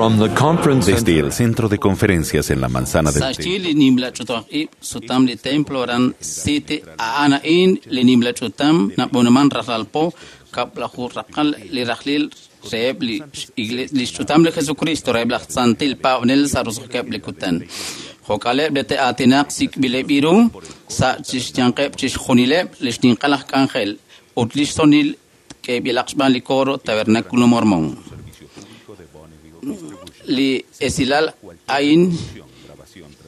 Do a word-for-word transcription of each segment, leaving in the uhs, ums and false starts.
From the conference Desde el centro de conferencias en la manzana del Sa Templo, xyi li nimla ch'utam ib' sutam li templo aran City a'an a'in li nimla ch'utam nab'onuman rajlal po kab'laju raqal li rajlil reheb' li igle- li xch'utam li Jesucristo reheb' laj santil paab'anel sa' roso'jikeb' li kutan. Jo'kaleb' li te'aatinaq sik'b'ileb' iru sa' chixyanqeb' chixjunileb' li xninqal aj k'anjel ut li xsonil k'eeb'ilaq xb'aan li coro Tabernáculo Mormón. Li esilal a'in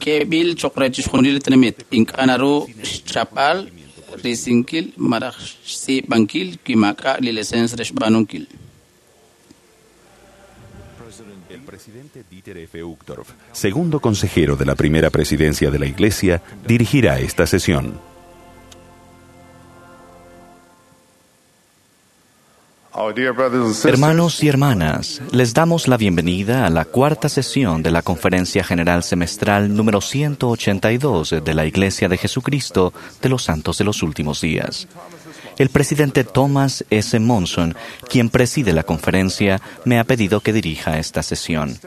k'eeb'il cho'q re chixjunil li tenamit ink'a' naru xchapb'al risinkil malaj xtz'iib'ankil wi maak'a' li licencia re xb'aanunkil. El presidente Dieter F. Uchtdorf, segundo consejero de la primera presidencia de la Iglesia, dirigirá esta sesión. Our dear brothers and sisters, Hermanos y hermanas, les damos la bienvenida a la cuarta sesión de la Conferencia General Semestral número ciento ochenta y dos de la Iglesia de Jesucristo de los Santos de los Últimos Días. El presidente Thomas S. Monson, quien preside la conferencia, me ha pedido que dirija esta sesión.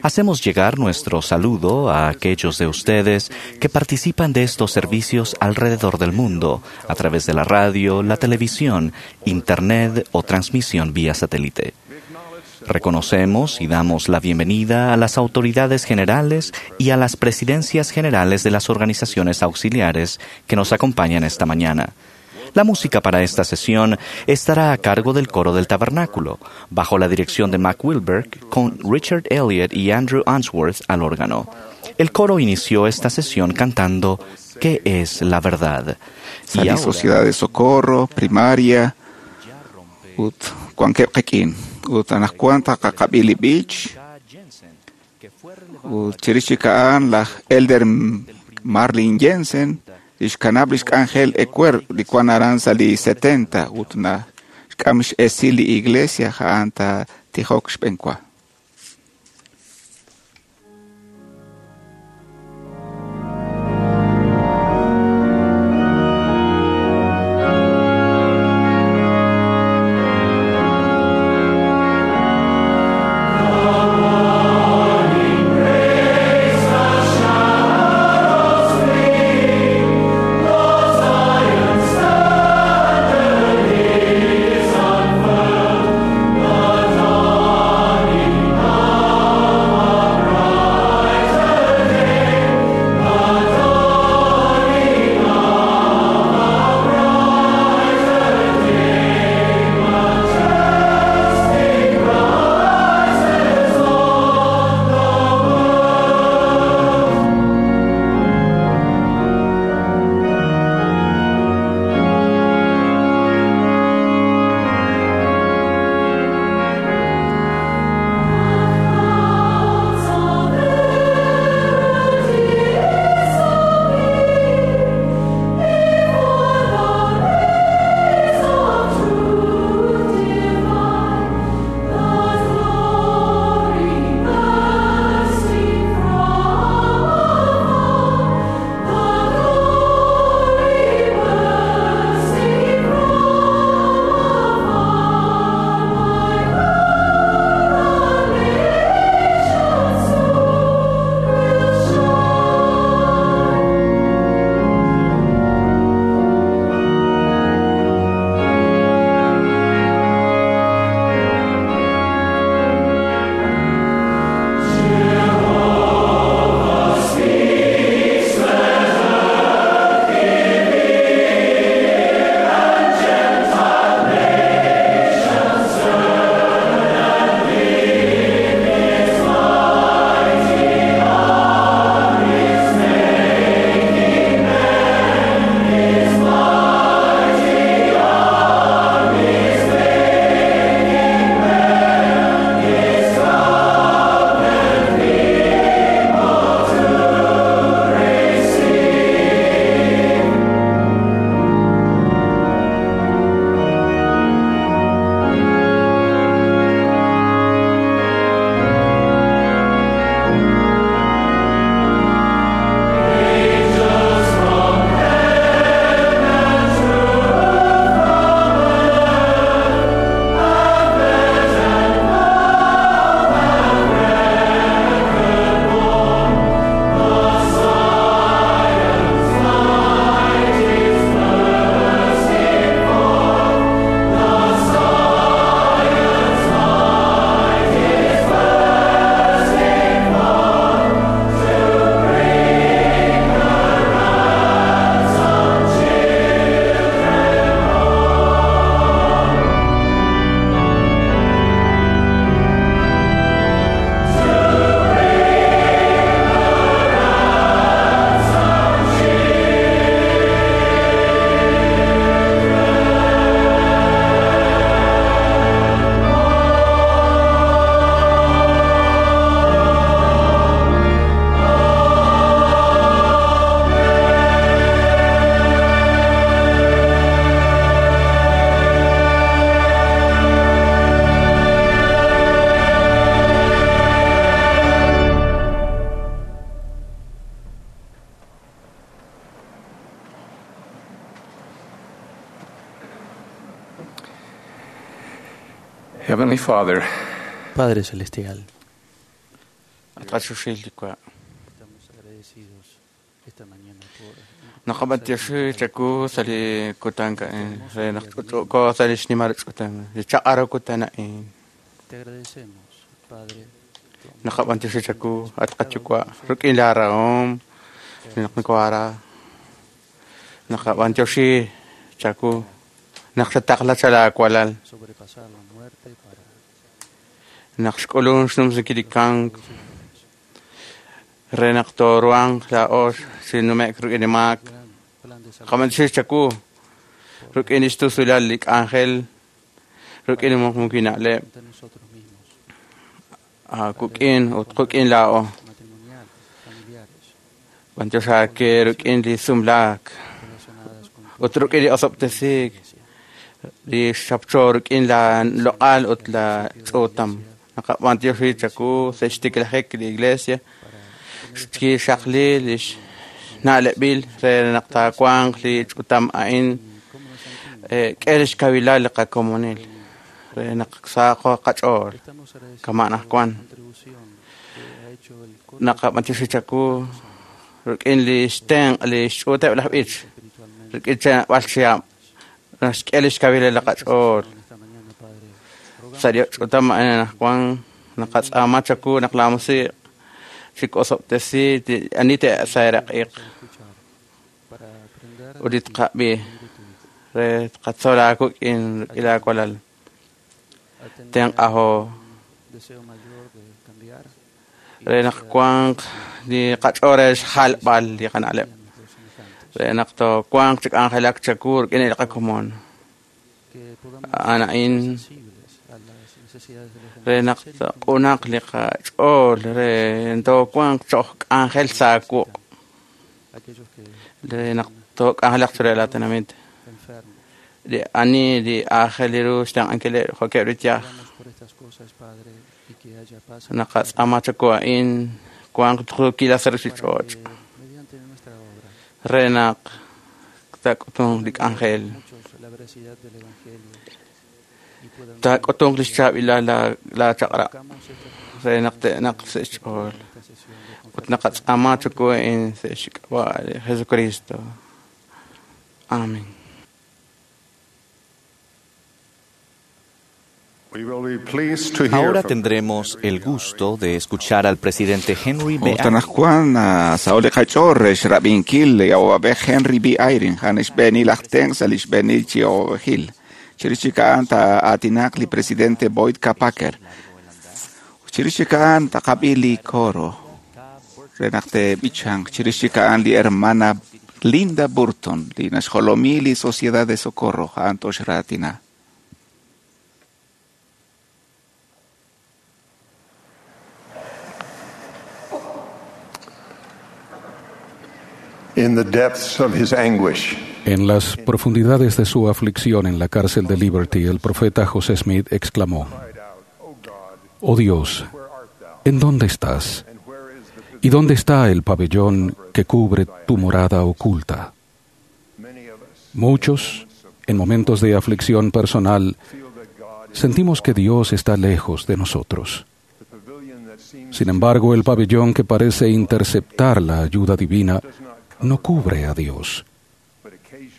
Hacemos llegar nuestro saludo a aquellos de ustedes que participan de estos servicios alrededor del mundo, a través de la radio, la televisión, internet o transmisión vía satélite. Reconocemos y damos la bienvenida a las autoridades generales y a las presidencias generales de las organizaciones auxiliares que nos acompañan esta mañana. La música para esta sesión estará a cargo del coro del Tabernáculo, bajo la dirección de Mac Wilberg, con Richard Elliott y Andrew Answorth al órgano. El coro inició esta sesión cantando ¿Qué es la verdad? Sa Y li ahora, Sociedad de Socorro, Primaria, ut wankeb' qik'in, ut anaqwan taqaqab'i li b'ich, ut chirix chik a'an laj Elder Marlin Jensen, lix kanab' lix k'anjel ecuer li wan aran sa' li setenta, ut na xk'am x'esil li iglesia ja'an ta tijok xb'enwa. Thank Heavenly Father, Padre Celestial, Estamos agradecidos esta mañana por Te agradecemos, Padre, sobrepasar la muerte para Naqxk'ulun xnumsinkilikank re naq toruanq la'ox xinumek ruk'in mak qamantixix chaku ruk'in ixtusulal li k'anjel ruk'in muqmukina'leb kuk'in ut quk'in la'o b'antioxake ruk'in li sumlaak ut ruk'in li osob'tesik li xapcho ruk'in la loq'al ut la ch'utam naqab'antioxi chaku sextiklajek li iglesia xkixaqli li xna'leb'il re naq taawanq li ch'utam a'in k'e li xkawilal li qakomonil re naq saaqo qach'ool kama' najwan naqab'antioxi chaku ruk'in li xtenq' li xch'uuteb' laj b'ich ruk'in chenab'al chihab' naxk'e li xkawilal li qach'ool sa' li ch'utam a'in najwan naqatz'aama chaku naq la musiq xik'osob'tesi ani te'sayraq'iq ut li tqab'i re tqatzol aakuk'in ruk'in laakualal tenq'ajo re naq wanq li qach'ool re xjalb'al li qana'leb' re naq toowanq chi k'anjelak chaku ruk'in li qakomon a'an a'in re naq q'unaq li qach'ool re toowanq cho'j k'anjel saakuq re naq took'anjelaq chire la tenamit li ani li aajel li ru xtenq'ankileb' jo'keb' li yaj naqatz'aama chaku a'in wanq tqukila sa' ruchich'och' re naq taak'utunq li k'anjel taak'utunq li xchaab'ilal la chaq'rab' re naq te'naq sa' xch'ool ut naqatz'aama chaku a'in sa' xk'ab'a' li Jesucristo. Amén. Ahora tendremos el gusto de escuchar al presidente Henry B. Utanajwan saoli qach'or xrab'inkil awab'ej Henry B. Eyring han xb'eenil aj tenq sa' li xb'eenil chi awab'ejil chirix chik a'an taa'aatinaq li presidente Boyd K. Packer chirix chik a'an taqab'i li coro re naq te'b'ichanq chirix chik a'an li hermana Linda Burton li naxjolomi li Sociedad de Socorro a'an toxraatina. In the depths of his anguish, En las profundidades de su aflicción en la cárcel de Liberty, el profeta José Smith exclamó, «Oh Dios, ¿en dónde estás? ¿Y dónde está el pabellón que cubre tu morada oculta?» Muchos, en momentos de aflicción personal, sentimos que Dios está lejos de nosotros. Sin embargo, el pabellón que parece interceptar la ayuda divina no cubre a Dios.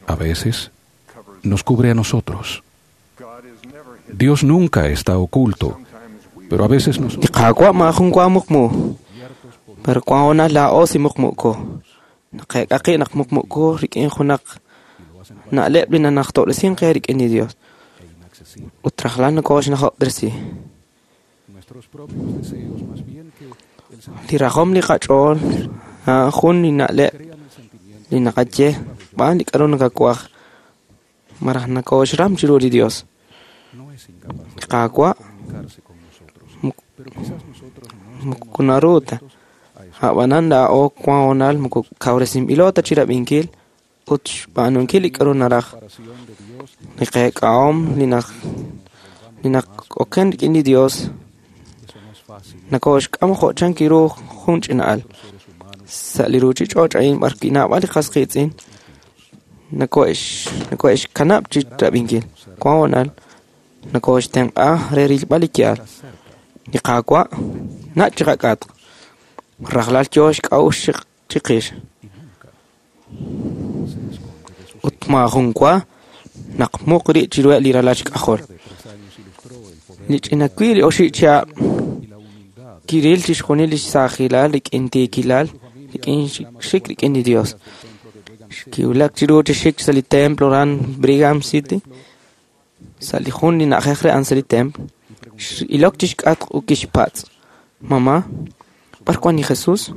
A veces, nos cubre a nosotros. Dios nunca está oculto, pero a veces nosotros... Li naqaye b'an li k'aru nakakuaj maraj nakoxram chiru li Dios Qaawa' moko naru ta a'b'anan laa'o wan honal moko kawresinb'ilo ta chirab'inkil ut xb'aanunkil li k'aru naraj li qeek'ahom li naq li naqoken rik'in li Dios nakoxk'am jo' chan kiru jun ch'ina'al sa' li ruchich'och' a'in b'ar naab'al li qas qiitz'in nako'ex nako'exkanab' chi rab'inkil wan honal Nokooxtenq'a re rilb'al li yaal. Li Qaawa' nach' chiqak'atq. Rajlal yo xk'a'uxl chiqix. Ut maajun wa naq muq rib' chiruheb' li ralal xk'ajol. Li ch'ina wi' li oxib' chihab' kiril chixjunil li xsaajilal rik'in tiikilal, rik'in xik rik'in li Dios. Kiwulak chiru chi xik sa' li templo aran Brigham City, sa' li jun li na'ajej re a'an sa' li templo. X'ilok chixk'atq ut kixpatz': Mamá, b'ar wan li Jesus?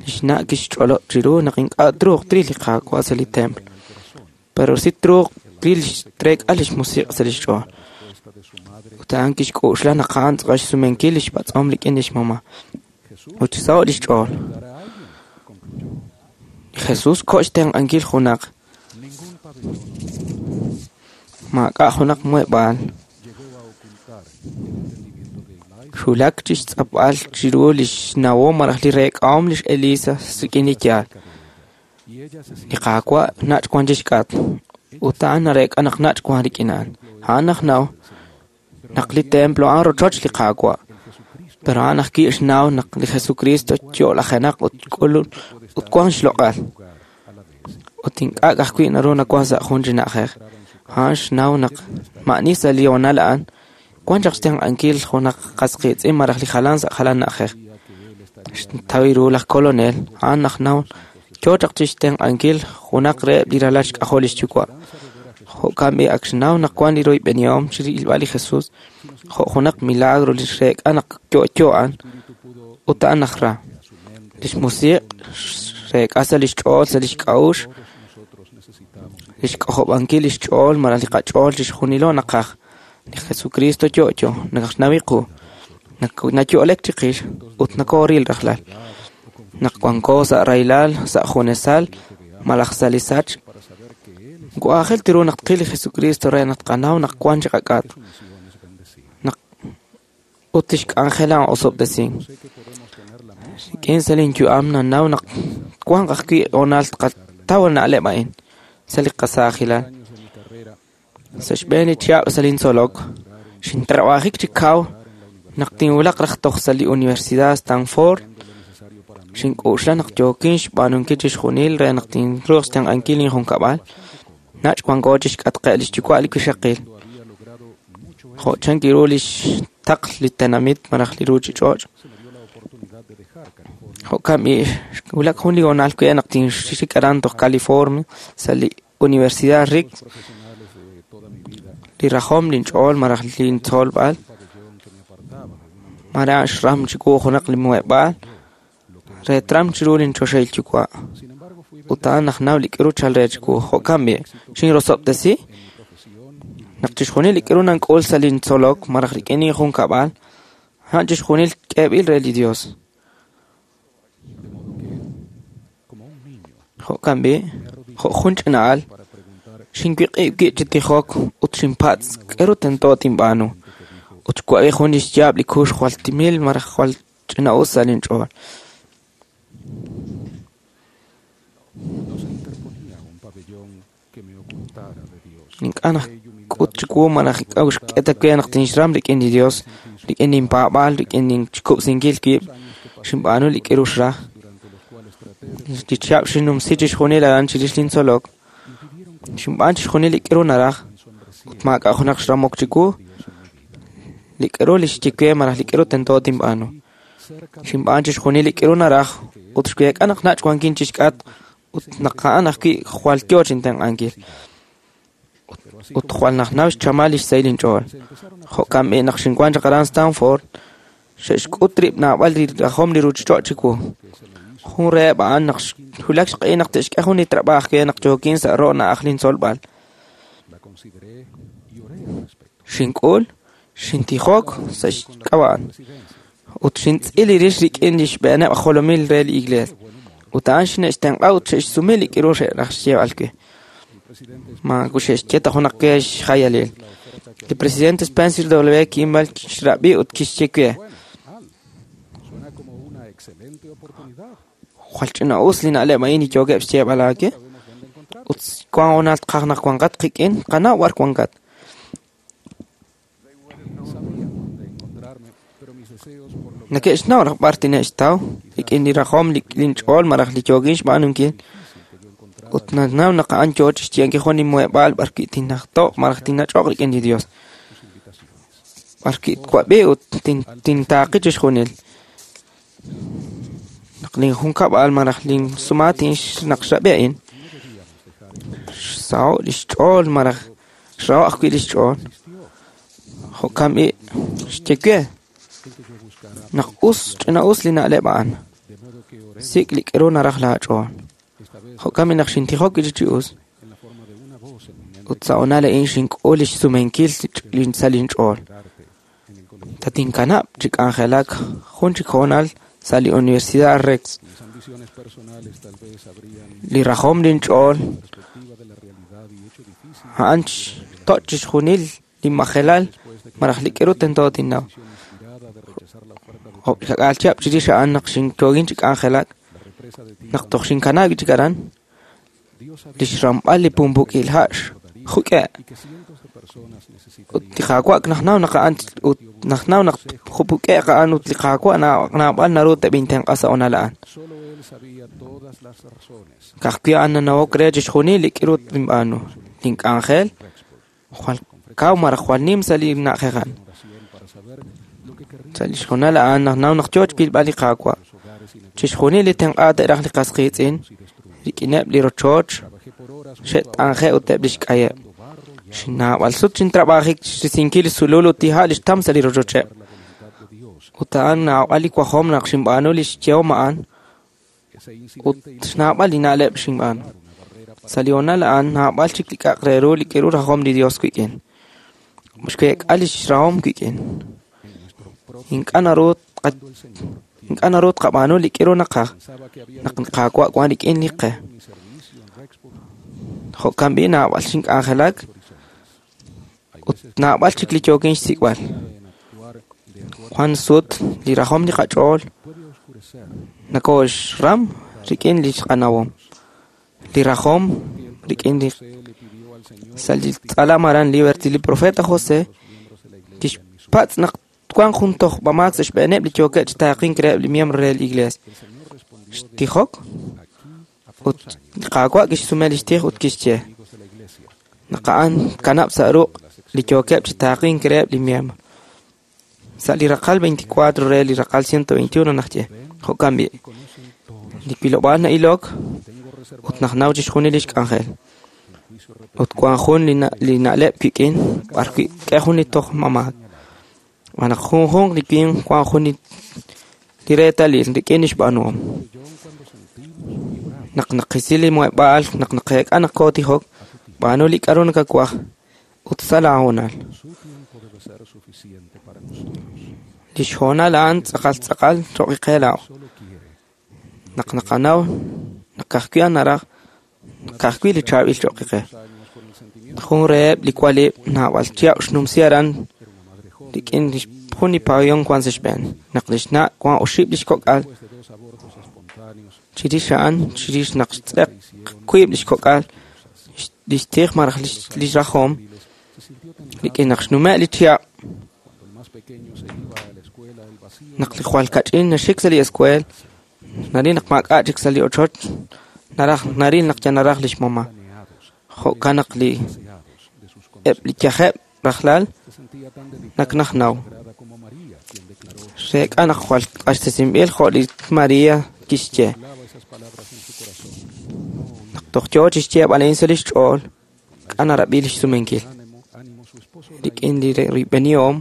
Lix na' kixch'olob' chiru naq ink'a' truuq tril li Qaawa' sa' li templo, pero si truuq tril trek'a lix musiq' sa' lix ch'ool. Ut a'an kixk'oxla naq a'an tz'aqal xsumenkil lix patz'om rik'in lix mamá. Ut xsaho' lix ch'ool. Li Jesus ko' xtenq'ankil junaq. Maak'a' junaq muheb'aal. Xwulak chixtz'apb'al chiru lix nawom malaj li reek'ahom lix Elisa rik'in li yaal. Li Qaawa' nach' wan chixk'atq, ut a'an nareek'a naq nach' wan rik'in a'an. A'an najnaw naq li templo a'an rochoch li Qaawa', pero a'an ajwi' xnaw naq li Jesucristo yo'lajenaq ut k'ulun ut wan xloq'al. Ut ink'a' ajwi' naru nawan sa' jun chi na'ajej. A'an xnaw naq ma'ani sa' li hoonal a'an wan chaq xtenq'ankil junaq qas qiitz'in malaj li jalan sa' jalan na'ajej. Xtaw ru laj kolonel, a'an najnaw yo chaq chixtenq'ankil junaq reheb' li ralal xk'ajol lix yuwa'. Jo'kan b'i ak xnaw naq wan li royb'enihom chirilb'al li Jesus jo' junaq milagro li xreek'a naq yo'yo a'an ut a'an najra. Lix musiq' xreek'a sa' lix ch'ool sa' lix k'a'uxl, lix k'ojob'ankil lix ch'ool malaj li qach'ool chixjunilo naqaj. Li Jesucristo yo'yo, naqnaw qu, nayo'lek chiqix ut nokooril rajlal. Naq wanko sa' rahilal, sa' junesal, malaj sa' li sachk, aajel ru naq tqil li Jesucristo re naq tqanaw naq wan chiqak'atq. Naq ut tixk'anjela osob'tesink. Rik'in sa' linyu'am nannaw naq wanq ajwi' hoonal tqataw na'leb' a'in sa' li qasaajilal. Sa' xb'een li chihab' sa' lintzolok, xintrab'ajik chi kaw naq tinwulaq raj toj sa' li Universidad Stanford. Xink'oxla naq yookin xb'aanunkil chixjunil re naq tinruuq xtenq'ankil linjunkab'al. Nach' wanko chixk'atqeb' lix yuwa' li wixaqil. Jo' chan kiru lix taql li tenamit malaj li ruuchich'och'. Jo'kan b'i' xwulak jun li hoonal wi' naq tinxik aran toj California sa' li Universidad Rick. Li rajom linch'ool malaj lintzolb'al mare a'an xram chiwu junaq li muheb'aal re tram chiru linchoxahil yuwa'. Ut a'an najnaw li k'aru chal re chiwu. Jo'kan b'i' xinrosob'tesi naq chixjunil li k'aru nank'ul sa' lintzolok malaj rik'in linjunkab'al, a'an chixjunil k'eeb'il re li Dios. Jo'kan b'i' jo' jun ch'ina'al xinwiq'ib' wib' chi tijok ut xinpatz' k'aru tento tinb'aanu. Ut xwab'i jun li xyaab' li kuux jwal timil malaj jwal ch'ina'us sa' linch'ool. Ink'a' nak'ut chiwu malaj ink'a' xk'e ta we naq tinxram rik'in li Dios, rik'in linpaab'aal, rik'in linxkub'sinkil wib', xinb'aanu li k'aru xraj. Li chihab' xinnumsi chixjunil aran chirix lintzolok. Xinb'aan chixjunil li k'aru naraj ut maak'a' junaq xramok chiwu li k'aru li xye we malaj li k'aru tento tinb'aanu. Xinb'aan chixjunil li k'aru naraj ut xweek'a naq nach' wankin chixk'atq ut naq a'an ajwi' jwal yo chintenq'ankil. Ut jwal najnaw xchamal lix sahil inch'ool. Jo'kan b'i' naq xinwan chaq aran Stanford, xe'xk'ut rib' naab'al li rajom li ruuchich'och' chiwu. Jun reheb' a'an naq xwulak xq'ehil naq te'xk'e jun li trab'aaj we naq yookin sa' ro' na'aj lintzolb'al. Xink'ul, xintijok sa' xk'ab'a'an ut xintz'il rix rik'in li xb'eeneb' jolomil re li iglees. Ut a'an xine'xtenq'a ut xe'xsume li k'aru xe'raj xyeeb'al we. Ma xe'xye ta junaq we xjayalil. Li presidente Spencer W. Kimball xrab'i ut kixye we: Jwal ch'ina'us li na'leb' a'in li yookeb' xyeeb'al aawe. Ut wan hoonal tqaj naq wanqat qik'in, qanaw b'ar wankat. Neke'xnaw raj b'ar tine'xtaw rik'in li rajom linch'ool malaj li yookin xb'aanunkil. Ut nanaw naq a'an yoo chixye'ankil jun li muheb'aal b'arwi' tinnajto'q malaj tinnach'oq rik'in li Dios. B'arwi' twab'i ut tintaaqi chixjunil. Naq linjunkab'al malaj linsumatin naq xrab'i a'in, xsaho' li xch'ool malaj xraho' ajwi' li xch'ool. Jo'kan b'i' xye we naq us ch'ina'us li na'leb' a'an. Sik' li k'aru naraj laach'ool. Jo'kan b'i' naq xintijok wi' chi us. Ut sa' honal a'in xink'ul li xsumenkil sa' linch'ool. Tatinkanab' chi k'anjelak jun chik hoonal sa' li Universidad Rex. Li rajom linch'ool a'an toch' chixjunil li majelal malaj li k'aru tento tinnaw. Jo'kak'aal chihab' chirix a'an naq xinyoogin chi k'anjelak, naq toj xinkanaak wi' chik aran, li xramb'al li pumpuk'il ha' xjuk'e'. Ut li Qaawa' najnaw naq a'an ut najnaw naq jupuk'e'q a'an ut li Qaawa' naab'al naru teb'intenq'a sa' honal a'an. Ka'ajwi' a'an nanawok re chixjunil li k'aru tinb'aanu. Link'anjel jwal kaw malaj jwal nim sa' li na'ajej a'an. Sa' li xhonal a'an najnaw naq yoo xwilb'al li Qaawa'. Chixjunil li tenq'a te'raj li qas qiitz'in rik'ineb' li rochoch xe't'anje' ut eb' li xk'ayeb'. Xnaab'al sut xintrab'ajik xrisinkil li sulul ut li ha' li xtam sa' li rochocheb'. Ut a'an naab'al li wajom naq xinb'aanu li xyehom a'an ut xnaab'al li na'leb' xinb'aanu. Sa' li honal a'an naab'al chik li k'a'aq re ru li k'aru rajom li Dios wik'in. Xweek'a li xrahom wik'in. Ink'a' naru ink'a' naru tqab'aanu li k'aru naqaj naq Qaawa' wan rik'in li qe. Jo'kan b'i' naab'al xink'anjelak ut naab'al chik li yookin xsik'b'al. Jwan sut li rajom li qach'ool nakooxram rik'in li xqanawom. Li rajom rik'in li sa' li tz'alam aran Liberty li profeta José kixpatz' naq twanq jun tojb'amaak sa' xb'eeneb' li yookeb' chi taaqink reheb' li miembro re li iglesia. Xtijok ut li Qaawa' kixsume li xtij ut kixye naq a'an kanab' sa' ruq' li yookeb' chi taaqink reheb' li miembro. Sa' li raqal veinticuatro re li raqal ciento veintiuno naxye jo'kan b'i' li wilob'aal na'ilok ut najnaw chixjunil li xk'anjel. Ut wan jun li na'leb' wik'in b'arwi' k'e jun li tojb'amaak. Naq junjunq li winq wan jun li reetalil rik'in li xb'aanuhom. Naq naqisi li muheb'aal, naq naqeek'a naq kootijok, b'aanu li k'aru nakawaj ut sa' laahoonal. Li xhoonal a'an tz'aqal tz'aqal cho'q qe laa'o. Naq naqanaw naq ka'ajwi' a'an naraj, ka'ajwi' li chaab'il cho'q qe. Jun reheb' li walib' naab'al chihab' xnumsi aran rik'in jun li pabellón wan sa' xb'een. Naq li xna' wan oxib' li xkok'al chirix a'an chirix naq xtz'eq wiib' li xkok'al li xtij malaj li xrajom rik'in naq xnume' li chihab' naq li jwal kach'in naxik sa' li escuela naril naq maak'a' chik sa' li ochoch naraj naril naq ya naraj li xmama. Jo'kan naq li eb' li yajeb' rajlal naq najnaw. Xreek'a naq jwal q'axtesinb'il jo' li María kixye. Naq toj yoo chixyeeb'al a'in sa' li xch'ool, k'a narab'i li xsumenkil. Rik'in li rib'enihom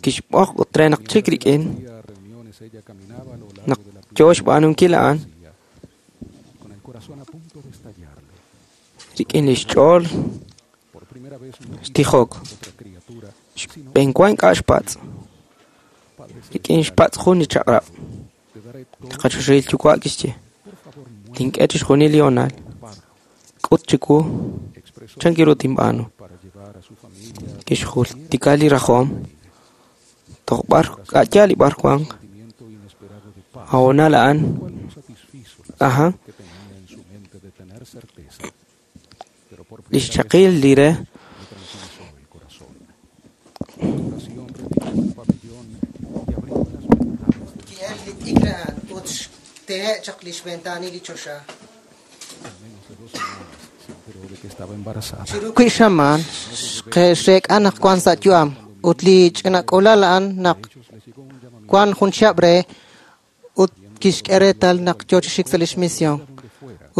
kixb'oq ut re naq chik rik'in naq yoo xb'aanunkil a'an rik'in li xch'ool xtijok. Xb'enwa ink'a' xpatz'. Rik'in xpatz' jun li chaq'rab'. Li qachoxahil yuwa' kixye tink'e chixjunil li hoonal. K'ut chiwu chan ru tinb'aanu. Kixjultika li rajom toj b'ar k'a'yaal li b'ar wanq. Hoonal a'an aja li xchaqil li re t'ikr a'an ut xtehe' chaq lix ventaanil li choxa. Estaba embarazada. Chiru xamaan xreek'a naq wan sa' yu'am ut li ch'ina k'uula'al a'an naq wan jun chihab' re ut kixk'e reetal naq yoo chi xik sa' lix misión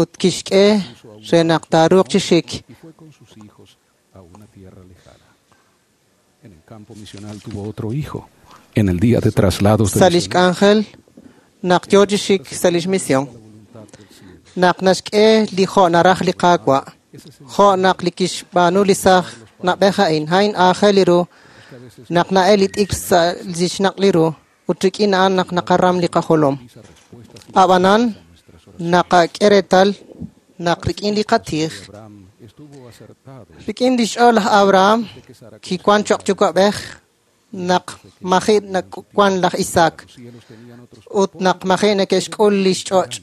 ut kixk'e re naq taaruuq chi xik. Y fue con sus hijos a una tierra lejana. En el campo misional tuvo otro hijo. En el día de traslados de Sa' lix k'anjel naq yoo chi xik sa' lix misión naq naxk'e li jo' naraj li Qaawa' jo' naq li kixb'aanu li saaj na'b'ej a'in a'in aajel li ru naq na'el li t'ikr sa' lix naq' li ru ut rik'in a'an naq naqaram li qajolom. Ab'anan naqak'e reetal naq rik'in li qatij Abraham estuvo acertado rik'in lix ch'ool laj Abraham kiwan choq' yuwa'b'ej naq maji' nawan laj Isaac ut naq maji' neke'xk'ul lix ch'och'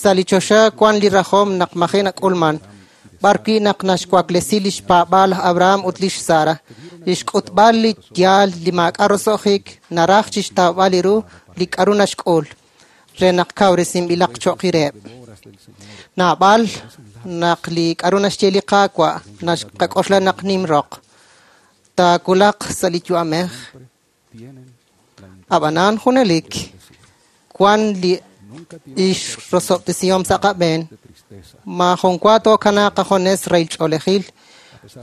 sa' li choxa wan li rajom naq maji' nak'ulman b'ar wi' naq naxwaklesi lix paab'aal laj Abraham ut lix Sara lix k'utb'al li yaal li maak'a' roso'jik naraj chixtawb'al li ru li k'a'ru naxk'ul re naq kawresinb'ilaq cho'q reheb'. Naab'al naq li k'a'ru naxye li Qaawa' naxqak'oxla naq nim roq taawulaq sa' li yu'amej tienen la ab'anan junelik wan li ix rosob'tesihom sa' qab'een de tristeza. maajun wa tookanaaq qajones rahil ch'oolejil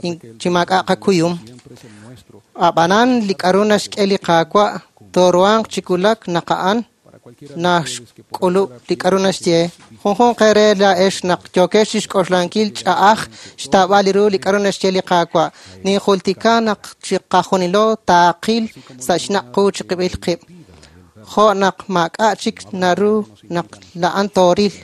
in- chi maak'a' qakuyum Siempre es el nuestro ab'anan li k'a'ru naxk'e li Qaawa' tooruhanq chi wulak naq a'an para cualquiera de ustedes que por naxk'ulub' li k'a'ru naxye junjunq eere laa'ex naq yookex chixk'oxlankil ch'a'aj xtaab'al li ru li k'a'ru naxye li Qaawa' ninjultika naq chiqajunilo taaqil sa' xnaq' qu chiqib'il qib' jo' naq maak'a' chik naru naq la'an tooril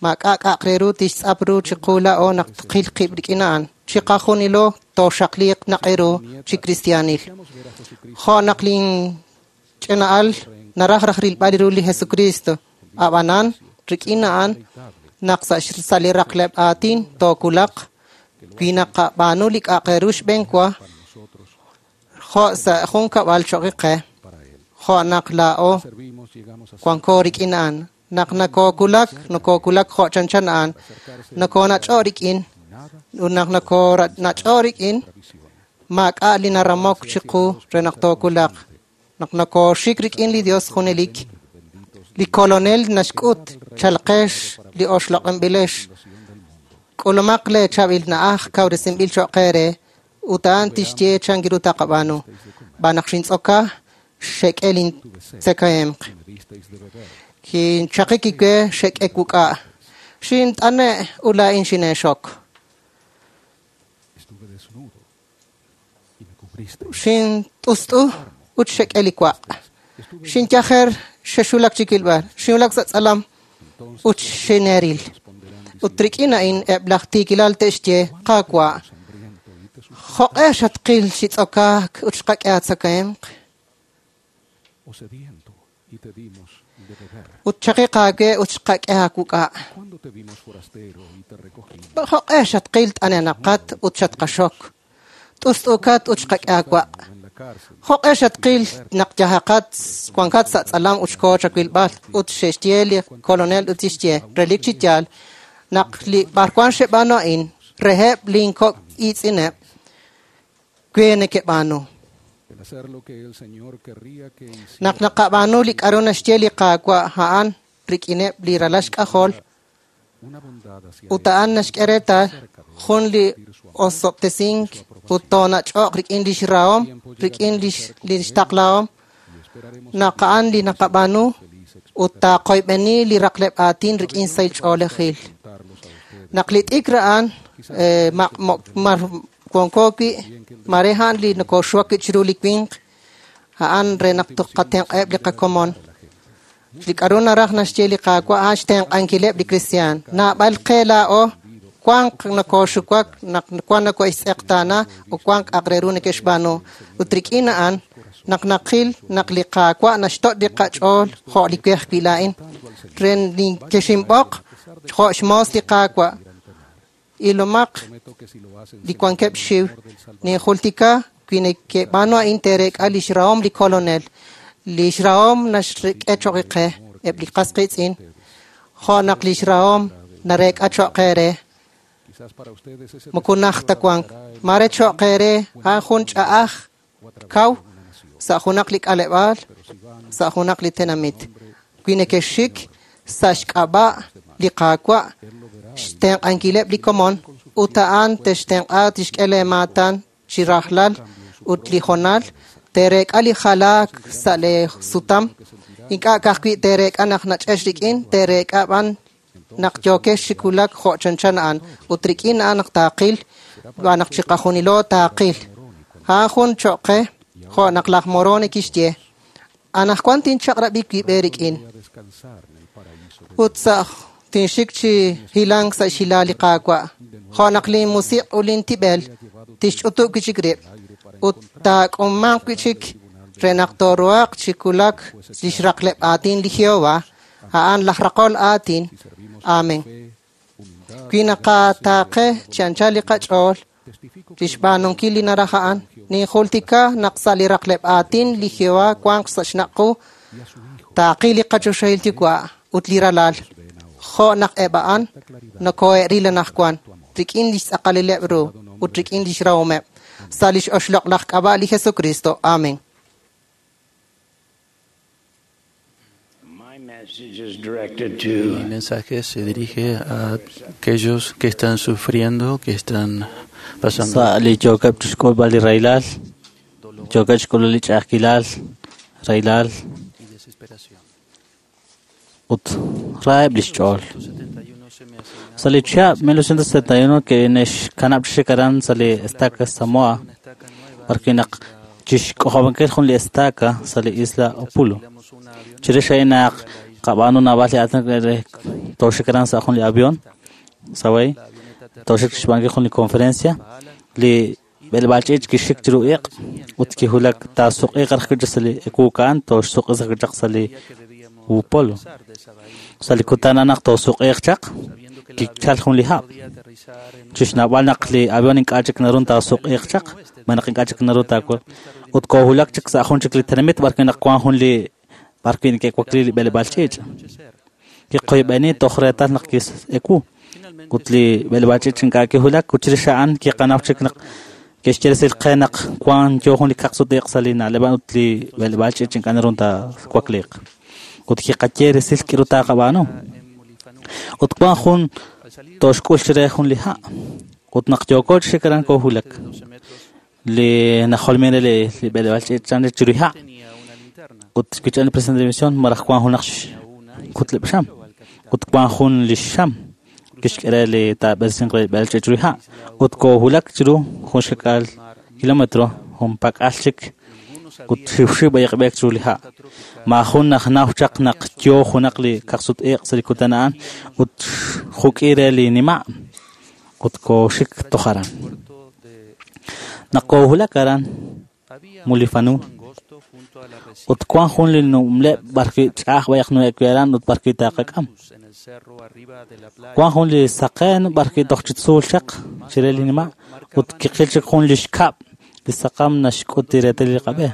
maak'a' k'a'aq re ru tixtz'ap ru chiqu laa'o naq tqil qib' rik'in a'an chiqajunilo tooxaqliiq naq'eru chi kristiaanil jo' naq lin ch'ina'al naraj raj rilb'al ru li Jesucristo ab'anan rik'in a'an naq sa' x- sa' li raqleb' aatin tookulaq wi naqab'aanu li k'a'aq re ru xb'een wa jo' sa' jun kab'al cho'q qe jo' naq laa'o servimos llegamos a ser wanko rik'in a'an naq nakokulak nakokulak jo' chanchan a'an nakonach'o rik'in ut naq nakonach'o rik'in maak'a' li naramok chiqu re naq tookulaq naq nakoxik rik'in li Dios junelik li kolonel naxk'ut chalqex li oxloq'inb'ilex k'ulumaq le chaab'il na'aj kawresinb'il cho'q eere ut a'an tixye chan ru taqab'aanu b'an naq xintz'oka xek'e lin tzekahemq me disteis de beber. kinchaqik iwe xek'e wuk'a' xint'ane' ut laa'in xineexok Estuve desnudo y me cubristeis. xint'ust'u ut xek'e li wa' xinyajer xexulak chi kilb'al xinwulak sa' tz'alam ut xineeril ut rik'in a'in eb' laj tiikilal te'xye Qaawa' Hambriento y te sus- jo'q'e xatqil xitz'okaak ut xqak'e aatzakahemq o sediento y te dimos de beber. ut chaqiq aawe ut xqak'e aawuk'a' Cuando te vimos forastero y te recogimos. jo'q'e xatqil t'anenaqat ut xatqaxok t'ust'ukat ut xqak'e aawa' En la cárcel jo'q'e xatqil naq yajaqat wankat sa' tz'alam ut xkoo chawilb'al ut xe'xye li kolonel ut tixye relik chi yaal naq li b'arwan xeb'aanu a'in reheb' linkok' iitz'ineb' we neke'b'aanu el hacer lo que el Señor querría que naq hiciera naqab'aanu li k'a'ru naxye li Qaawa' a'an rik'ineb' li ralal xk'ajol una bondad hacia ut a'an naxk'e reetal jun li osob'tesink ut toonach'oq rik'in lix rahom rik'in lix lix taqlahom y esperaremos naq a'an li naqab'aanu ut taaqoyb'eni li raqleb' aatin rik'in sahil ch'oolejil contarlos a ustedes naq li t'ikr a'an eh, ma- mo- mar wanko wi' mare a'an li nokoxuwak wi' chiru li winq a'an re naq tqatenq'eb' li qakomon li k'a'ru naraj naxye li Qaawa' a'an xtenq'ankileb' li kristiaan naab'al qe laa'o wanq nokoxuwak naq wan nokoxtz'eqtaana ut wank k'a'aq re ru neke'xb'aanu ut rik'in a'an naq naqil naq li Qaawa' naxto' li qach'ool jo' li we ajwi' laa'in re ninkexinb'oq jo' xmoos li Qaawa' ilomaq prometo que si lo hacen li wankeb' xxiw ninjultika wi neke'b'aanu a'in teerek'a lix rahom li kolonel lix rahom naxk'e choq' qe amor eb' li qas qiitz'in, jo' naq lix rahom nareek'a cho'q eere. Moko najt ta wank. Mare cho'q eere a'an jun ch'a'aj kaw sa' junaq li k'aleb'aal, sa' junaq li tenamit. Wi nekexxik sa' xk'ab'a' li Qaawa' xtenq'ankileb' li komon, ut a'an textenq'a tixk'e leemaatan chi rajlal ut li honal teereek'a li jalaak sa' lee sutam. Ink'a' ka'ajwi' teereek'a naq nach'ex rik'in, teereek'a b'an naq yookex chi wulak jo' chanchan a'an, ut rik'in a'an naq taaqil, b'an naq chiqajunilo taaqil. A'an jun cho'q qe, jo' naq laj Moroni kixye, anaqwan tinchaq'rab'i wib' eerik'in. Ut sa' tinxik chi hilank sa' xhilaal li Qaawa', jo' naq linmusiq' ut lintib'el tixch'utub' wi' chik rib', ut taak'umanq wi' chik re naq tooruhaq chi wulak lix raqleb' aatin li Jehová, a'an laj raqol aatin. Amen. Wi naqataaqe chi anchal li qach'ool lix b'aanunkil li naraj a'an, ninjultika naq sa' li raqleb' aatin li Jehová wanq sa' xnaq' qu, taaqil li qachoxahil yuwa' ut li ralal, jo' naq eb' a'an nokohe'ril anaqwan rik'in lix tz'aqalileb' ru ut rik'in lix rahomeb'. Sa' lix oxloq' laj k'ab'a' li Jesucristo. Amen. Mi mensaje se dirige a aquellos que están sufriendo, que están pasando Sa' li yookeb' chixk'ulb'al li rahilal, yookeb' chixk'ulb'al li ch'a'ajkilal, rahilal y desesperación. ut raheb' lix ch'ool. Sa' li chihab' mil ochocientos setenta y uno kine'xkanab' chi xik aran sa' li estaca Samoa, b'arwi' naq chixk'ojob'ankil jun li estaca sa' li isla Upolu. Chirix a'in naq qab'aanu naab'al li aatinak re tooxik aran sa' jun li avión, Saway, tooxik chixb'aanunkil jun li conferencia, li b'eleb'aal ch'iich' kixik chiru iq' ut kiwulak taasuq'iiq raj wi' chaq sa' li ekuukaan, tooxsuq'i sa' chaq sa' li Upolu. Sa' li kutan a'an naq toosuq'iiq chaq, kichal jun li hab'. Chixnawb'al naq li avión ink'a' chik naru taasuq'iiq chaq, ma naq ink'a' chik naru taakul. Ut koowulak chik sa' jun chik li tenamit b'arwi' naq wank jun li b'arwi' neke'wakli li b'eleb'aal ch'iich'. Kiqoyb'eni toj reetal naq ki'ewu. Ut li b'eleb'aal ch'iich' ink'a' kiwulak, ut chirix a'an kiqanaw chik naq ke'xye resil qe naq wank yo jun li kaqsut-iq' sa' li na'leb' ut li b'eleb'aal ch'iich' ink'a' naru taawakliiq. Ut kiqaye resil k'iru taaqab'aanu. Ut wank jun tooxk'ul chire jun li ha'. Ut naq yooko chi xik aran koowulak. Li najolmin re li li b'eleb'aal ch'iich' chan chiru li ha'. Ut kich'an li presidente de misión maraj wank junaq kutleb' xam. Ut wank jun li xam kixk'e re li taab'eresinq re li b'eleb'aal ch'iich' chiru li ha'. Ut koowulak chiru jun xkak'aal kilómetro junpak'al chik ut xiwxiw b'ayaq b'eek chiru li ha'. Maajun najnaw chaq naq yo junaq li kaqsut-iq' sa' li kutan a'an ut juk'i re li nima' ut kooxik toj aran. Naq koowulak aran Mulifanu, ut wank jun li numleb' b'arwi' ch'a'aj b'ayaq nu'ek wi' aran ut b'arwi' taaqak'am. Wank jun li saqen b'arwi' toj chi tzuul chaq chire li nima' ut kiqil chik jun li xkab' li saqam naxk'ut li reetal li qab'e.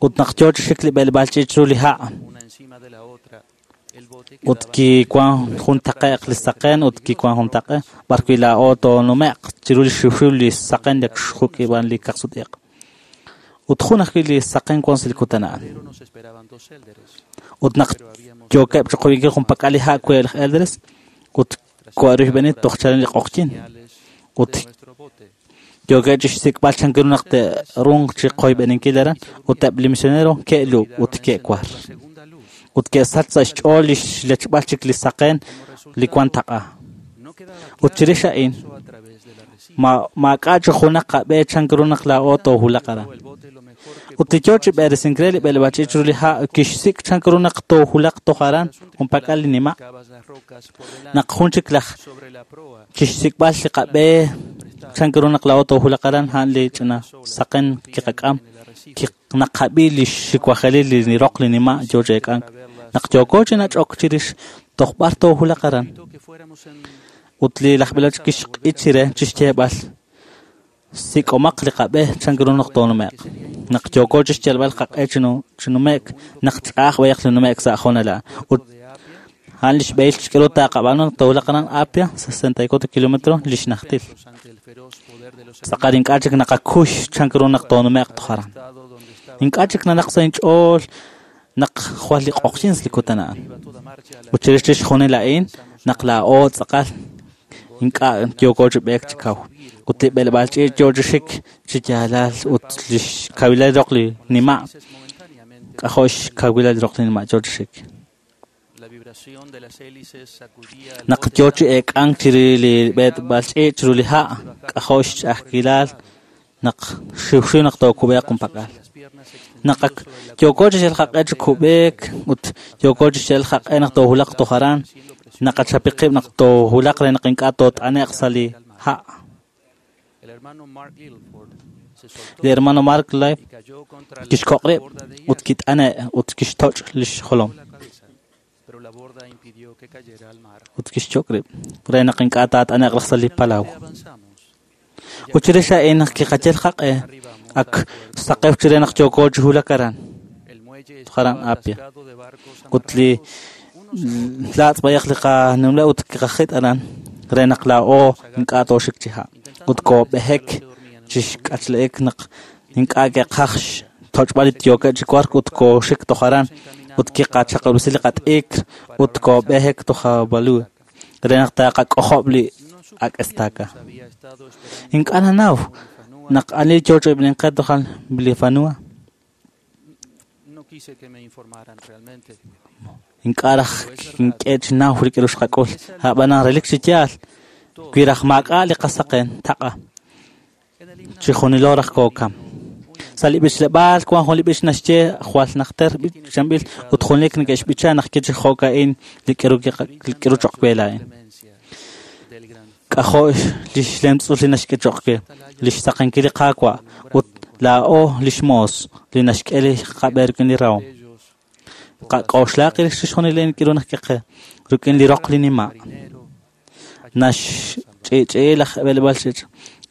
Ut naq yo chi xik li b'eleb'aal ch'iich' chiru li ha', ut kiwank jun taqe'q li saqen ut kiwank jun taqe b'arwi' laa'o toonume'q chiru li xiwxiw li saqen li xjuk'i b'an li kaqsut-iq'. Ut jun ajwi' li saqen wank sa' li kutan a'an. Ut naq yookeb' chiqoyb'inkil junpak'al li ha' we laj elders, ut ko'arixb'eni toj chalen li q'oqyin. Ut yookeb' chixsik'b'al chan ru naq te'runq chiqoyb'eninkil aran, ut eb' li misionero ke'lub' ut ke'war. Ut ke'sach sa' xch'ool li xlechb'al chik li saqen li wank taq'a. Ut chirix a'in, ma maak'a' chi junaq qab'e chan ru naq laa'o toowulaq aran. Ut li yo chi b'eresink re li b'eleb'aal ch'iich' chiru li ha' kixsik' chan ru naq toowulaq toj aran junpak'al li nima'. Naq jun chik laj chixsik'b'al li qab'e chan ru naq laa'o toowulaq aran a'an li ch'ina saqen kiqak'am naqab'i li xiwajelil li roq li nima' yo chi eek'ank. Naq yooko chi nach'ok chirix toj b'ar toowulaq aran. Ut li laj b'eleb'aal kixq'i chire chixyeeb'al Sik'omaq li qab'e chan ru naq toonume'q. Naq yooko chi xyalb'al qaq'e chi nume'k, naq ch'a'aj b'ayaq li nume'k sa' hoonal a'an. Ut a'an li xb'ehil k'aru taaqab'aanu naq toowulaq aran Apia, sesenta y cuatro kilómetros li xnajtil. Tz'aqal ink'a' chik naqakuy chan ru naq toonume'q toj aran. Ink'a' chik nanaq sa' inch'ool naq jwal li q'oqyink li kutan a'an. Ut chirix chixjunil a'in naq laa'o tz'aqal ink'a' yooko chi b'eek chi kaw. Ut li b'eleb'aal ch'iich' yoo chi xik chi yaalal ut li xkawilal roq li nima', k'ajo' xkawilal roq li nima' yoo chi xik. Naq yoo chi eek'ank chiri li b'eleb'aal ch'iich' chiru li ha', k'ajo' xch'a'ajkilal naq xiwxiw naq tookub'eeq junpak'al. Naq ak yooko chi xyal qaq'e chi kub'eek ut yooko chi xyal qaq'e naq toowulaq toj aran, naqachapi qib' naq toowulaq re naq ink'a' toot'ane'q sa' li ha'. Li hermano Mark Life kixkoq' rib' ut kit'ane' ut kixtoch' li xjolom. Ut kixchok' rib' re naq ink'a' taat'ane'q raj sa' li palaw. Ut chirix a'in naq kiqayal qaq'e ak saqew chire naq yooko chi wulak aran, toj aran Apia. Ut li laatz' b'ayaq li qanumla ut kiqajit aran re naq laa'o ink'a' tooxik chi ha'. Ut koob'ejek chi xk'achle'ek naq ink'a' ke'qaj xtoch'b'al li yookeb' chi wark ut kooxik toj aran ut kiqachaq'rab'isi li qat'ikr ut koob'ejek toj Value re naq taaqak'ojob' li ak' estaca. Ink'a' nanaw naq ani yoo ch'ib'inqe toj Bilifanua. Ink'a' raj kink'e chi naw rik'in xqak'ul. A'b'anan relik chi yaal wi raj maak'a' li qasaqen taq'a chixjunilo raj kookam. Sa' li b'ichleb'aal wan jun li b'ich naxye jwal najter b'ichanb'il ut junelik neke'xb'icha naq ke chi jo'ka'in li k'aru li k'aru choq' we laa'in. K'ajo' li xlemtz'ul li naxk'e choq' we, li xsaqenkil li Qaawa' ut laa'o li xmoos li naxk'e li qab'e rik'in li rahom. Qak'oxlaq rix chixjunil li k'aru naq keqe rik'in li roq li nima'. Naxch'i'ch'i'i laj b'eleb'aal ch'iich'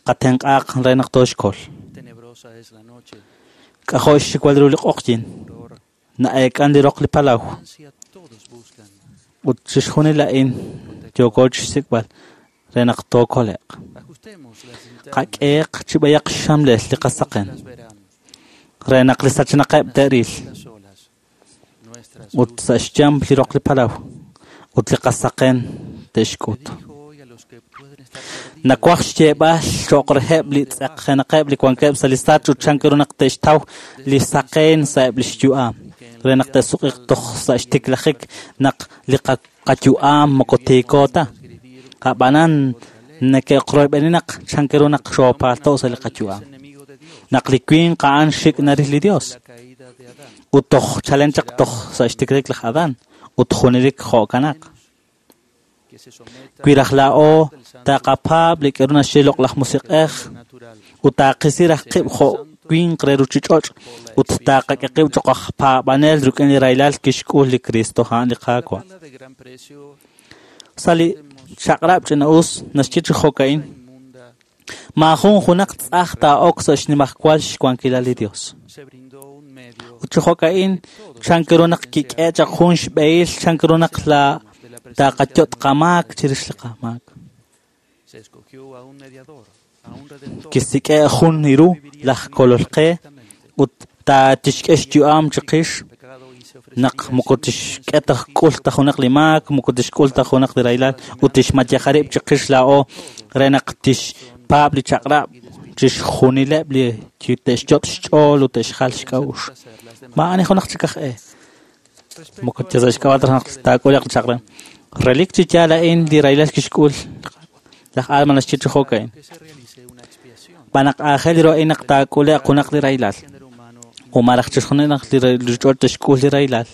qatenq'aaq re naq tooxkol. K'ajo' xxiwal ru li q'oqyink, na'eek'an li roq li palaw. Ut chixjunil a'in yooko chi xsik'b'al re naq tookole'q. Qak'eeq chi b'ayaq xxamlel li qasaqen re naq li sachenaqeb' te'ril. Ut sa' xyamp li roq li palaw ut li qasaqen te'xk'ut. Nawaj xyeeb'al cho'q reheb' li tz'aqjenaqeb' li wankeb' sa' li sach ut chan ru naq te'xtaw li saqen sa'eb' li xyu'am re naq te'suq'iq toj sa' xtiklajik naq li qayu'am moko tiiko ta. A'b'anan neke'qroyb'eni naq chan ru naq xoopaalto' sa' li qayu'am. Naq li winq a'an xik' naril li Dios ut toj chalen chaq toj sa' xtiklajik laj Adán ut junelik jo'kanaq. Wi raj laa'o taqapaab' li k'aru naxye loq'laj musiq'ej ut taaqisi raj qib' jo' winq re ruuchich'och' ut taaqak'e qib' cho'q aj paab'anel rik'in li rahilal kixk'ul li Cristo a'an li Qaawa'. Sa' li chaq'rab' ch'ina'us naxye chi jo'ka'in, maajun junaq tz'aj taa'ok sa' xnimajwal xwankilal li Dios. Ut chi jo'ka'in chan ru naq kik'e chaq jun xb'ehil chan ru naq la taqayot' qamaak chirix li qamaak. Kisik'e jun iru laj kolol qe ut taatixk'e xyu'am chiqix naq moko tixk'e ta k'ul ta junaq li maak, moko tixk'ul ta junaq li rahilal ut tixmayaja rib' chiqix laa'o re naq tixpaab' li chaq'rab' chixjunileb' li te'xyot' xch'ool ut te'xjal xk'a'uxl. Maa'ani junaq chik aj e. Moko sa' xk'ab'a' ta naq taak'ule'q li chaq'rab'. Relik chi yaal a'in li rahilal kixk'ul laj Alma naxye chi jo'ka'in. B'anaq aajel ru a'in naq taak'ule'q junaq li rahilal. O maraj chixjunil naq li ruuchich'och' te'xk'ul li rahilal.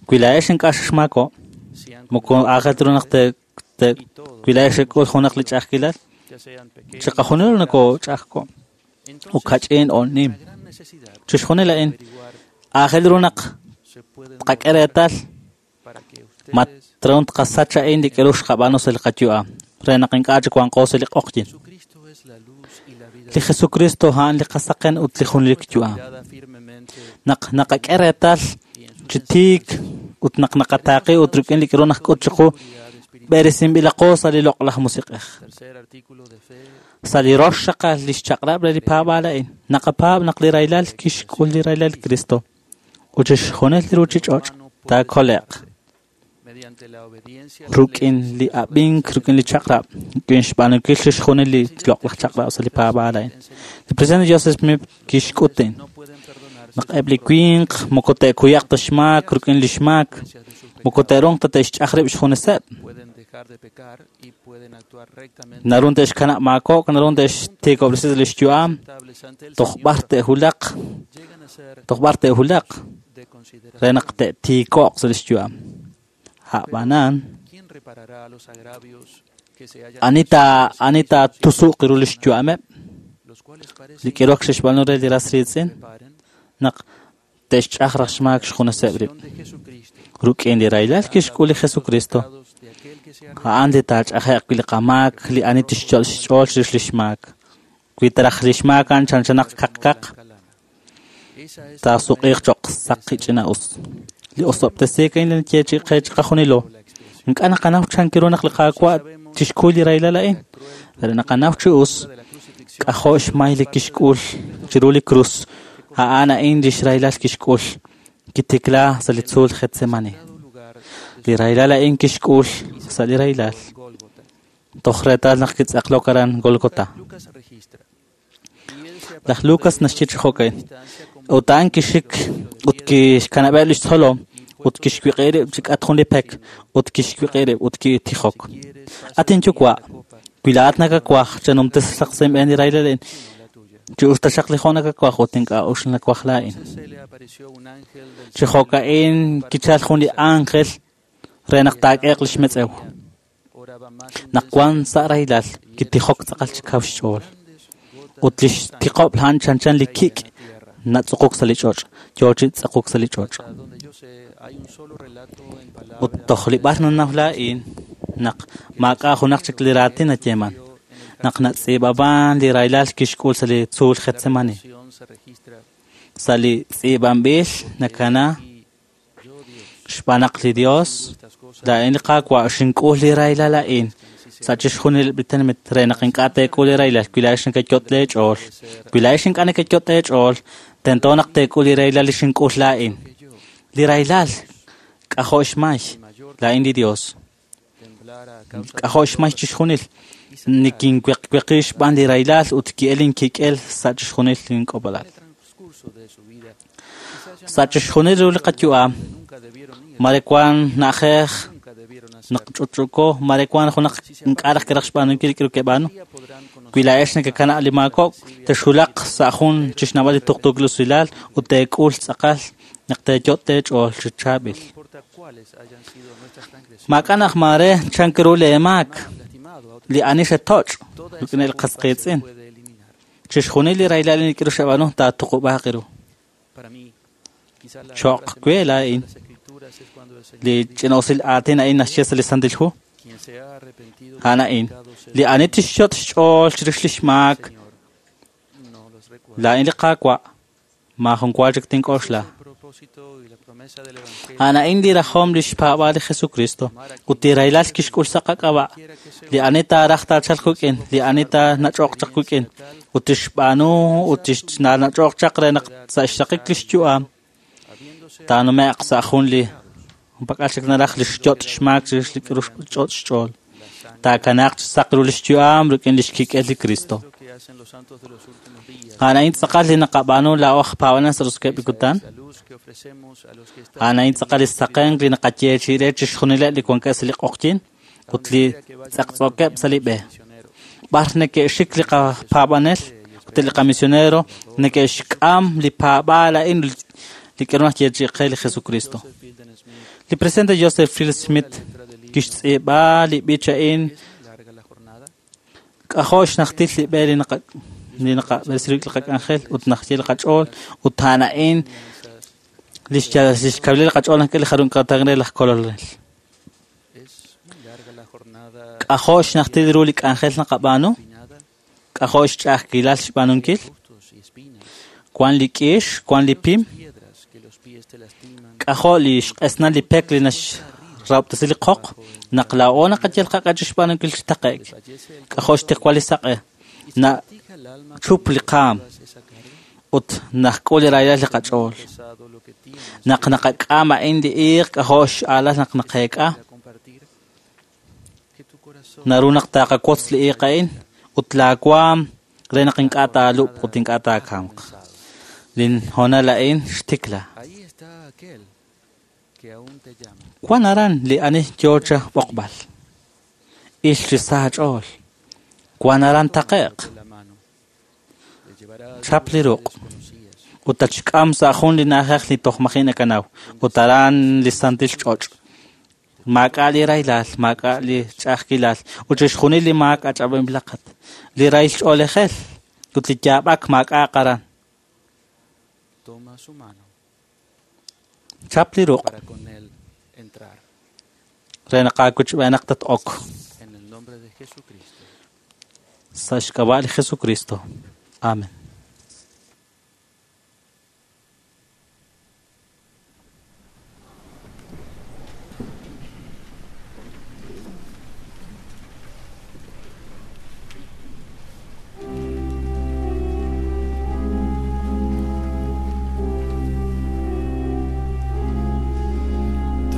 Wi laa'ex ink'a' xmaako', moko aajel ru naq te wi laa'ex xek'ul junaq li ch'a'ajkilal, chiqajunilo nakoch'a'ajko' ut kach'in o nim. Chixjunil a'in aajel ru naq tqak'e reetal ma tron tqasach a'in li k'aru xqab'aanu sa' li qayu'am. re naq ink'a' chik wanqo sa' li q'oqyin. Li Jesucristo a'an li qasaqen ut li junelik yu'am. Naq naqak'e reetal chi tiik ut naq naqataaqi ut rik'in li k'aru najk'ut chiqu b'eresinb'ilaqo sa' li loq'laj musiq'ej. Sa' li rox xaqal li xchaq'rab' re li paab'aal a'in, naqapaab' naq li rahilal kixk'ul li rahilal Cristo ut chixjunil li ruuchich'och' taakole'q rik'in li ab'ink rik'in li chaq'rab', rik'in xb'aanunkil chixjunil li loq'laj chaq'rab' sa' li paab'aal a'in. Li presidente Joseph Smith kixk'ut a'in, naq eb' li winq moko te'kuyaq ta xmaak rik'in li xmaak, moko te'ruuq ta te'xch'aj rib' xjuneseb'. Naru te'xkanab' maakok', naru te'xtiikob'resi li xyu'am, toj b'ar te'hulaq, toj b'ar te'hulaq re naq te'tiiko'q sa' li xyu'am. A'b'anan, ani ta ani ta tusuq ru li xyu'ameb', li k'irok xe'xb'aanu re li ras riitz'in, naq te'xch'aj raj xmaak xjuneseb' rib'. Rik'in li rahilal kixk'ul li Jesucristo, a'an li taach'aje'q wi' li qamaak, li ani tixch'ol xch'ool chirix li xmaak. Wi taraj li xmaak a'an chanchanaq kaqkaq, taasuq'iiq cho'q saqi ch'ina'us. Li osob'tesiik a'in li nayeechi'i qe chiqajunilo. Ink'a' naqanaw chan ru naq li Qaawa' tixkuy li rahilal a'in, pero naqanaw chi us k'ajo' xmay li kixk'ul chiru li krus. A'an a'in li xrahilal kixk'ul kitikla sa' li tzuul Getsemani. Li rahilal a'in kixk'ul sa' li rahilal toj reetal naq kitz'aqlok aran Golgota. Laj Lucas naxye chi jo'kan, ut a'an kixik ut kixkanab'eb' li xtzolom ut kixwiq'i rib' chi k'at jun li pek ut kixwiq'i rib' ut kitijok. At inyuwa', wi laa'at nakawaj chanumtes saq sa' inb'een li rahilal a'in, chi us taxaq li jo' nakawaj ut ink'a' uxl nawaj laa'in. Chi jo'ka'in kichal jun li ángel re naq taak'eeq li xmetz'ew. Naq wan sa' rahilal kitijok tz'aqal chi kaw xch'ool. Ut li xtiqob' a'an chanchan li kik' natz'uquk sa' li ch'och', yoo chi tz'aquk sa' li ch'och'. Ut toj li b'ar nanaw laa'in naq maak'a' junaq chik li raatin nayeeman, naq natz'iib'aban li rahilal kixk'ul sa' li tzuul Getsemani. Sa' li tz'iib'anb'il nakana xb'aan naq li Dios laa'in li Qaawa' xink'ul li rahilal a'in sa' chixjunil li tenamit re naq ink'a' teek'ul li rahilal wi laa'ex nekeyot' leech'ool. Wi laa'ex ink'a' nekeyot' leech'ool, tento naq teek'ul li rahilal li xink'ul laa'in. Li rahilal k'ajo' xmay laa'in li Dios. K'ajo' xmay chixjunil. Nikinweqweqi xb'aan li rahilal ut ki'el inkik'el sa' chixjunil link'ob'alal. Sa' chixjunil ru li qayu'am, mare wan na'ajej naq ch'utch'uko, mare wan junaq ink'a' raj kiraj xb'aanunkil li k'aru ke'b'aanu. Wi laa'ex nekekanab' li maakok', texhulaq sa' jun chixnawb'al li tuqtuukil usilal ut teek'ul tz'aqal naq teeyot' teech'ool chi chaab'il. Maak'a' naq mare chan ru leemaak, li ani xetoch' rik'in li qas qiitz'in. Chixjunil li rahilal li k'aru xeb'aanu taatuqub'aaq ru. Cho'q we laa'in li ch'ina'usil aatin a'in naxye sa' li Santil Hu, a'an a'in li ani tixyot' xch'ool chirix li xmaak, laa'in li Qaawa' maajun wa chik tink'oxla. A'an a'in li rajom li xpaab'aal li Jesucristo ut li rahilal kixk'ul sa' qak'ab'a', li ani taaraj taachalq wik'in, li ani taanach'oq chaq wik'in ut tixb'aanu ut tixnach'oq chaq re naq sa' xraqik li xyu'am taanume'q sa' jun li junpak'al chik naraj li xyot' xmaak chirix li k'aru xch'och' xch'ool. Taakanaaq chi saq ru li xyu'am rik'in li xkik'el li Cristo. A'an a'in tz'aqal li naqab'aanu laa'o aj paab'anel sa' roso'jikeb' li kutan. A'an a'in tz'aqal li saqenk li naqayeechi'i re chixjunileb' li wankeb' sa' li q'oqyin ut li tz'eqtz'ookeb' sa' li b'e. B'ar neke'xik li qapaab'anel ut li qamisionero neke'xk'am li paab'aal a'in li k'aru naxyeechi'i qe li Jesucristo. Li presidente Joseph Field Smith kixtz'iib'a li b'ich a'in k'ajo' xnajtil li b'e li naqa li naqab'eresi li qak'anjel ut naxye li qach'ool ut a'an a'in li xkawilal li qach'ool nak'e li jarun k'atang re laj kolonel. K'ajo' xnajtil ru li k'anjel naqab'aanu? K'ajo' xch'a'ajkilal xb'aanunkil? Wan li k'ix, wan li pim. K'ajo' li xq'esnal li pek li naxrahob'tesi li qoq naq laa'o naqayal qaq'e chi xb'aanunkil chi taqe'k. K'ajo' xtiqwal li saq'e nachup li qaam ut najk'ul li rahilal li qach'ool. Naq naqak'am a'in li iiq k'ajo' x'aalal naq naqeek'a. Naru naq taqawotz li iiq a'in ut laawaam re naq ink'a' taalub' ut ink'a' taakamq. Lin hoonal a'in xtikla. Wan aran li ani yoo cha b'oqb'al. Il chi sa ch'ool. Wan aran taqe'q. Chap li ruq'. Ut tachk'am sa' jun li na'ajej li toj maji' nakanaw. Ut aran li santil ch'och'. Maak'a' li rahilal, maak'a' li ch'a'ajkilal. Ut chixjunil li maak ach'ab'anb'ilaqat. Li rahil ch'oolejel ut li yaab'ak maak'a'aq aran. Chap li ruq' re naq aakuchb'eenaq tat-ok. Sa' xk'ab'a' li Jesucristo. Amen.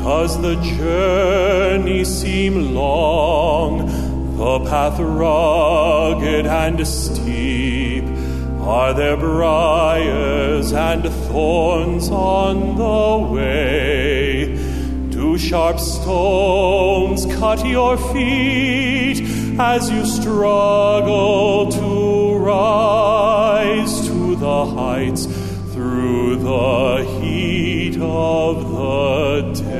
Does the journey seem long, the path rugged and steep? Are there briars and thorns on the way? Do sharp stones cut your feet as you struggle to rise to the heights through the heat of the day?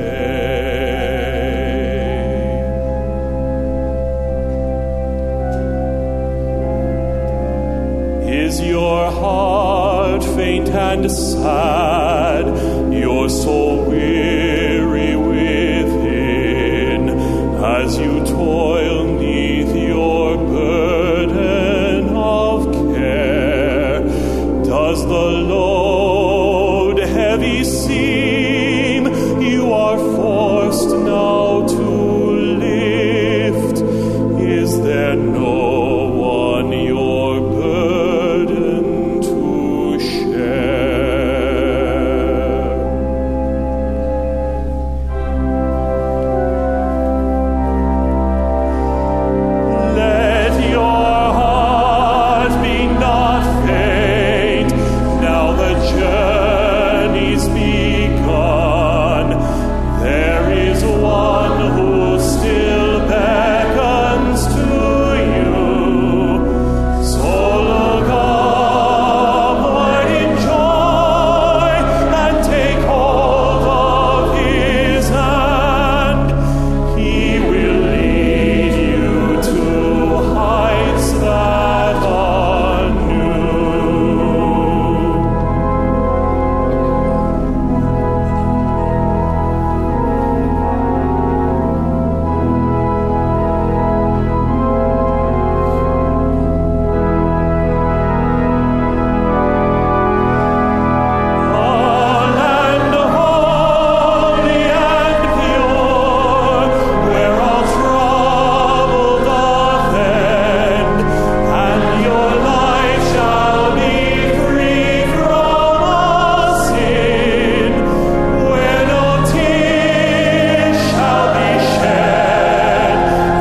Is your heart faint and sad, your soul weary within, as you toil neath your burden of care? Does the load heavy seem you are forced now to lift? Is there no one your burden to share? Let your heart be not faint, now the journey's begun. There is one who still beckons to you. So look upward in joy and take hold of his hand. He will lead you to heights that are new. A land holy and pure, where all trouble doth end, and your life shall be free from all sin, where no tears shall be shed,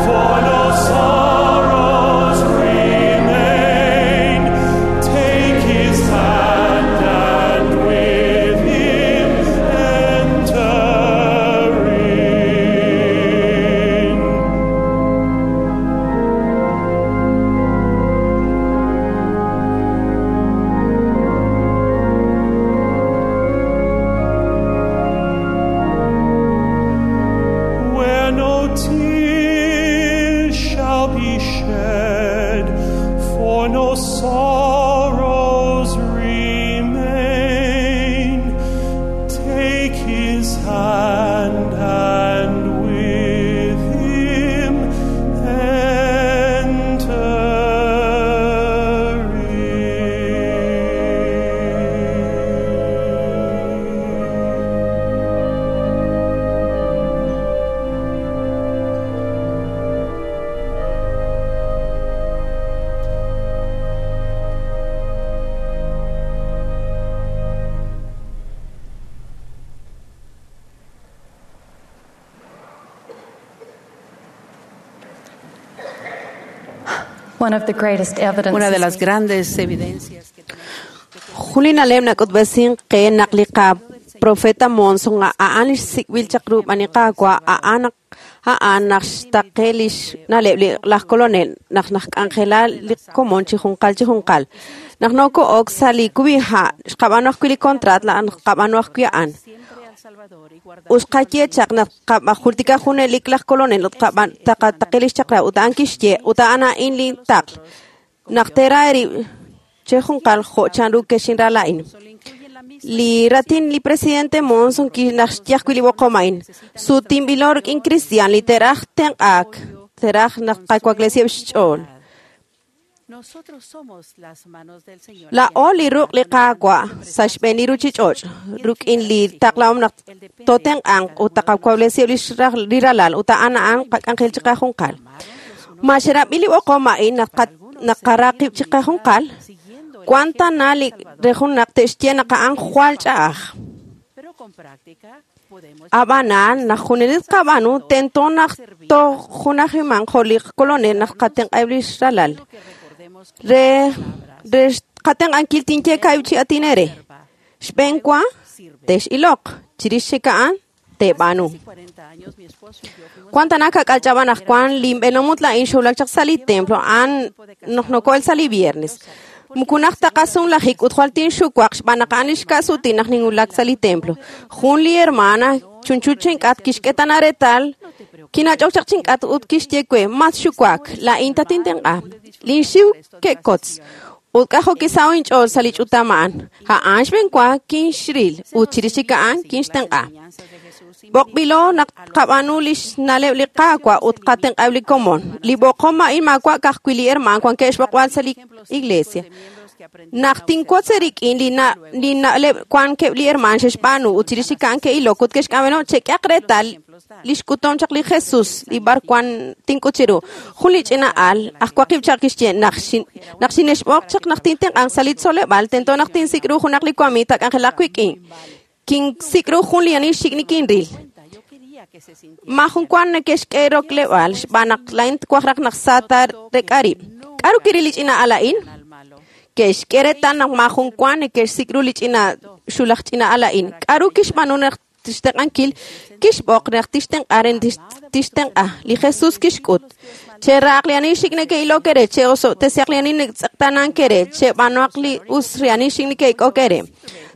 for no sorrows remain. Take his hand and with him enter in. Where no tears shall be shed, for no sorrows remain. Take his hand and with One of the greatest evidences Una de las grandes evidencias que Jun li na'leb' nak'utb'esin qe naq li qaprofeta Monson a'an li xsik'b'il chaq rub'an li Qaawa' a'an a'an naq xtaqe li xna'leb' li laj kolonel naq najk'anjela li komon chi junqal chi junqal. Naq noko'ok sa' li kub'iha' xqab'anu ajwi' li contrat la'an qab'anu ajwi' a'an. Ut xqaye chaq naq qab'ajultika junelik laj kolonel ut qab'an taqataqe li xchaq'rab' ut a'an kixye ut a'an a'in li taql. Naq tera erib' che junqal jo' chanru kexinra la'in. Li ratin li presidente Monson kinaj xye ajwi' li b'oqom a'in. Sutinb'ilo rik'in cristian li teraj tenq'aak, teraj naq qawaklesiheb' xch'ool. nosotros somos las manos del Señor. La'o li ruq' li Qaawa' sa' xb'een li ruchich'och' rik'in li taqlahom naq totenq'anq ut taqawaklesiheb' li xraj li ralal ut a'an a'an qak'anjel chi qajunqal. Ma xerab'i li b'oqom a'in naq qa- naq qaraqib' chi qajunqal, cuánta na li re jun naq te'xye naq a'an jwal ch'a'aj. Pero con práctica podemos Ab'anan naq junelik qab'anu tento naq toj junajiman jo' li kolonel naq qatenq'eb' li xralal. Re re qatenq'ankil tinye ka'ib' chi atinere. Xb'een wa tex'iloq chirix chik a'an te'b'aanu. cuarenta años mi esposo y yo fuimos Cuánta na kak'alch'ab'an aj Juan linb'enomut la'in xowlak chaq sa' li templo a'an noq noko'el sa' li viernes. Mukunaj taqasun lajik ut jwal tinxuwaq xb'aan naq a'an li xka'sutin naq ninwulak sa' li templo. Jun li hermana chunchu chink'at kixk'etana retal kinach'ok chaq chink'at ut kixye we mas xuwak la'in tatintenq'a. Linxiw ke'kotz. Ut k'ajo kisaw inch'ool sa' li ch'utam a'an. A'an xb'een wa kinxril ut chirix chik a'an kinxtenq'a. B'oqb'ilo naq qab'anu li xna'leb' li Qaawa' ut qatenq'eb' li komon. Li b'oqom a'in maawa' ka'ajwi' li herman wankeb' xb'oqb'al sa' li iglesia. Naq tinwotz rik'in li na- li na'leb' wankeb' li herman xe'xb'aanu ut chirix chik a'an ke'ilok ut ke'xk'ab'eno chek'aq reetal li xk'utom chaq li Jesus li b'ar wan tink'ut chiru. Jun li ch'ina al aj waqib' chaq kixye naq xin- naq xinexb'oq chaq naq tintenq'anq sa' li tzoleb'aal tento naq tinsik' ru junaq li wamiig tak'anjelaq wik'in. Kinsik' ru jun li ani xik' nikinril. Ma jun wan neke'xk'e rokleb'aal xb'aan naq la'in twaj raj naq sa ta rek'arib'. K'aru kiril li ch'ina al a'in? Ke'xk'e reetal naq ma jun wan neke'xsik' ru li ch'ina xulaj ch'ina al a'in. K'aru kixb'aanu naq tixtenq'ankil? Kixb'oq naq tixtenq'a re tixtenq'a. Li Jesus kixk'ut. Cheraq li ani xik' neke'ilok ere, che'osob'tesiaq li ani neke'tz'eqtaanank ere, cheb'anuaq li us li ani xik' neke'ik'ok ere.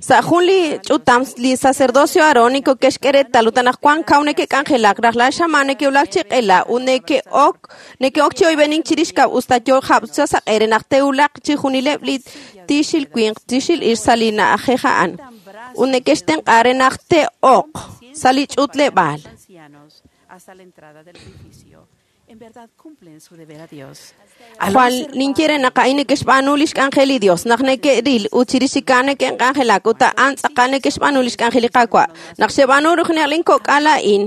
Sa' jun li ch'utam li sacerdocio arónico ke'xk'e reetal ut anaqwan kaw neke'k'anjelak rajlal xamaan neke'wulak chi q'ela ut neke'ok neke'ok chi oyb'enink chirix kab' usta yo jab' sa saq'e re naq te'wulaq chi junileb' li tiixil winq tiixil ixq sa' li na'ajej a'an ut neke'xtenq'a re naq te'oq sa' li ch'utleb'aal. ancianos hasta la entrada del edificio. En verdad cumplen su deber a Dios. Jwal ninye naq a'in neke'xb'aanu li xk'anjel li Dios, naq neke'ril ut chirix chik a'an neke'k'anjelak ut a'an tz'aqal neke'xb'aanu li xk'anjel li Qaawa'. Naq xeb'aanu rujnaq linkok'al a'in,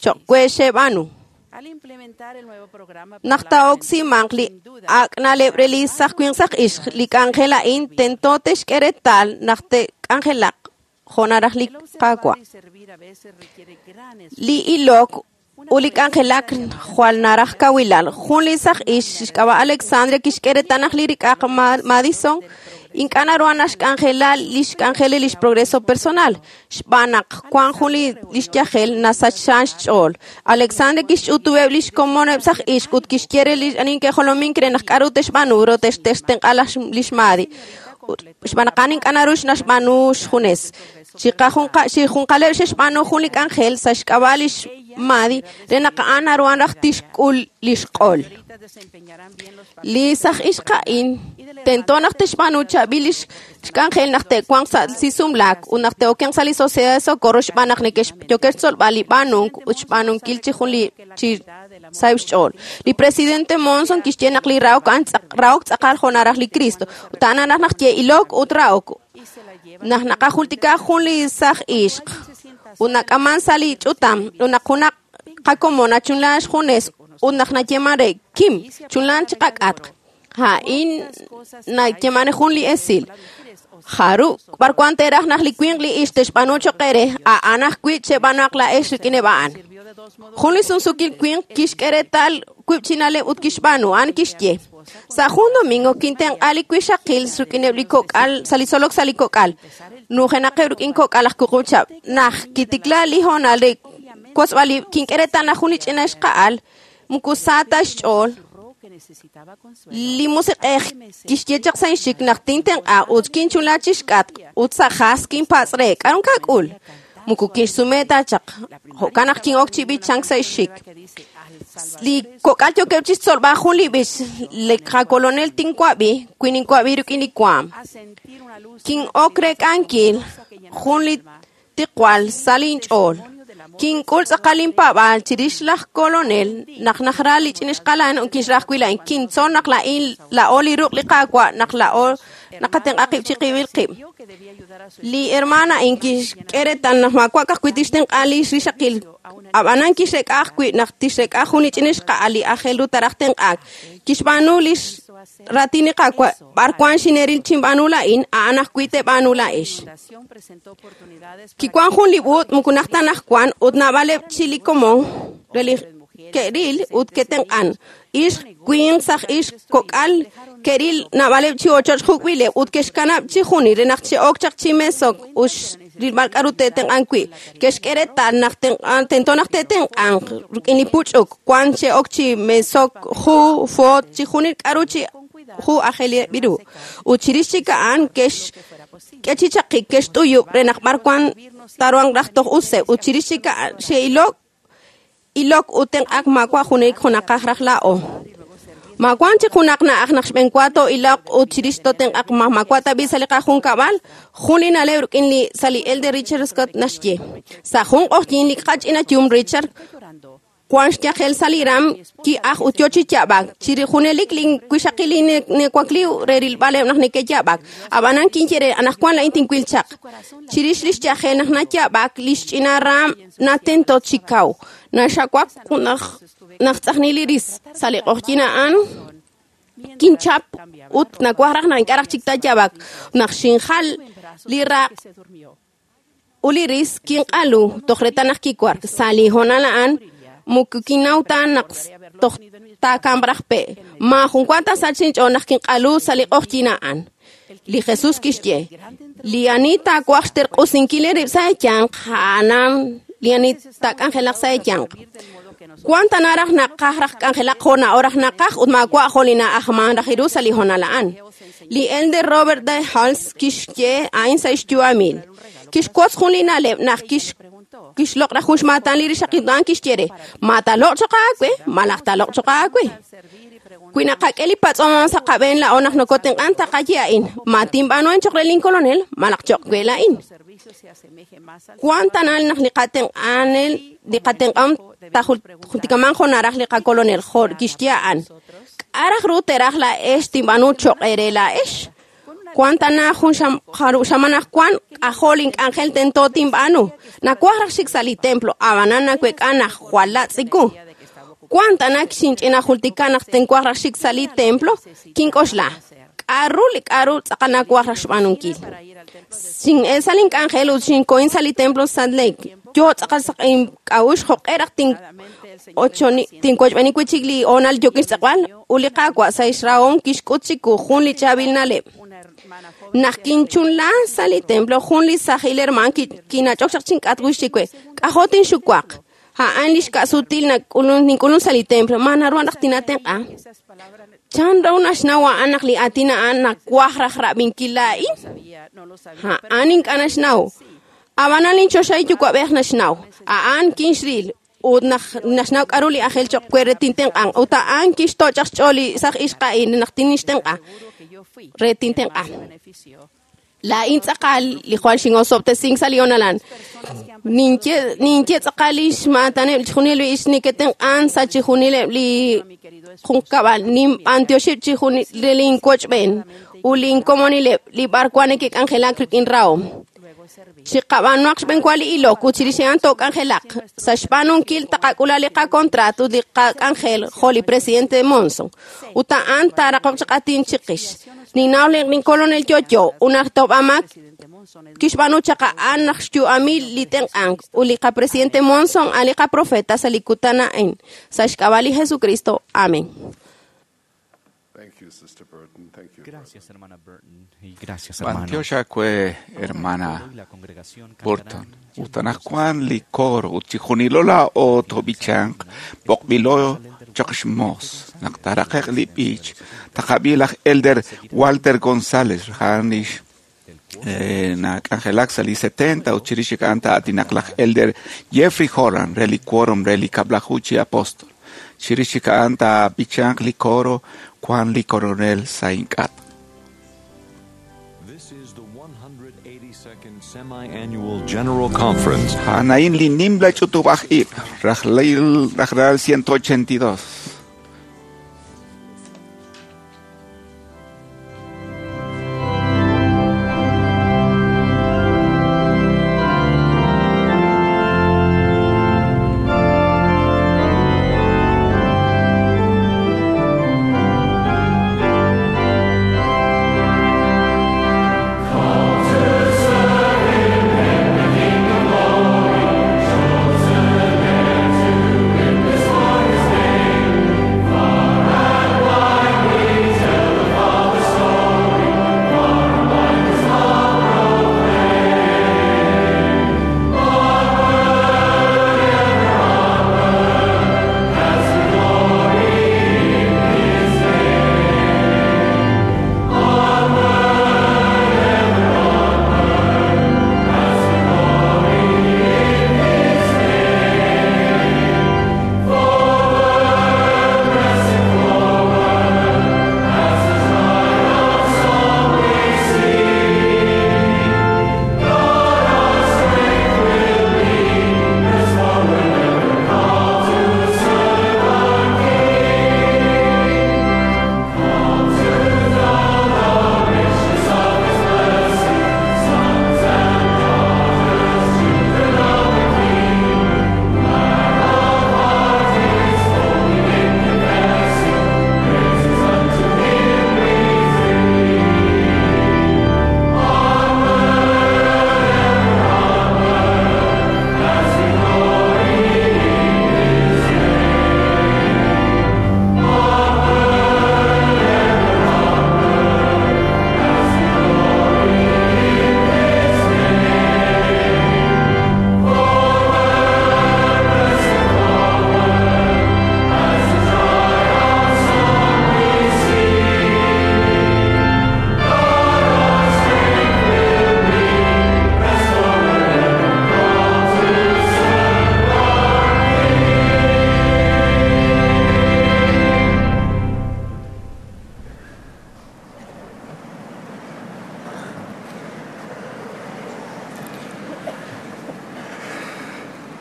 cho'q we xeb'aanu. Al implementar el nuevo programa Naq taa'oksimanq li ak' na'leb' re li saj winq saj ixq, li k'anjel a'in tento te'xk'e reetal naq te'k'anjelaq jo' naraj li Qaawa'. y servir a veces requiere gran Li ilok ut li k'anjelak jwal naraj kawilal. Jun li saj ixq xk'ab'a' Alexandria kixk'e reetal naq li rik'aq Ma- Madison ink'a' naru naxk'anjela li xk'anjel li xprogreso personal xb'aan naq wan jun li li xyajel nasachxan xch'ool. Alexandria kixch'utub'eb' li xkomoneb' saj ixq ut kixye re li ani ke'jolomink re naq k'aru te'xb'aanu ro te'xtenq'a laj li xMadi. Xb'aan naq a'an ink'a' naru naxb'aanu xjunes. Chi qajunqa- chi junqaleb' xe'xb'aanu jun li k'anjel sa' xk'ab'a' li xMadi re naq a'an naruhan raj tixk'ul li xq'ol. Li saj ixq a'in tento naq te'xb'aanu chaab'il li xk'anjel naq te'wanq sa' li sumlaak ut naq te'okenq sa' li Sociedad de Socorro xb'aan naq neke'x- yookeb' xtzolb'al li b'aanunk ut xb'aanunkil chi jun li chi saheb' xch'ool. Li presidente Monson kixye naq li rahok a'an tz'aq- rahok tz'aqal jo' naraj li Cristo ut a'an naraj naq ye ilok ut rahok. Naq naqajultika jun li saj ixq ut nak'aman sa' li ch'utam ut naq junaq qakomon achunlan xjunes ut naq nayeman re Kim chunlan chi qak'atq. A'in nayeman jun li esil. Jaru, b'ar wan te'raj naq li winq li ixq te'xb'aanu cho'q ere, a'an ajwi' cheb'aanuaq la'ex rik'ineb' a'an. Jun li sunsukil winq kixk'e reetal wiib' chi na'leb' ut kixb'aanu, a'an kixye. Sa' jun domingo kintenq'a li wixaqil rik'ineb' li kok'al sa' li tzolok sa' li kok'al. Nujenaqeb' rik'in kok'al aj wuqub' chihab'. Naq kitikla li hoonal re kotzb'al ib' kink'e reetal naq jun li ch'ina ixqa'al moko sa ta xch'ool. Li musiq'ej kixye chaq sa' inxik naq tintenq'a ut kinchunla chixk'atq ut sa' jas kinpatz' re k'a'ru kak'ul. Moko kinxsume ta chaq. Jo'kan naq kin'ok chi b'ichank sa' xxik. Li kok'al yookeb' chixtzolb'al jun li b'ich li qakolonel tinwab'i wi ninwab'i rik'in li waam. Kin'ok rek'ankil jun li tiqwal sa' linch'ool. Kink'ul tz'aqal inpaab'aal chirix laj kolonel naq najra li ch'ina ixqa'al ut kinxra ajwi' laa'in. Kintzol naq laa'in la'o li ruq' li Qaawa' naq la'o naqatenq'a qib' chiqib'il qib'. Li hermana a'in kixk'e reetal naq maawa' ka'ajwi' tixtenq'a li rixaqil. Ab'anan kixrek'a ajwi' naq tixrek'a jun li ch'ina ixqa'al li aajel ru taraj tenq'aak. Kixb'aanu li raatin li Qaawa' b'ar wan xineril chinb'aanu laa'in, a'an ajwi' teeb'aanu laa'ex. Kiwan jun li b'ut moko naj ta naj wan ut naab'aleb' chi li komon re li ke'ril ut ke'tenq'an. Ixq, winq, saj ixq, kok'al ke'ril naab'aleb' chi ochoch juk'b'ileb' ut ke'xkanab' chi junil re naq che'ok chaq chi mesok ut rilb'al k'a'ru te'tenq'an wi'. Ke'xk'e reetal naq tento naq te'tenq'anq rik'in li puch'uk wan che'ok chi mesok ju, foot, chi junil k'a'ru chi ju aajel ru. Ut chirix chik a'an ke'xk'e chi chaqik ke'xt'uyub' re naq b'ar wan taruhanq raj toj useb' ut chirix chik a'an xe'ilok ilok ut tenq'ak maawa' junelik junaqaj raj la'o. Maawan chik junaq na'aj naq xb'enwa to'ilok ut chirix totenq'aq ma maawa' tab'i' sa' li qajunkab'al jun li na'leb' rik'in li sa' li Elder Richard Scott naxye. Sa' jun q'oqyink li qach'ina yum Richard wan xyajel sa' li ram ki'aj ut yo chi yab'ak. Chiri junelik linwixaqil nekwakli re rilb'aleb' naq neke'yab'ak. Ab'anan kinye re anaqwan la'in tinwil chaq. Chirix li xyajel naq nayab'ak li xch'ina ram natento chi kaw. Naxawak naq naq tz'ajni li ris sa' li q'oqyink a'an kinchap ut nawaj raj naq ink'a' raj chik tayab'ak. Naq xinjal li raq' ut li ris kinq'alu toj reetal naq kiwark. Sa' li hoonal a'an moko kinnaw ta naq toj taakamq raj pe'. Maajun wa ta sach inch'ool naq kinq'alu sa' li q'oqyink a'an. Li Jesús kixye, li ani taawaj xterq'usinkil rib' sa' eeyanq, a'anan li ani taak'anjelaq sa' eeyanq. Wan ta naraj naqaj raj k'anjelaq jo' na'o raj naqaj ut maawa' jo' li na'ajman raj ru sa' li hoonal a'an. Li Elder Robert D. Hales kixye a'in sa' xyu'amil. Kixwotz jun li na'leb' naq kix kixloq' raj jun xmaatan li rixaqil a'an kixye re, ma taaloq' choq' aawe, malaj taaloq' choq' aawe. Wi naqak'e li patz'om sa' qab'een la'o naq nokotenq'an taqaye a'in, ma tinb'aanu a'in choq' re linkolonel, malaj choq' we la'in. Wan tanal naq li qatenq'anel li qatenq'am tajultikaman jo' naraj li qakolonel jo' kixye a'an. K'a' raj ru teraj la'ex tinb'aanu choq' eere la'ex? Wan tana jun xaman aj wan k'ajol ink'anjel tento tinb'aanu. Nawaj raj xik sa' li templo, ab'anan nawek'a naq jwal latz'iku. Wan tana xinch'ina jultika naq tinwaj raj xik sa' li templo, kink'oxla. K'a'ru li k'a'ru tz'aqal nawaj raj xb'aanunkil. Xin'el sa' link'anjel ut xinkohin sa' li templo Salt Lake. Yo tz'aqal sa' ink'a'uxl jo'q'e raj tinwochb'eeni wi' chik li hoonal yookin xtz'aqb'al ut li Qaawa' sa' xrahom kixk'ut chiwu jun li chaab'il na'leb'. Naq kinchunla sa' li templo jun li sajil herman kinach'ok chaq chink'atq wix chiwe. K'ajo' tinxuwaq. A'an li xka'sutil nink'ulun sa' li templo. Ma naru naq tinatenq'a. Chan ru naxnaw a'an naq li aatin a'an nawaj raj rab'inkil laa'in? A'an ink'a' naxnaw. Ab'anan linchoxahil yuwa'b'ej naxnaw. A'an kinxril ut naxnaw k'a'ru li aajel choq' we re tintenq'an. Ut a'an kixtoch' chaq xch'ool li saj ixqa'in naq tinixtenq'a re tintenq'a. Laa'in tz'aqal li jwal xin'osob'tesink sa' li hoonal. Ninye ninye tz'aqal li xmaataneb' chijunil li ix neke'tenq'an sa' chijunileb' li junkab'al. Ninb'antioxib' chijunil linwochb'een ut linkomonileb' li b'ar wan neke'k'anjelak rik'in rahom. Chiqab'aanuaq xb'enwa li ilok ut chirix a'an took'anjelaq. Sa' xb'aanunkil taqak'ula li qakontrato ut li qak'anjel jo' li presidente Monson. Ut a'an taaraqoq chaq aatin chiqix. Ninnaw linkolonel yo'yo ut naq tob'amak kixb'aanu chaq a'an naq xyu'amil li tenq'ank ut li qapresidente Monson a'an li qaprofeta sa' li kutan a'in. Sa' xk'ab'a' li Jesucristo. Amén. Gracias, hermana Burton, y gracias, hermano. Bantioxa kue hermana Burton. Utanaj Juan li coro ut chijunilo la o tobichanq b'oqb'ilo chaq xmos naq taraqeq li b'ich taqab'i laj Elder Walter González jan lix eh, nak'anjelak sa' li setenta ut chirix a'an ta'atinaq laj Elder Jeffrey Holland re li quórum re li kab'laju chi apóstol chirix a'an taab'ichanq li coro Juan li coronel sa' ink'at. This is the one hundred eighty-second Semi-Annual General Conference. Anain li nimla ch'utub'aj ib' rajlil rajlal ciento ochenta y dos.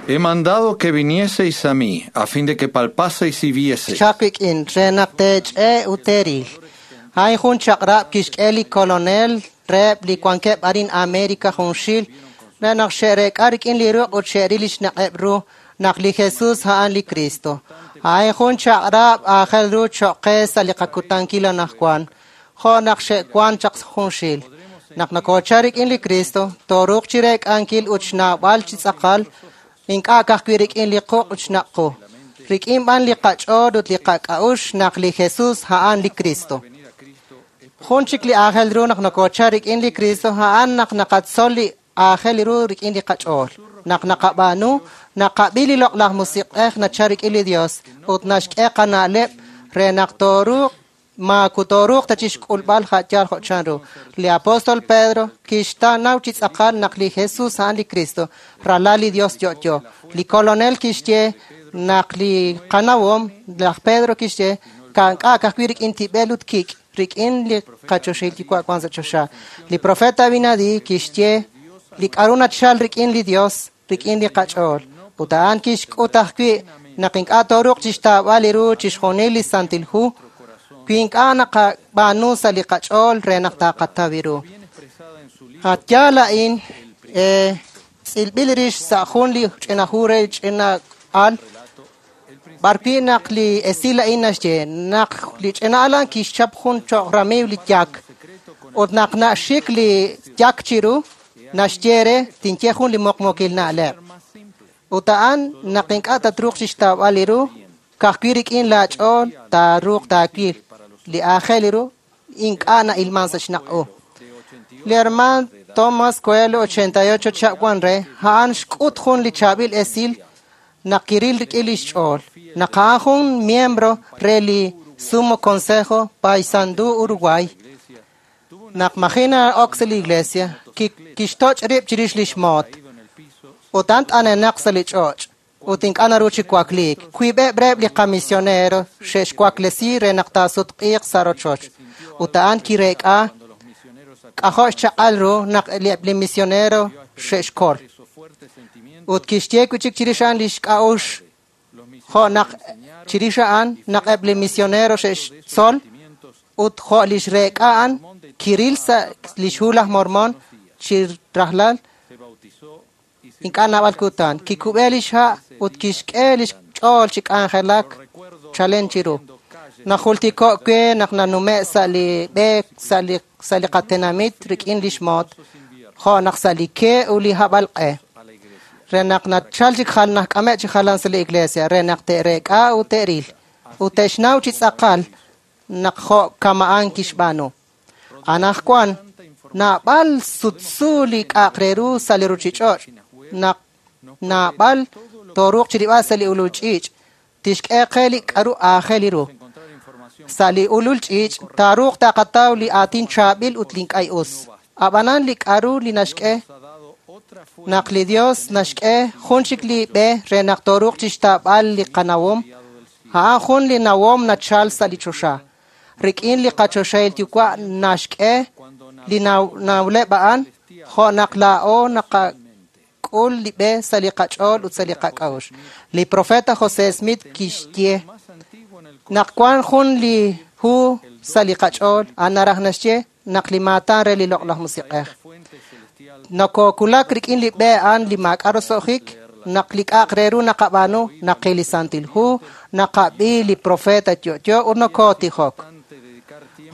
He mandado que vinieseis a mí, a fin de que palpaseis y vieseis. Chakwik-in, renaqtech-e uteril. Hay jun chaqrab kixk'e li colonel reb li wankeb arin America junxil, renaq xe'rek'a rik'in li ruq' ut xe'ril li xnaq'eb ru, naq li Jesus a'an li Cristo. Hay jun chaqrab aajel ru choq qe sa' li qakutankil anaqwan, jo' naq xe'wan chaq junxil. Naq nakocha rik'in li Cristo, tooruuq chi rek'ankil ut xnaab'al chi tz'aqal, ink'a' ka'ajwi' rik'in li quq' ut xnaq' qu. Rik'in b'an li qach'ool ut li qak'a'uxl naq li Jesus a'an li Cristo. Jun chik li aajel ru naq nakocha rik'in li Cristo a'an naq naqatzol li aajel ru rik'in li qach'ool. Naq naqab'aanu, naqab'i li loq'laj musiq'ej nacha rik'in li Dios ut naxk'e qana'leb' re naq tooruuq maakutoruuq ta chixk'ulb'al ja'yal jo' chanru. Li apóstol Pedro kixtanaw chi tz'aqal naq li Jesus a'an li Cristo, ralal li Dios yo'yo. Li colonel kixye naq li qanawom, laj Pedro kixye kank'a ka'ajwi' rik'in tib'el ut kik', rik'in li qachoxil yuwa' wan sa' choxa. Li profeta Abinadi kixye li k'a'ru nachal rik'in li Dios, rik'in li qach'ool. Ut a'an kixk'ut ajwi' naq ink'a' tooruuq chixtaab'al li ru chixjunil li Santil Hu, wi ink'a' naqab'aanu sa' li qach'ool re naq taqataw ru. Atyaal a'in eh, tz'ilb'il rix sa' jun li ch'ina hu re ch'ina al, b'arwi' naq li esil a'in naxye naq li ch'ina al a'an kixchap jun choq ramiiw li yak, ut naq naxik li yak chiru, naxye re tinye jun li moqmokil na'leb'. Ut a'an naq ink'a' tatruuq chixtaab'al li ru, ka'ajwi' rik'in laach'ool taaruuq taawil. li aajel ru ink'a' na'ilman sa' xnaq' u. Li herman Thomas Coelho ochenta y ocho chihab' wan re, a'an xk'ut jun li chaab'il esil naq kiril rik'in lix ch'ool. Naq a'an jun miembro re li Sumo Consejo Paysandú Uruguay, naq maji na'ok sa' li iglesia, kixtoch' rib' chirix lix moot. Ut a'an t'anenaq sa' li ch'och', ut ink'a' naru chi wakliik. Wiib'eb' reheb' li qamisionero xe'xwaklesi re naq taasutq'iiq sa' rochoch. Ut a'an kireek'a k'ajo' xchaq'al ru naq eb' li misionero xe'xkol. Ut kixye wi' chik chirix a'an lix k'a'uxl jo' naq chirix a'an naq eb' li misionero xe'xtzol ut jo' lix reek'a a'an kiril sa' lix hu laj Mormon chi rajlal ink'a' naab'al kutan. Kikub'e lix ha' ut kixk'e lix ch'ool chi k'anjelak chalen chiru. Najultiko' we naq nanume' sa' li b'e sa' li sa' li qatenamit rik'in lix moot, jo' naq sa' li ke ut li hab'alq'e. Re naq nachal chik jal naq k'ame' chi jalan sa' li iglesia, re naq te'reek'a ut te'ril, ut te'xnaw chi tz'aqal naq jo' kama'an kixb'aanu. Anajwan, naab'al sutsu li k'a'aq re ru sa' li ruchich'och', naq naab'al tooruuq chirib'al sa' li ulul ch'iich', tixk'e qe li k'aru aajel ru. Sa' li ulul ch'iich', taaruuq taqataw li aatin chaab'il ut li ink'a' us. Ab'anan li k'aru li naxk'e, naq li Dios naxk'e jun chik li b'e re naq tooruuq chixtaab'al li qanawom, a'an jun li nawom nachal sa' li choxa. Rik'in li qachoxahil yuwa' naxk'e li nawleb' a'an, jo' naq laa'o naqak'ul li b'e sa' li qach'ool ut sa' li qak'a'uxl. Li profeta José Smith kixye naq wan jun li hu sa' li qach'ool, a'an naraj naxye naq li maatan re li loq'laj musiq'ej. Nokokulak rik'in li b'e a'an li maak'a' roso'jik, naq li k'a'aq re ru naqab'aanu, naqil li Santil Hu, naqab'i li profeta yo'yo ut nokootijok.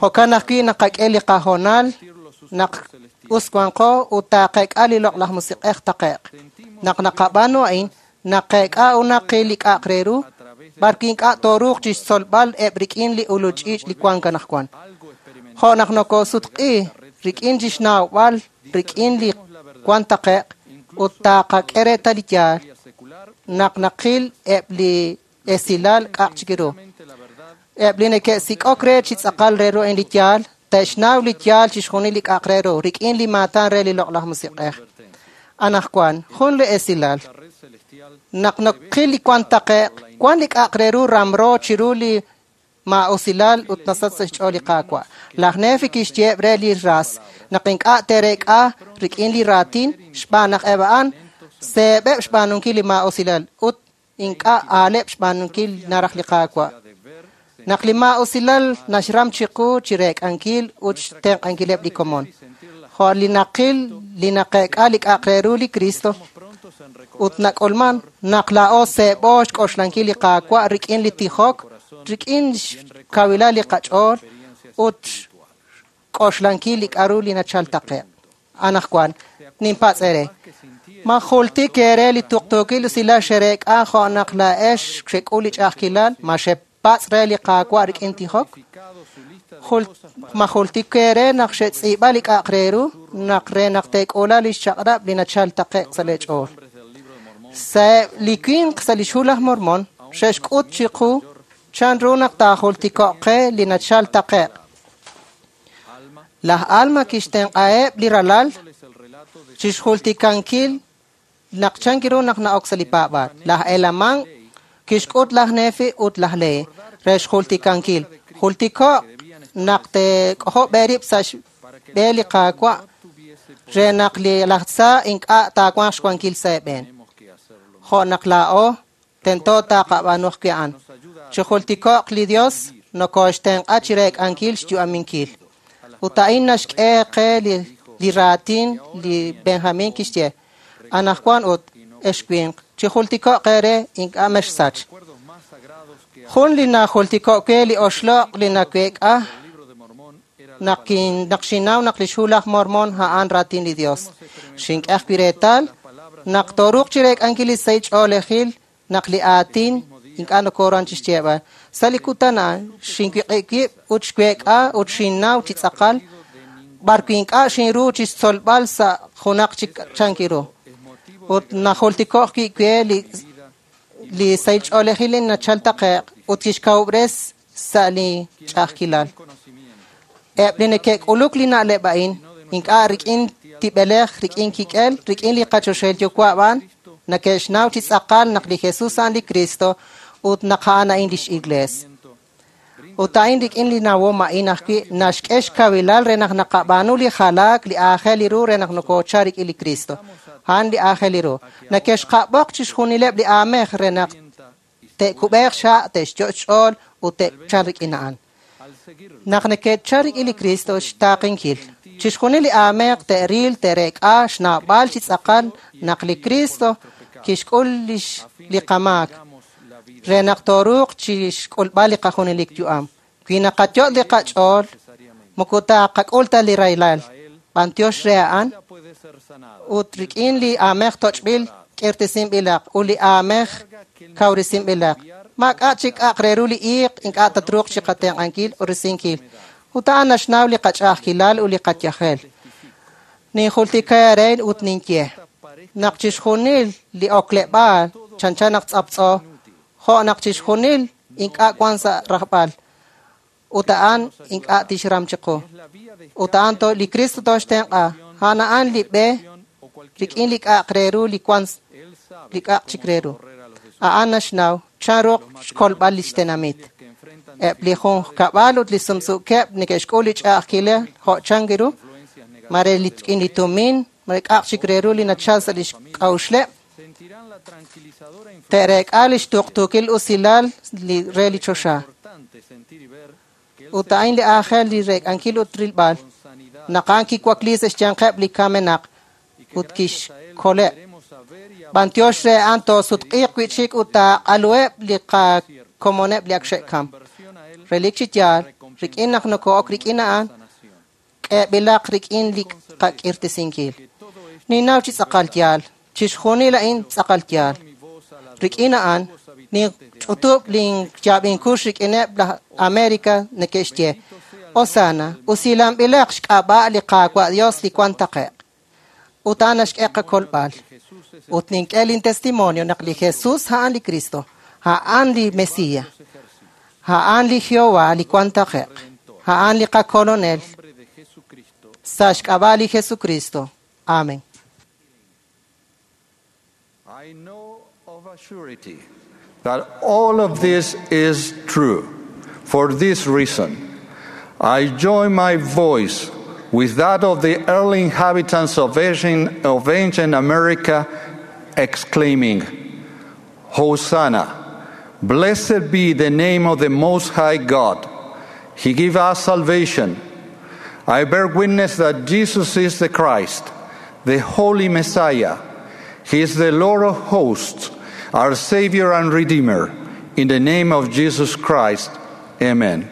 Jo'kan ajwi' naqak'e li qahoonal naq us wanqo ut taaqeek'a li loq'laj musiq'ej taqe'q. Naq naqab'aanu a'in, naqeek'a ut naqil li k'a'aq re ru, b'arwi' ink'a' tooruuq chixtzolb'al eb' rik'in li ulul ch'iich' li wank anaqwan. Jo' naq nokoosutq'i rik'in chixnawb'al rik'in li wan taqe'q ut taaqak'e reetal li yaal, naq naqil eb' li esilal k'a'aq chik ru. Eb' li neke'sik'ok re chi tz'aqal re ru a'in li yaal, te'xnaw li yaal chixjunil li k'a'aq re ru rik'in li maatan re li loq'laj musiq'ej. Anaqwan, jun li esilal. Naq naqil li wan taqe'q, wan li k'a'aq re ru ramro chiru li maa'usilal ut nasach sa' xch'ool li Qaawa'. Laj Nefi kixyeeb' re li ras naq ink'a' te'reek'a rik'in li raatin xb'aan naq eb' a'an seeb'eb' xb'aanunkil li maa'usilal ut ink'a' aaleb' xb'aanunkil naraj li Qaawa'. Naq li maa'usilal naxram chiqu chi reek'ankil ut xtenq'ankileb' li komon. Jo' li naqil li naqeek'a li k'a'aq re ru li Cristo ut nak'ulman naq laa'o seeb'o xk'oxlankil li Qaawa' rik'in li tijok, rik'in xkawilal li qach'ool ut xk'oxlankil li k'aru li nachal taqe'q. Anaqwan, ninpatz' eere. Ma jultik eere li tuqtuukil usilal xereek'a jo' naq laa'ex xek'ul li ch'a'ajkilal, ma xepatz' re li Qaawa' rik'in tijok? Ma jultik eere naq xetz'iib'a li k'a'aq re ru, naq re naq teek'ula li xchaq'rab' li nachal taqe'q sa' leech'ool. Sa' li winq sa' li xhu laj Mormon, xe'xk'ut chiqu chan ru naq taajultiko'q qe li nachal taqe'q. Laj Alma kixtenq'aheb' li ralal chixjultikankil naq chan ru naq na'ok sa' li paab'aal. Laj Helaman kixk'ut laj Nefi ut laj Lehi re xjultikankil. Jultiko'q naq teek'ojob' eerib' sa' xb'e li Qaawa' re naq li laj tza ink'a' taawanq xwankil sa' eeb'een. Jo' naq laa'o tento taaqab'aanu ajwi' a'an. Chijultiko'q li Dios nokoxtenq'a chi reek'ankil xyu'aminkil. Ut a'in naxk'e qe li li raatin li Benjamin kixye. Anaqwan ut ex winq, chijultiko'q eere ink'a' mexsach. Jun li najultiko'k we li oxloq' li naweek'a naq naq xinnaw naq li xhu laj Mormon a'an raatin li Dios. Xink'e ajwi' reetal naq tooruuq chi reek'ankil li sahil ch'oolejil naq li aatin ink'a' nokoran chixyeeb'al. Sa' li kutan a'an xinwiq'ib' wib' ut xweek'a ut xinnaw chi tz'aqal b'ar wi ink'a' xinru chi xtzolb'al sa' junaq chik chankiru. Ut najultiko'q wi' we li li sahil ch'oolejil li nachal taqe'q ut kixkawub'res sa' li ch'a'ajkilal. Eb' li neke'k'uluk li na'leb' a'in ink'a' rik'in tib'elej, rik'in kik'el, rik'in li qachoxahil yuwa' b'an neke'xnaw chi tz'aqal naq li Jesus a'an li Cristo ut naq a'an a'in lix iglees. Ut a'in rik'in li nawom a'in ajwi' naxk'e xkawilal re naq naqab'aanu li jalaak li aajel li ru re naq nokoochal rik'in li Cristo. A'an li aajel li ru. Neke'xqab'oq chixjunileb' li aamej re naq te'kub'eeq xa', te'xyo' xch'ool ut te'chal rik'in a'an. Naq neke'chal rik'in li Cristo xtaaqenkil. Chixjunil li aamej te'ril, te'reek'a xnawb'al chi tz'aqal naq li Cristo kixk'ul lix li qamaak re naq tooruuq chixk'ulb'al li qajunelik yu'am. Wi naqayo' li qach'ool, moko taqak'ul ta li rahilal. B'antiox re a'an ut rik'in li aamej toch'b'il k'irtisinb'ilaq ut li aamej kawrisinb'ilaq. Maak'a' chik k'a'aq re ru li iiq ink'a' tatruuq chi qatenq'ankil ut risinkil. Ut a'an naxnaw li qach'a'ajkilal ut li qayajel. Ninjultika eere ut ninye naq chixjunil li okleb'aal chanchan naq tz'aptz'o, jo' naq chixjunil ink'a' wan sa' rajb'al. Ut a'an ink'a' tixram chiqu. Ut a'an to li Cristo toxtenq'a. A'an a'an li b'e rik'in li k'a'aq re ru li wan li k'a'aq chik re ru. A'an naxnaw chan ru xkolb'al lix tenamit. Eb' li junqkab'al ut li sumsuukeb' neke'xk'ul li ch'a'ajkilej jo' chank ru, mare li rik'in li tumin, mare k'a'aq chik re ru li nachal sa' lix k'a'uxleb', te'reek'a lix tuqtuukil usilal li re li choxa. Ut a'in li aajel li reek'ankil ut rilb'al, naq a'an kiwakli sa' xyanqeb' li kamenaq ut kixkoleb'. B'antiox re a'an toosutq'iiq wi'chik ut taaq'aluheb' li qakomoneb' li ak xe'kam. Relik chi yaal, rik'in naq noko'ok rik'in a'an, k'eeb'ilaq rik'in li qak'irtisinkil. Ninnaw chi tz'aqal yaal, chixjunil a'in tz'aqal yaal. Rik'in a'an, ninch'utub' linyaab'inkux rik'ineb' laj América neke'xye, Osana, usilanb'ilaq xk'ab'a' li Qaawa' Dios li wan taqe'q. Ut a'an naxk'e qakolb'al. Ut nink'e lintestimonio naq li Jesus a'an li Cristo, a'an li Mesías, a'an li Jehová li wan taqe'q, a'an li qakolonel. Sa' xk'ab'a' li Jesucristo. Amén. I know of a surety that all of this is true. For this reason, I join my voice with that of the early inhabitants of ancient, of ancient America, exclaiming, Hosanna! Blessed be the name of the Most High God. He gave us salvation. I bear witness that Jesus is the Christ, the Holy Messiah. He is the Lord of hosts, our Savior and Redeemer. In the name of Jesus Christ, amen.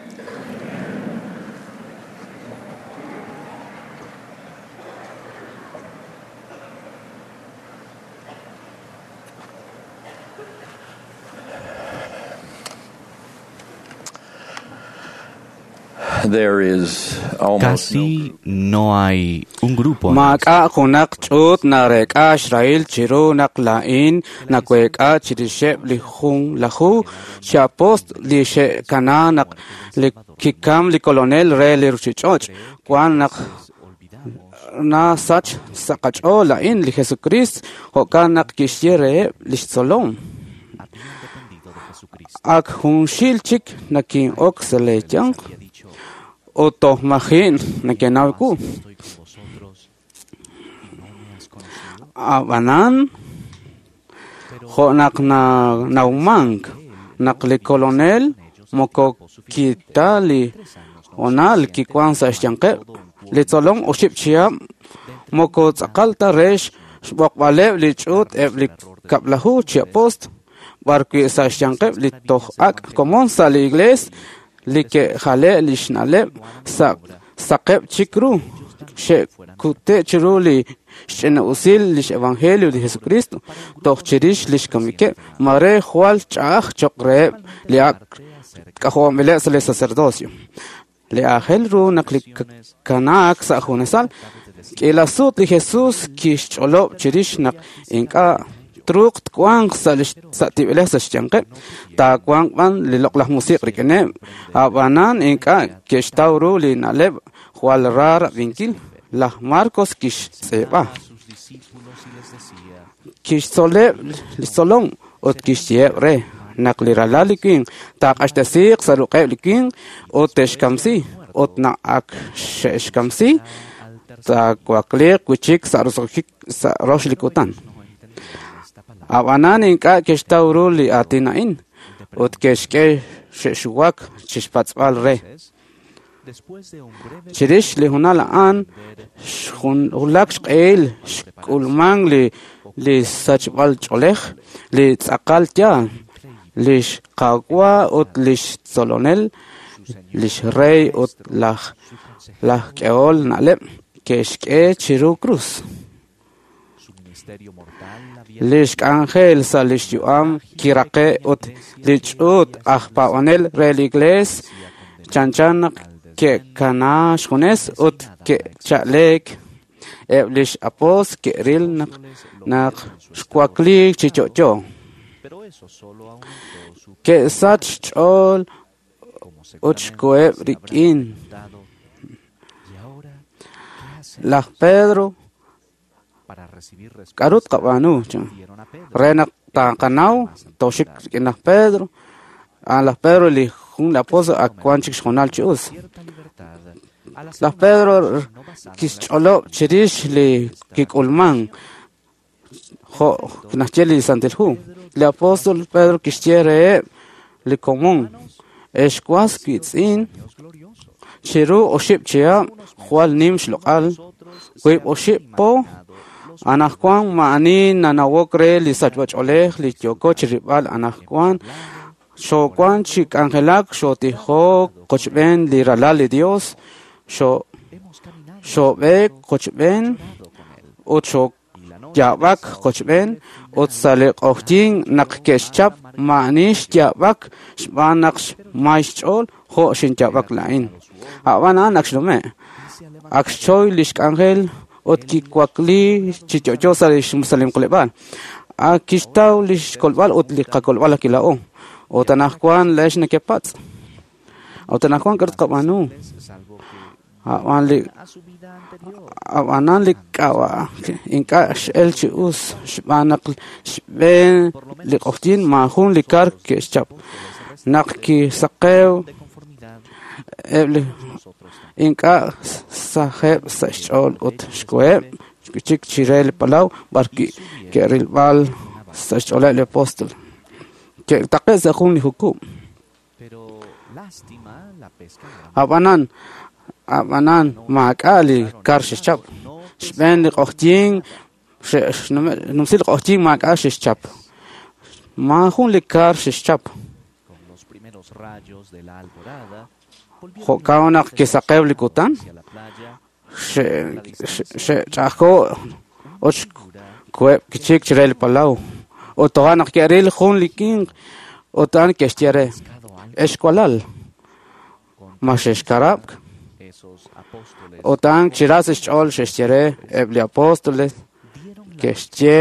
There is almost Casi no hay un grupo. Maak'a' junaq ch'uut nareek'a xrahil chiru naq laa'in naweek'a chirixeb' li junlaju chi apoost li xe'kana naq li kikam li kolonel re li ruchich'och'. Wan naq nasach sa' qach'ool a'in li Jesucrist, jo'kan naq kixye reheb' lix tzolom. Ak junxil chik nakin'ok sa' lee yanq ut toj maji' nekenaw wu. Ab'anan, jo' naq nawmank naq li kolonel moko kita li honal kiwan sa' xyanqeb' li tzolom oxib' chihab' moko tz'aqal ta re xb'oqb'aleb' li ch'uut eb' li kab'laju chi apoost b'ar wi' sa' xyanqeb' li toj ak' komon sa' li iglees li ke'jale' li xna'leb' sa' saqeb' chik ru xe'kute' chiru li xch'ina'usil lix evangelio li Jesucristo toj chirix lix kamikeb' mare jwal ch'a'aj choq' reheb' li ak' k'ajob'anb'ileb' sa' li sacerdocio. Li aajel ru naq li kanaak sa' junesal, k'iila sut li Jesus kixch'olob' chirix naq ink'a' truuq twanq sa' li sa' tib'elej sa' xyanqeb', taawanq b'an li loq'laj musiq' rik'ineb', ab'anan ink'a' ke'xtaw ru li na'leb' jwal ra rab'inkil. Laj Marcos kixtz'iib'a. Kixtzoleb' li tzolom ut kixyeeb' re naq li ralal li winq taaq'axtesiiq sa' ruq'eb' li winq ut te'xkamsi, ut naq ak xe'xkamsi taawakliiq wi'chik sa' roso'jik sa' rox li kutan. Ab'anan ink'a' ke'xtaw ru li aatin a'in ut ke'xk'e xe'xuwak chixpatz'b'al re. Chirix li honal a'an xwulak xq'ehil xk'ulman li li sachb'al ch'oolej, li tz'aqal yaal, lix Qaawa' ut lix tzolonel, lix rey ut laj laj k'ehol na'leb' ke'xk'e chiru krus. Lix k'anjel sa' lix yu'am kiraqe' ut li ch'uut aj paab'anel re li Iglees chanchan naq ke'kana xjunes ut ke'cha'leek. Eb' lix apóstol ke'ril naq naq xwakliik chi yo'yo. Ke'sach xch'ool ut xkoheb' rik'in. Laj Pedro k'aru tqab'aanu re naq taqanaw tooxik rik'in laj Pedro. A laj Pedro li jun li apóstol ak wan chik xjonal chi us. Laj Pedro kixch'olob' chirix li kik'ulman jo' naxye li Santil Hu. Li apóstol Pedro kixye reheb' li komon, ex was wiitz'in, chiru oxib' chihab' jwal nim xloq'al, wiib' oxib' po, anajwan ma'ani nanawok re li sachb'ach'oolej li yooko chirib'al anajwan, xoowan chi k'anjelak xootijok qochb'een li ralal li Dios, xo xoob'eek qochb'een ut xooyaab'ak qochb'een ut sa' li q'oqyink naq ke'xchap ma'ani xyaab'ak xb'aan naq xmay xch'ool jo' xinyaab'ak laa'in. Ab'an a'an ak xnume', ak xchoy lix k'anjel ut kiwakli chi yo'yo sa' li xmusalimquleb'aal. Ak kixtaw lix kolb'al ut li qakolb'al akila'o. Ut anajwan leex nekepatz'. Ut anajwan k'aru tqab'aanu. Ab'an li ab'anan li k'ab'a ink'a' x'el chi us xb'aan naq xb'een li q'oqyink maajun li kar ke'xchap. Naq kisaqew eb' li ink'a' sajeb' sa' xch'ool ut xkoheb' chik chire li palaw b'ar ke'rilb'al sa' xch'ooleb' li apóstol. Ke'taqe' sa' jun li jukub'. Ab'anan ab'anan maak'a' li kar xe'xchap. Xb'een li q'oqyink xnumsi li q'oqyink maak'a' xe'xchap. Maajun li kar xe'xchap. Jo'kan naq kisaqew li kutan, xe'ch'ajko' ut xkoheb' kichik chire li palaw. Ut toja' naq ke'ril jun li winq ut a'an ke'xye re, ex walal, ma xe'xkarab'k? Ut a'an chira sa' xch'ool xe'xye re eb' li apóstoles ke'xye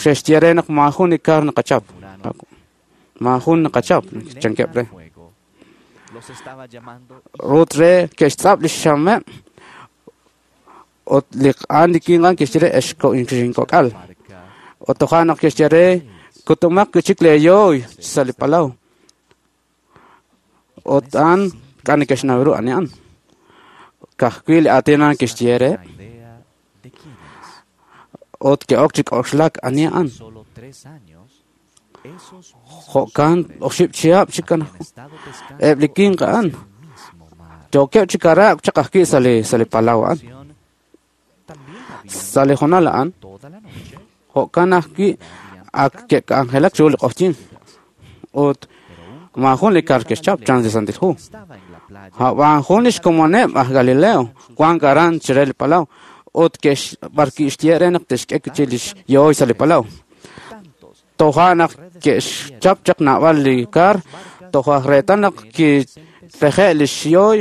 xe'xye re naq maajun li kar naqachap. Maajun naqachap chankeb' re. Ut re ke'xtz'ab' li xxameb' ut li a'an li winq a'an kixye re ex xinkok'al. Ut toja' naq kixye re kutumaq wi'chik leeyooy sa' li palaw. Ut a'an k'a' neke'xnaw ru ani a'an. Ka'ajwi' li aatin a'an kixye re ut ke'ok chi k'oxlak ani a'an. Jo'kan oxib' chihab' chik eb' li winq a'an yookeb' chi karab'k chaq ajwi' sa' li sa' li palaw a'an. Sa' li honal a'an jo'kan ajwi' ak ke'k'anjelak chiru li q'oqyink ut maajun li kar ke'xchap chan li Santil Hu. Ab'an jun lix komoneb' aj Galileo wank aran chire li palaw ut ke'x b'ar kixye re naq te'xk'e chi lix yooy sa' li palaw. Toja' naq Ke'xchap chaq naab'al li kar toj aj reetal naq kipeje' li xyooy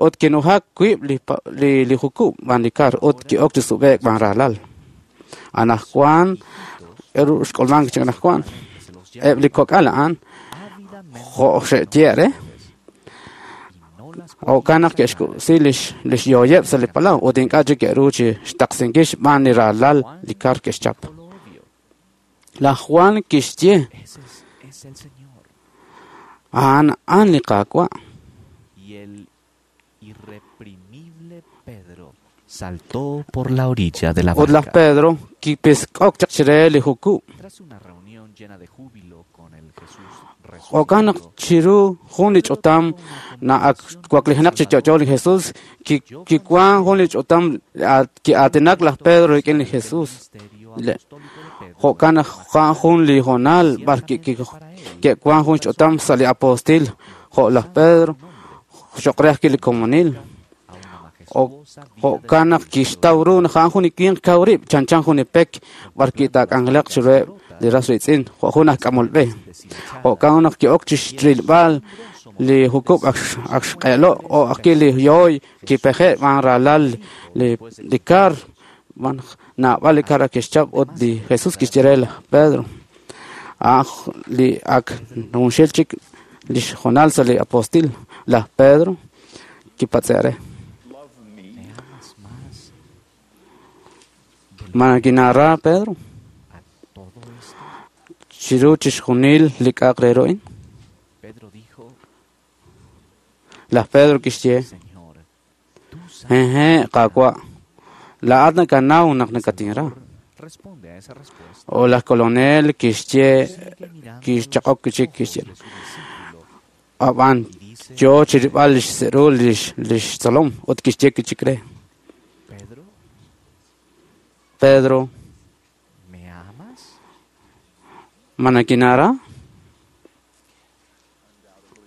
ut kinujak wiib' li li li jukub' b'an li kar ut ki'ok chi sub'e'k b'an raalal. Anajwan eru xk'ulmank chik anajwan eb' li kok'al a'an jo' xe'ye' re jo'kan naq ke'xkub'si lix lix yooyeb' sa' li palaw ut ink'a' chik ke'ru chi xtaqsinkil xb'aan li raalal li kar ke'xchap. Laj Juan kixye a'an a'an li Qaawa'. Saltó por la orilla de la Ut laj barca. Pedro kipisk'ok chaq chire li jukub'. Tras una reunión llena de júbilo con el Jesús Jo'kan naq chiru jun li ch'utam na ak waklijenaq chi yo'yo li Jesús ki kiwan jun li ch'utam ki'aatinak laj Pedro rik'in li Jesús. Le- Jo'kan naq a'an jun li hoonal b'ar ki- ki- ke'wan jun ch'utam sa' li apostil jo' laj Pedro cho'q re ajwi' li komonil. Jo'kan naq kixtaw ru naq a'an jun li winq kaw rib' chanchan jun li pek b'ar ki'taak'anjelaq chiruheb' li ras riitz'in jo' jun aj k'amol b'e. Jo'kan naq ki'ok chixrilb'al li jukub' ak ak xq'eelo' o ajwi' li yooy kipeje' b'an raalal li li kar b'an naab'al li kar ak ke'xchap ut li Jesús kixye re laj Pedro a'an li ak junxil chik lix hoonal sa' li apostil laj Pedro kipatz'e' re. Ma kinara Pedro chiru chixjunil li k'a'aq re ru a'in. Pedro dijo, Laj Pedro kixye Jeje, Qaawa', laa'at nakanaw naq nakatinra. responde a esa respuesta. O laj kolonel kixye kixchaq'ok chik kixye ab'an yo chirib'al lix se'ru lix lix tzolom ut kixye kichik re. Pedro, Pedro, ¿me amas? ma nakinara?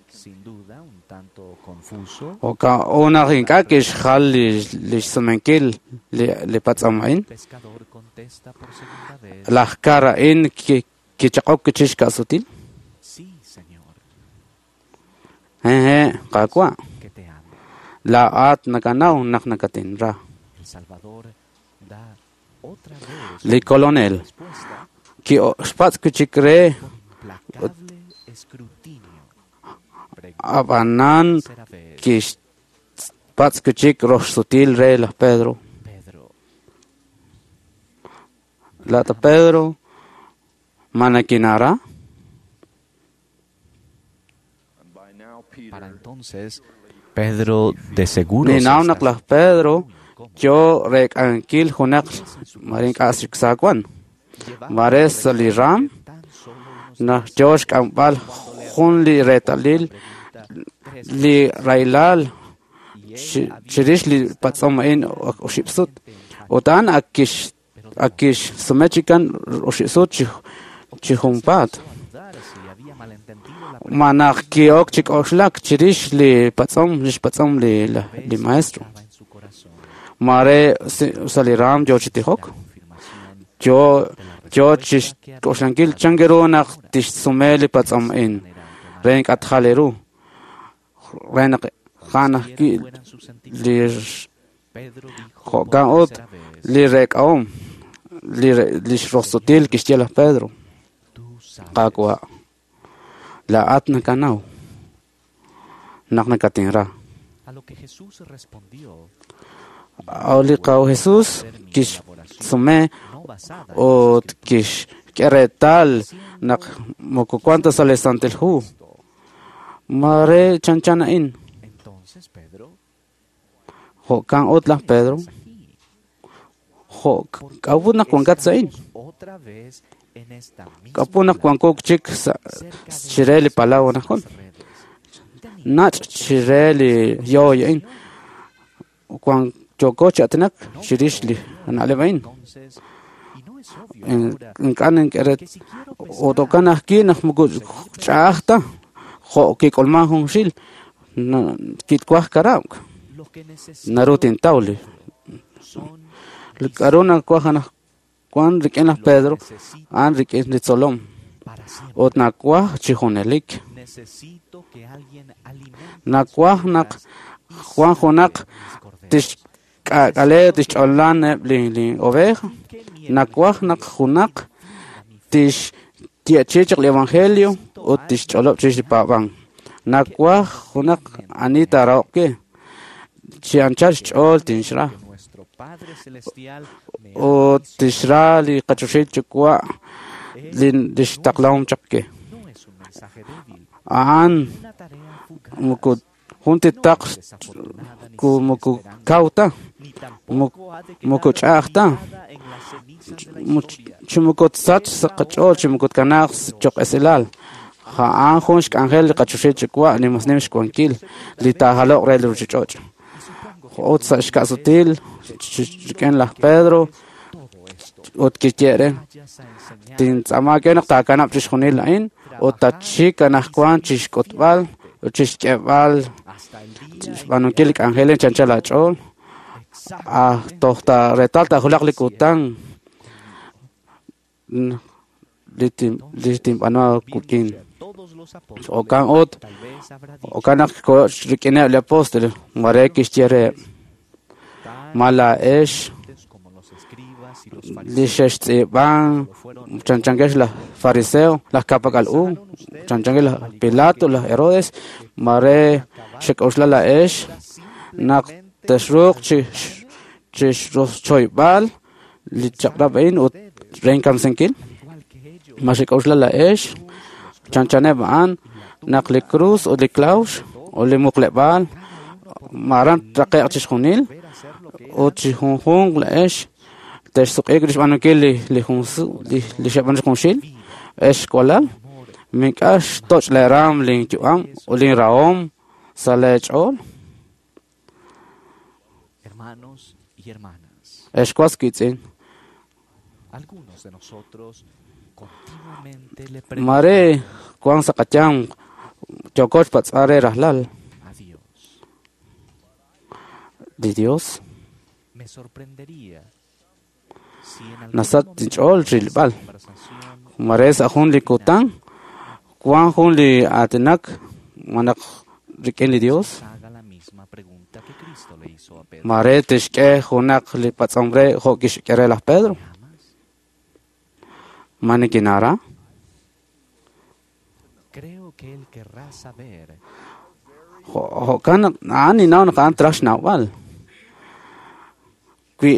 Sin duda, un tanto confuso. Oka unaq ink'a' kixjal lix lix sumenkil li li patz'om a'in. Pescador contesta por segunda vez. Laj kar a'in ki- kichaq'ok chix ka'sutil. Sí, Señor, Jeje, Qaawa', que te amo. laa'at nakanaw naq nakatinra. El Salvador da otra vez Li kolonel ki'xpatz' kichik re implacable escrutinio. ab'anan kixpatz' kichik roxsutil re laj Pedro. Pedro, Laata Pedro, ma nakinara? para entonces, Pedro de seguro se Ninaw está naq laj Pedro yo rek'ankil junaq mare ink'a' xiksaakwan. Mare sa' li ram naq yo xk'amb'al jun li reetalil li rahilal chi- chirix li patz'om a'in oxib' sut. Ut a'an ak kix ak kixsume chikan oxib' sut chi chi junpaat. dudar si había malentendido la Ma naq ki'ok chi k'oxlak chirix li patz'om lix patz'om li li maestro. en su corazón. Mare si- sa' li ram yo chi tijok. Yo yo chixk'oxlankil chan ru naq tixsume li patz'om a'in re ink'a' tjal ru re naq ja'an ajwi' li Pedro dijo jo'kan ut li rek'ahom li re- lix roxsutil kixye laj Pedro Qaawa', laa'at nakanaw naq nakatinra. A lo que Jesús respondió, O li Qaw Jesús kixsume ut kixk'e reetal naq moko wan ta sa' li Santil Hu. Mare chanchan a'in. entonces Pedro, Jo'kan ut laj Pedro. Jo' k'a'ut naq wankat sa' a'in? otra vez en esta misma K'a'ut naq wanko chik sa' chire li palaw anajwan? Nach' chire li yooy a'in. Wan yooko chi aatinak chirix li na'leb' a'in. entonces, y no es obvio Ink'a' nink'e re ut jo'kan ajwi' naq moko ch'a'aj ta jo' kik'ulman junxil na- kitwaj karab'k lo que necesito naru tintaw li son li k'a'ru nawaj anajwan rik'in laj Pedro a'an rik'in li tzolom. Ut nakwaj chi junelik. Nakwaj naq Juan junaq tixk'ak'ale tixch'olan eb' li li oveja. Nakwaj naq junaq tixye'chi chaq li evangelio ut tixch'olob' chirix li paab'an. Nakwaj junaq ani taarahoq ke chi anchal xch'ool tinxra. Ut tixra li qachoxil yuwa' li lix taqlahom chaq ke. A'an moko jun titaq ku moko kaw ta, moko ch'a'aj ta, chi moko tsach sa' qach'ool chi moko tkanaaq choq esilal. A'an jun xk'anjel li qachoxil yuwa' li mas nim xwankil li taajaloq re li ruchich'och'. Ut sa' xka'sutil rik'in laj Pedro ut kixye re tintz'aama ke naq taakanab' chixjunil a'in ut tatxik anajwan chixk'utb'al ut chixk'eeb'al xb'aanunkil li k'anjel chi anchal aach'ool. Ah, toj ta reetal taajulaq li kutan li li tinb'aanu wik'in. Jo'kan ut jo'kan naq rik'ineb' li apóstol mare kixye reheb' ma laa'ex li xextz'iib'an chanchankex laj fariseo, laj ka'pak'al u, chanchankex laj Pilato, laj Herodes, mare xek'oxla laa'ex naq texruuq chi chixchoyb'al li chaq'rab' a'in ut re inkamsinkil. Ma xek'oxla laa'ex chanchaneb' a'an naq li cruz ut li klawx ut li muqleb'aal maran traqe'q chixjunil ut chi junjunq laa'ex texsuq'iik rixb'aanunkil li li jun li li xeb'aan junxil ex walal mink'a' xtoch' leeraam linyu'am ut linrahom sa' leech'ool. Ex was wiitz'in, mare wank sa' qayanq yooko xpatz'b'al re rajlal li Dios. Nasach inch'ool rilb'al. Mare sa' jun li kutan wank jun li aatinak malaj rik'in li Dios. Mare tixk'e junaq li patz'om re jo' kixk'e re laj Pedro. Ma nikinara? Jo'kan a'an ninnaw naq a'an traj xnawb'al. Wi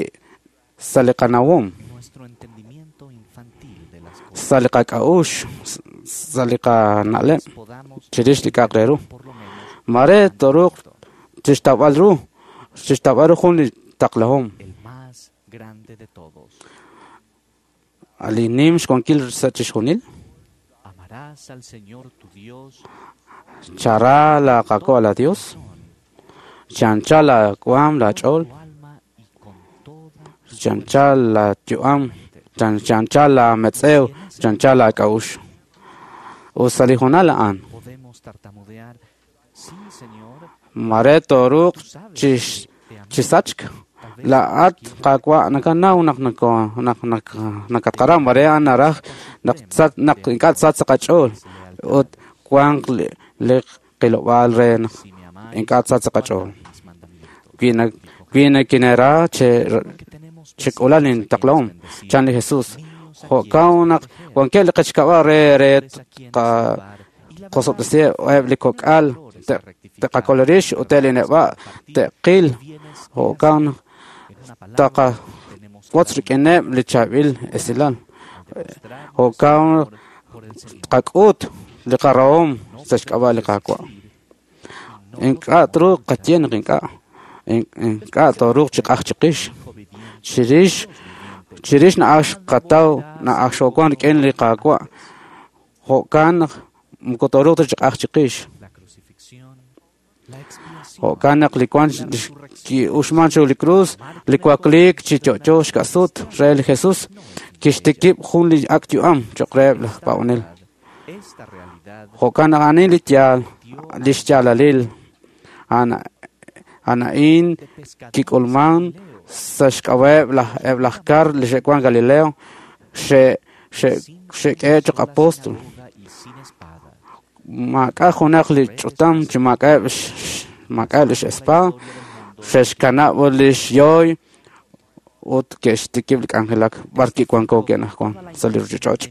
sa' li qanawom, sa' li qak'a'uxl, sa' li qana'leb' chirix li k'a'aq re ru. Mare tooruuq chixtawb'al ru, chixtawb'al ru jun li taqlahom. Li nim xwankil sa' chixjunil. Chara la qako' la Dios, chancha la waam la ch'ool, chancha la yu'am, chancha la metz'ew, chancha la k'a'ux. Ut sa' li hoonal a'an, mare tooruuq chisachk laa'at Qaawa' nakanaw naq naq naq nakatqara mare a'an naraj naq naq ink'a' tsach sa' qach'ool ut wanq li qilob'aal re naq ink'a' tsach sa' qach'ool. Wi wi nakinera chek'ula lintaqlahom chan li Jesús. Jo'kan naq wankeb' li qechkab'a' re re qosob'tesiheb' eb' li kok'al te'qakol rix ut eb' li neb'a' te'qil. Jo'kan taqawotz rik'ineb' li chaab'il esilal. Jo'kan tqak'ut li qarahom sa' xk'ab'a' li Qaawa'. Ink'a' truuq qaye naq ink'a' ink'a' tooruuq chi q'aj chiqix. Chirix chirix na'aj xqataw na'aj xoowan rik'in li Qaawa'. Jo'kan naq moko tooruuq ta chi q'aj chiqix. Jo'kan naq li wank ki'uxman chiru li cruz, li wakliik chi yo'yo xka'sut re li Jesús kixtikib' jun li ak' yu'am cho'q reheb' laj paab'anel. Jo'kan naq a'anin li yaal, li xyaalalil a'an a'in kik'ulman sa' xk'ab'a'eb' laj eb' laj kar li xe'wan Galileo xe xe'k'ehe' choq' apóstol. Maak'a' junaq li ch'utam chi maak'a'eb' maak'a'eb' lix espada, xe'xkanab' lix yooy ut ke'xtikib' li k'anjelak b'ar kiwanko ke'najwan sa' li ruchich'och'.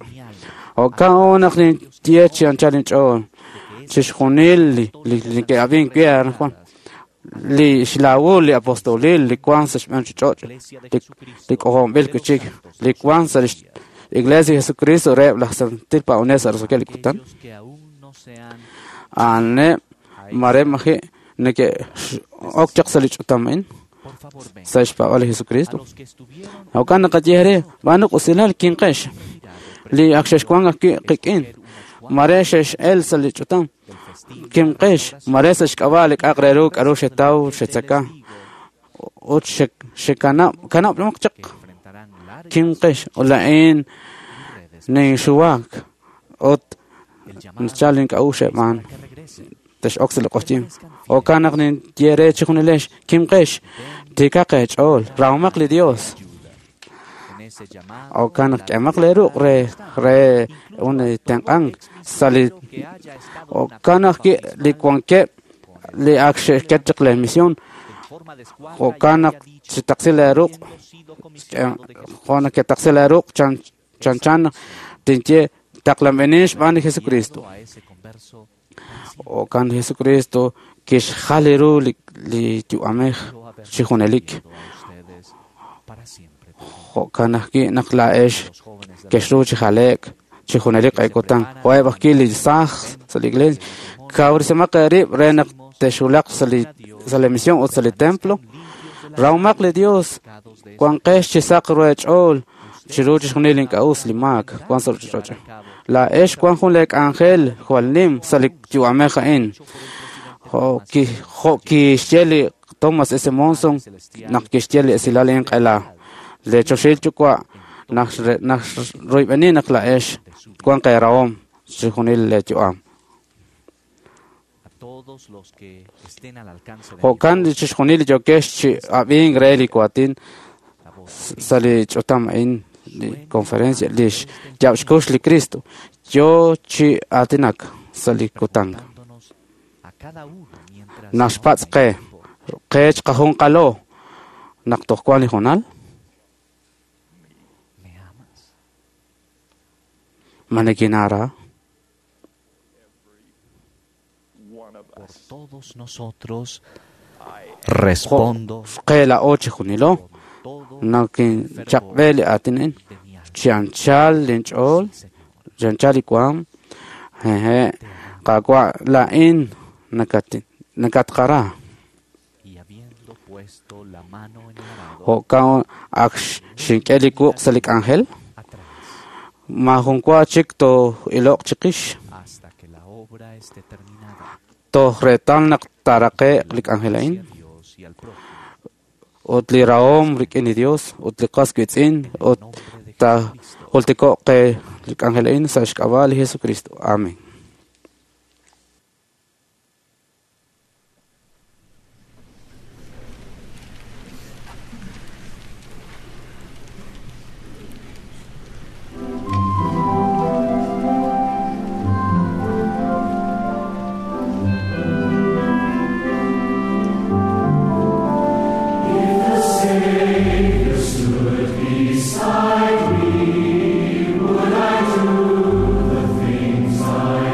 Jo'kan naq ninye chi anchal inch'ool chixjunil li li ke'ab'ink wi' anajwan li xlaawul li apostolil li wan sa' xb'een ruchich'och' li k'ojo'nb'il wi'chik li wan sa' lix Iglesia Jesucristo reheb' laj santil paab'anel sa' roso'jikeb' li kutan. A'aneb' mare maji' neke'ok chaq sa' li ch'utam a'in sa' xpaab'al li Jesucristo. Jo'kan naqaye re b'aanu usilal kinqex li ak xexwank ajwi' qik'in mare xex'el sa' li ch'utam kimqex mare sa' xk'ab'a' li k'a'aq re ru k'aru xetaw xetzaka ut xekanab' kanab'maq chaq kimqex ut laa'in ninxuwak ut nachal ink'a'uxl xeb'aan tex'ok sa' li q'oqyink. Jo'kan naq ninye re chijunilex kimqex tiikaq eech'ool rahomaq li Dios. Jo'kan naq k'emaq lee ruq' re re un tenq'ank sa' li jo'kan ajwi' li wankeb' li ak xe'xket chaq lee misión. Jo'kan naq chitaqsi lee ruq' jo' naq ketaqsi lee ruq' chanchan tinye taqlanb'enin xb'aan li Jesucristo. Jo'kan li Jesucristo kixjal ru li li yu'amej chi junelik. Jo'kan ajwi' naq laa'ex kexru chi jale'k chi junelik q'eekutan. Jo'eb' ajwi' li saaj sa' li iglesia kawresimaq eerib' re naq texwulaq sa' li sa' li misión ut sa' li templo. Rahomaq li Dios wanqex chi saq ru eech'ool chiru chixjunil ink'a'us li maak wan sa' ruchich'och'. Laa'ex wan jun lee k'anjel jwal nim sa' li yu'amej a'in. Jo' jo' kixye li Thomas S. Monson naq kixye li esilal inq'ela. Le choxil yuwa' naq naq royb'eni naq laa'ex wanq eerahom chixjunil lee yu'am. Jo'kan chixjunil li yokex chi ab'ink re li waatin sa' li ch'utam a'in li conferencia li xyaab' xkux li Cristo yo chi aatinak sa' li kutan. Naxpatz' qe qe chiqajunqalo naq toj wan li hoonal. Ma nikinara? Por todos nosotros respondo qe laa'o chijunilo nakinchaqb'e li aatin a'in chi anchal linch'ool chi anchal li waam jeje' Qaawa' laa'in nakatqara. Jo'kan ak xink'e li wuq' sa' li k'anjel maajun wa chik too'iloq chiqix toj reetal naq taaraqe'q li k'anjel a'in ut li rahom rik'in li Dios ut li qas qiitz'in ut taajultiko'q qe li k'anjel a'in sa' xk'ab'a' li Jesucristo. Amén. Beside me, would I do the things I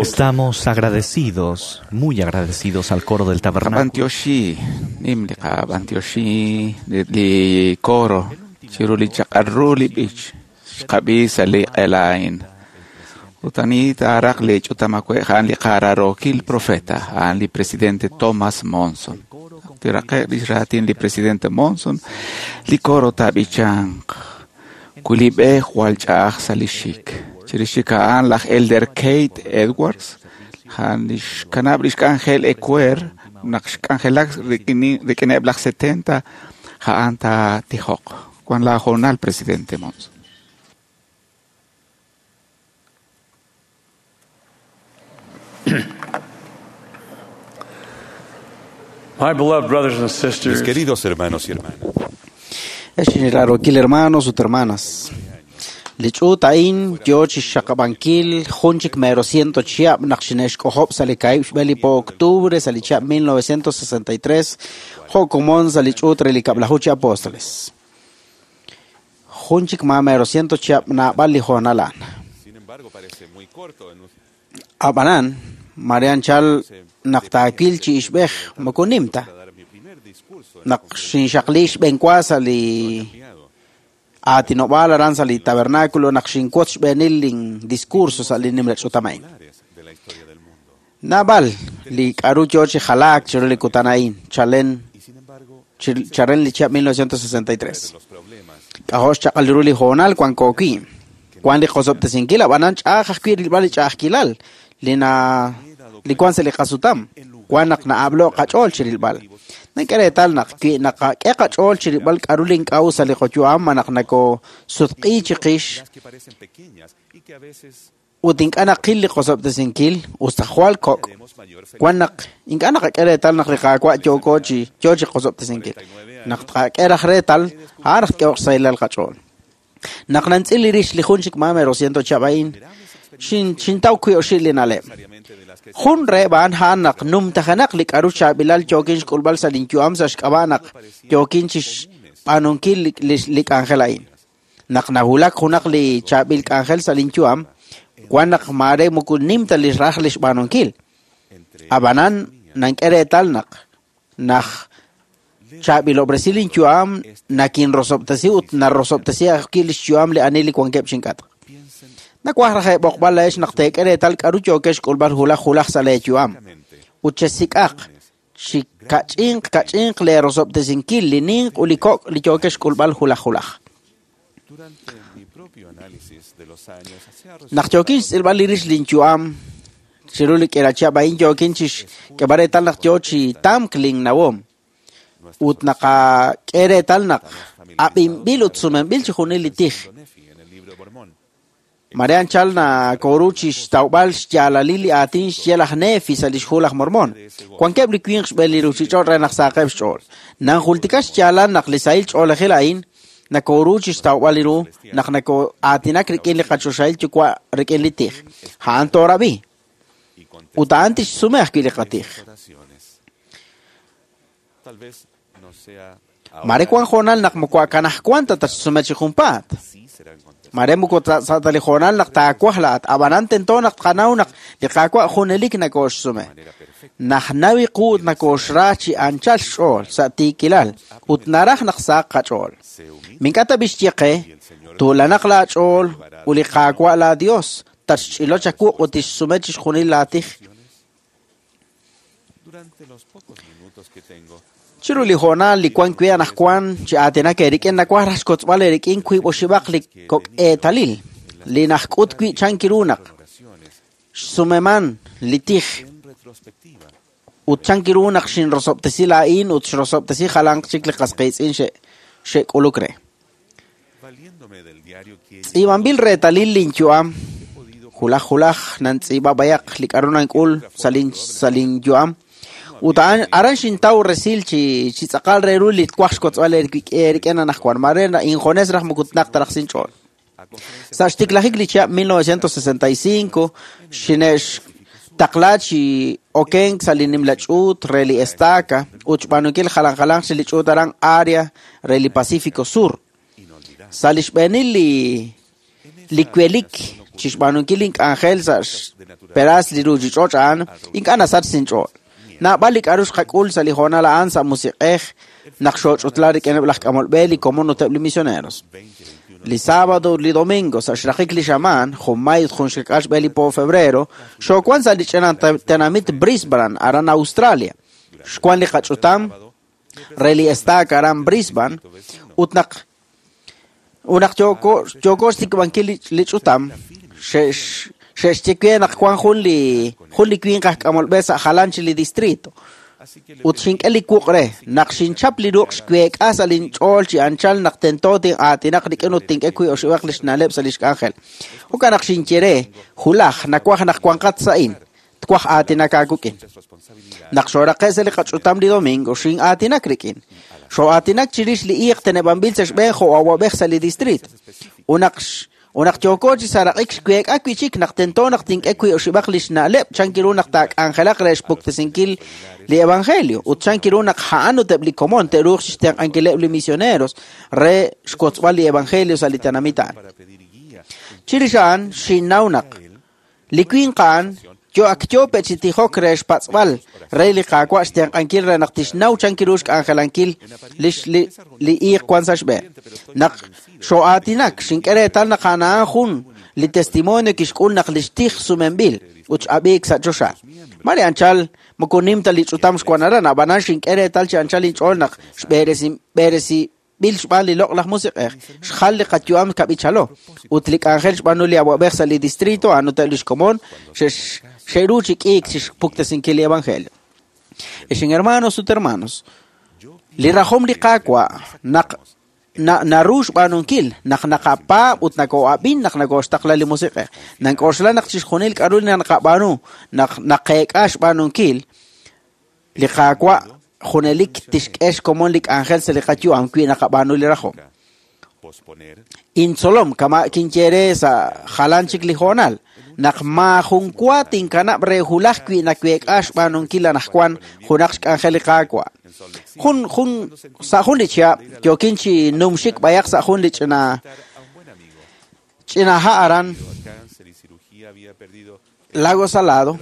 Estamos agradecidos, muy agradecidos al coro del tabernáculo. Qab'antioxi, nim li qab'antioxi li coro, chiru li chaq'arru li b'ich, xqab'i sa' li q'elain. Utani taaraq li ch'utamakwe' ja'an li qararokil profeta, ja'an li presidente Thomas Monson. Tiraqe' li xraatin li presidente Monson, li coro taab'ichanq, wi li b'e jwal ch'a'aj sa' li xik. Chirix chik a'an laj Elder Kate Edwards, ja'an li xkanab' li xk'anjel ecuer, naq xk'anjelak rik'ineb' laj setenta, ja'an taatijoq. Wan la jornal, presidente Monson. My beloved brothers and sisters, Mis queridos hermanos y hermanas, Ex hermanos ut hermanas. Li ch'uut a'in yo chi xxaqab'ankil jun chik mero ciento chihab' naq xine'xk'ojob' sa' li kaahib' xb'e li po octubre sa' li chihab' mil novecientos sesenta y tres jo' komon sa' li ch'uut re li kab'laju chi apóstoles. Jun chik ma mero ciento chihab' naab'al li hoonal a'an. sin embargo, parece muy corto en un Ab'anan, Marian chal naq taawil chi ixb'ej moko nim ta. Naq xinxaqli xb'enwa sa' li aatinob'aal aran sa' li tabernáculo naq xinwotz xb'eenil lin discurso sa' li nimla ch'utam a'in. Naab'al li k'aru yo chi jalaak chiru li kutan a'in chalen charen li chihab' mil novecientos sesenta y tres. K'ajo' xchaq'al ru li hoonal wanko wi'. Wan li qosob'tesinkil ab'anan ch'a'aj ajwi' rilb'al li ch'a'ajkilal li na li wan sa' li qasutam. Wan naq na'ab'lo' qach'ool chi rilb'al. Nank'e reetal naq wi naqak'e qach'ool chi rilb'al k'aru li ink'a'u sa' li qoyu'am ma naq nakosutq'i chiqix ut ink'a' naqil li qosob'tesinkil usta jwal kok'. Wan naq ink'a' naqak'e reetal naq li Qaawa' yooko chi yo chi qosob'tesinkil. Naq tqak'e raj reetal, a'an raj tk'ehoq xsahilal qach'ool. Naq nantz'il li rix li jun chik ma mero ciento chihab' a'in, xin xintaw wi' oxib' li na'leb'. Jun reheb' a'an a'an naq numtajenaq li k'aru chaab'ilal yookin xk'ulb'al sa' linyu'am sa' xk'ab'a' naq yookin chi xb'aanunkil li li k'anjel a'in. Naq nawulak junaq li chaab'il k'anjel sa' linyu'am, wan naq maare moko nim ta li raj li xb'aanunkil. Ab'anan nank'e reetal naq naj chaab'ilob'resi linyu'am nakinrosob'tesi ut narosob'tesi ajwi' li xyu'am li ani li wankeb' chink'atq. Nawaj raj eeb'oqb'al la'ex naq teek'e reetal k'aru yookex xk'ulb'al hulaj hulaj sa' leeyu'am. Ut chesik'aq chi kach'inq kach'inq leerosob'tesinkil li ninq ut li kok' li yookex xk'ulb'al hulaj hulaj. Naq yookin xtz'ilb'al li rix linyu'am chiru li k'ila chihab' a'in yookin chi xk'eb'al reetal naq yo chi tamk linnawom. Ut naqak'e reetal naq ab'inb'il ut sumenb'il chi junil li tij. Marian chal nakoru chi xtawb'al xyaalalil li aatin xye laj Nefi sa' li xhu laj Mormon. Wankeb' li winq xb'een li ruuchich'och' re naq saqeb' xch'ool. Nanjultika xyaalal naq li sahil ch'oolejil a'in nakoru chi xtawb'al li ru naq nako'aatinak rik'in li qachoxahil yuwa' rik'in li tij. A'an toorab'i. Ut a'an tixsume ajwi' li qatij. Mare wan hoonal naq moko akanaj wan ta tatxsume chi junpaat. Mare moko sa' ta li hoonal naq taawaj laat, ab'anan tento naq tqanaw naq li Qaawa' junelik nakooxsume. Naj nawi qu ut nakooxra chi anchal xch'ool sa' tiikilal ut naraj naq saq qach'ool. Mink'a ta b'ixye qe, tuulanaq laach'ool ut li Qaawa' la Dios tatxch'ilo chakuq ut tixsume chi xjunil laatij. Chiru li hoonal li wan wi' anajwan chi aatinak eerik'in nawaj raj xkotzb'al eerik'in wiib' oxib'aq li kok' eetalil li najk'ut wi' chankiru naq xsumeman li tij ut chankiru naq xinrosob'tesi laa'in ut xrosob'tesi jalanq chik li qas qiitz'in xe xe'k'uluk re. Tz'iib'anb'il reetalil linyu'am hulaj hulaj nantz'iib'a b'ayaq li k'aru nank'ul sa' lin sa' linyu'am. Ut a'an aran xintaw resil chi chi tz'aqal re ru li twaj xkotzb'al eerik'in anajwan mare injones raj moko tnaq ta raj sinch'ool. Sa' xtiklajik li chihab' mil novecientos sesenta y cinco xine'xtaqla chi okenk sa' li nimla ch'uut re li estaca ut xb'aanunkil jalan jalanq chi li ch'uut aran área re li Pacífico Sur. Sa' li xb'eenil li li kwelik chi xb'aanunkil link'anjel sa' xperaas li ruuchich'och' a'an ink'a' nasach sinch'ool. Naab'al li k'a'ru xqak'ul sa' li hoonal a'an sa' musiq'ej naq xooch'utla rik'ineb' laj k'amolb'e li komon ut eb' li misioneros. Li sábado ut li domingo sa' xraqik li xamaan, jun mayo ut jun xkak'al xb'e li po febrero, xoowan sa' li ch'ina tenamit Brisbane aran Australia. Xwan li qach'utam re li estaca aran Brisbane ut naq ut naq yooko yooko xtikb'ankil li ch'utam xe'x xe'xye naq wan jun li jun li winq aj k'amolb'e sa' jalan chi li distrito. Ut xink'e li wuq' re naq xinchap li ruq' xweek'a sa' linch'ool chi anchal naq tento tin'aatinaq rik'in ut tink'e wi' oxib'aq li xna'leb' sa' li xk'anjel. Jo'kan naq xinye re hulaj nawaj naq wanqat sa'in twaj aatinak aawik'in. Naq xooraqe' sa' li qach'utam li domingo xin'aatinak rik'in. Xoo'aatinak chirix li iiq teneb'anb'il sa' xb'een jo' awab'ej sa' li distrito. Ut naq Unaq yooko chi saraq'ik xweek'a wi' chik naq tento naq tink'e wi' oxib'aq li xna'leb' chan kiru naq taak'anjelaq re xpuktesinkil li evangelio ut chan kiru naq a'an ut eb' li komon te'ruuq chixtenq'ankileb' li misioneros re xkotzb'al li evangelio sa' li tenamit a'an. Chirix a'an xinnaw naq li winq a'an yo ak yo pe' chi tijok re xpatz'b'al re li Qaawa' xtenq'ankil re naq tixnaw chan kiru xk'anjelankil li li li iiq wan sa' xb'een. Naq xoo'aatinak xink'e reetal naq a'an a'an jun li testimonio kixk'ul naq li xtij sumenb'il ut x'ab'iik sa' choxa. Mare anchal moko nim ta li ch'utam xwan aran, ab'anan xink'e reetal chi anchal inch'ool naq xb'eresi b'eresi b'il xb'aan li loq'laj musiq'ej xjal li qayu'am kab'ichalo ut li k'anjel xb'aanu li awab'ej sa' li distrito a'an ut eb' li xkomon xe'ru chi k'iik chi xpuktesinkil li evangelio. Ex hermanos ut hermanos, li rajom li Qaawa' naq naru xb'aanunkil naq naqapaab' ut nakoo'ab'in naq nakooxtaqla li musiq'ej. Nank'oxla naq chixjunil k'a'ru li naqab'aanu naq naqeek'a xb'aanunkil li Qaawa' junelik tixk'e xkomon li k'anjel sa' li qayu'am wi' naqab'aanu li rajom. Intzolom kama' kinye re sa' jalan chik li hoonal naq maajun wa tinkanab' re hulaj wi' naweek'a xb'aanunkil anaqwan junaq xk'anjel li Qaawa'. Jun jun sa' jun li chihab' yookin chi numxik b'ayaq sa' jun li ch'ina ch'ina ha' aran Lago Salado.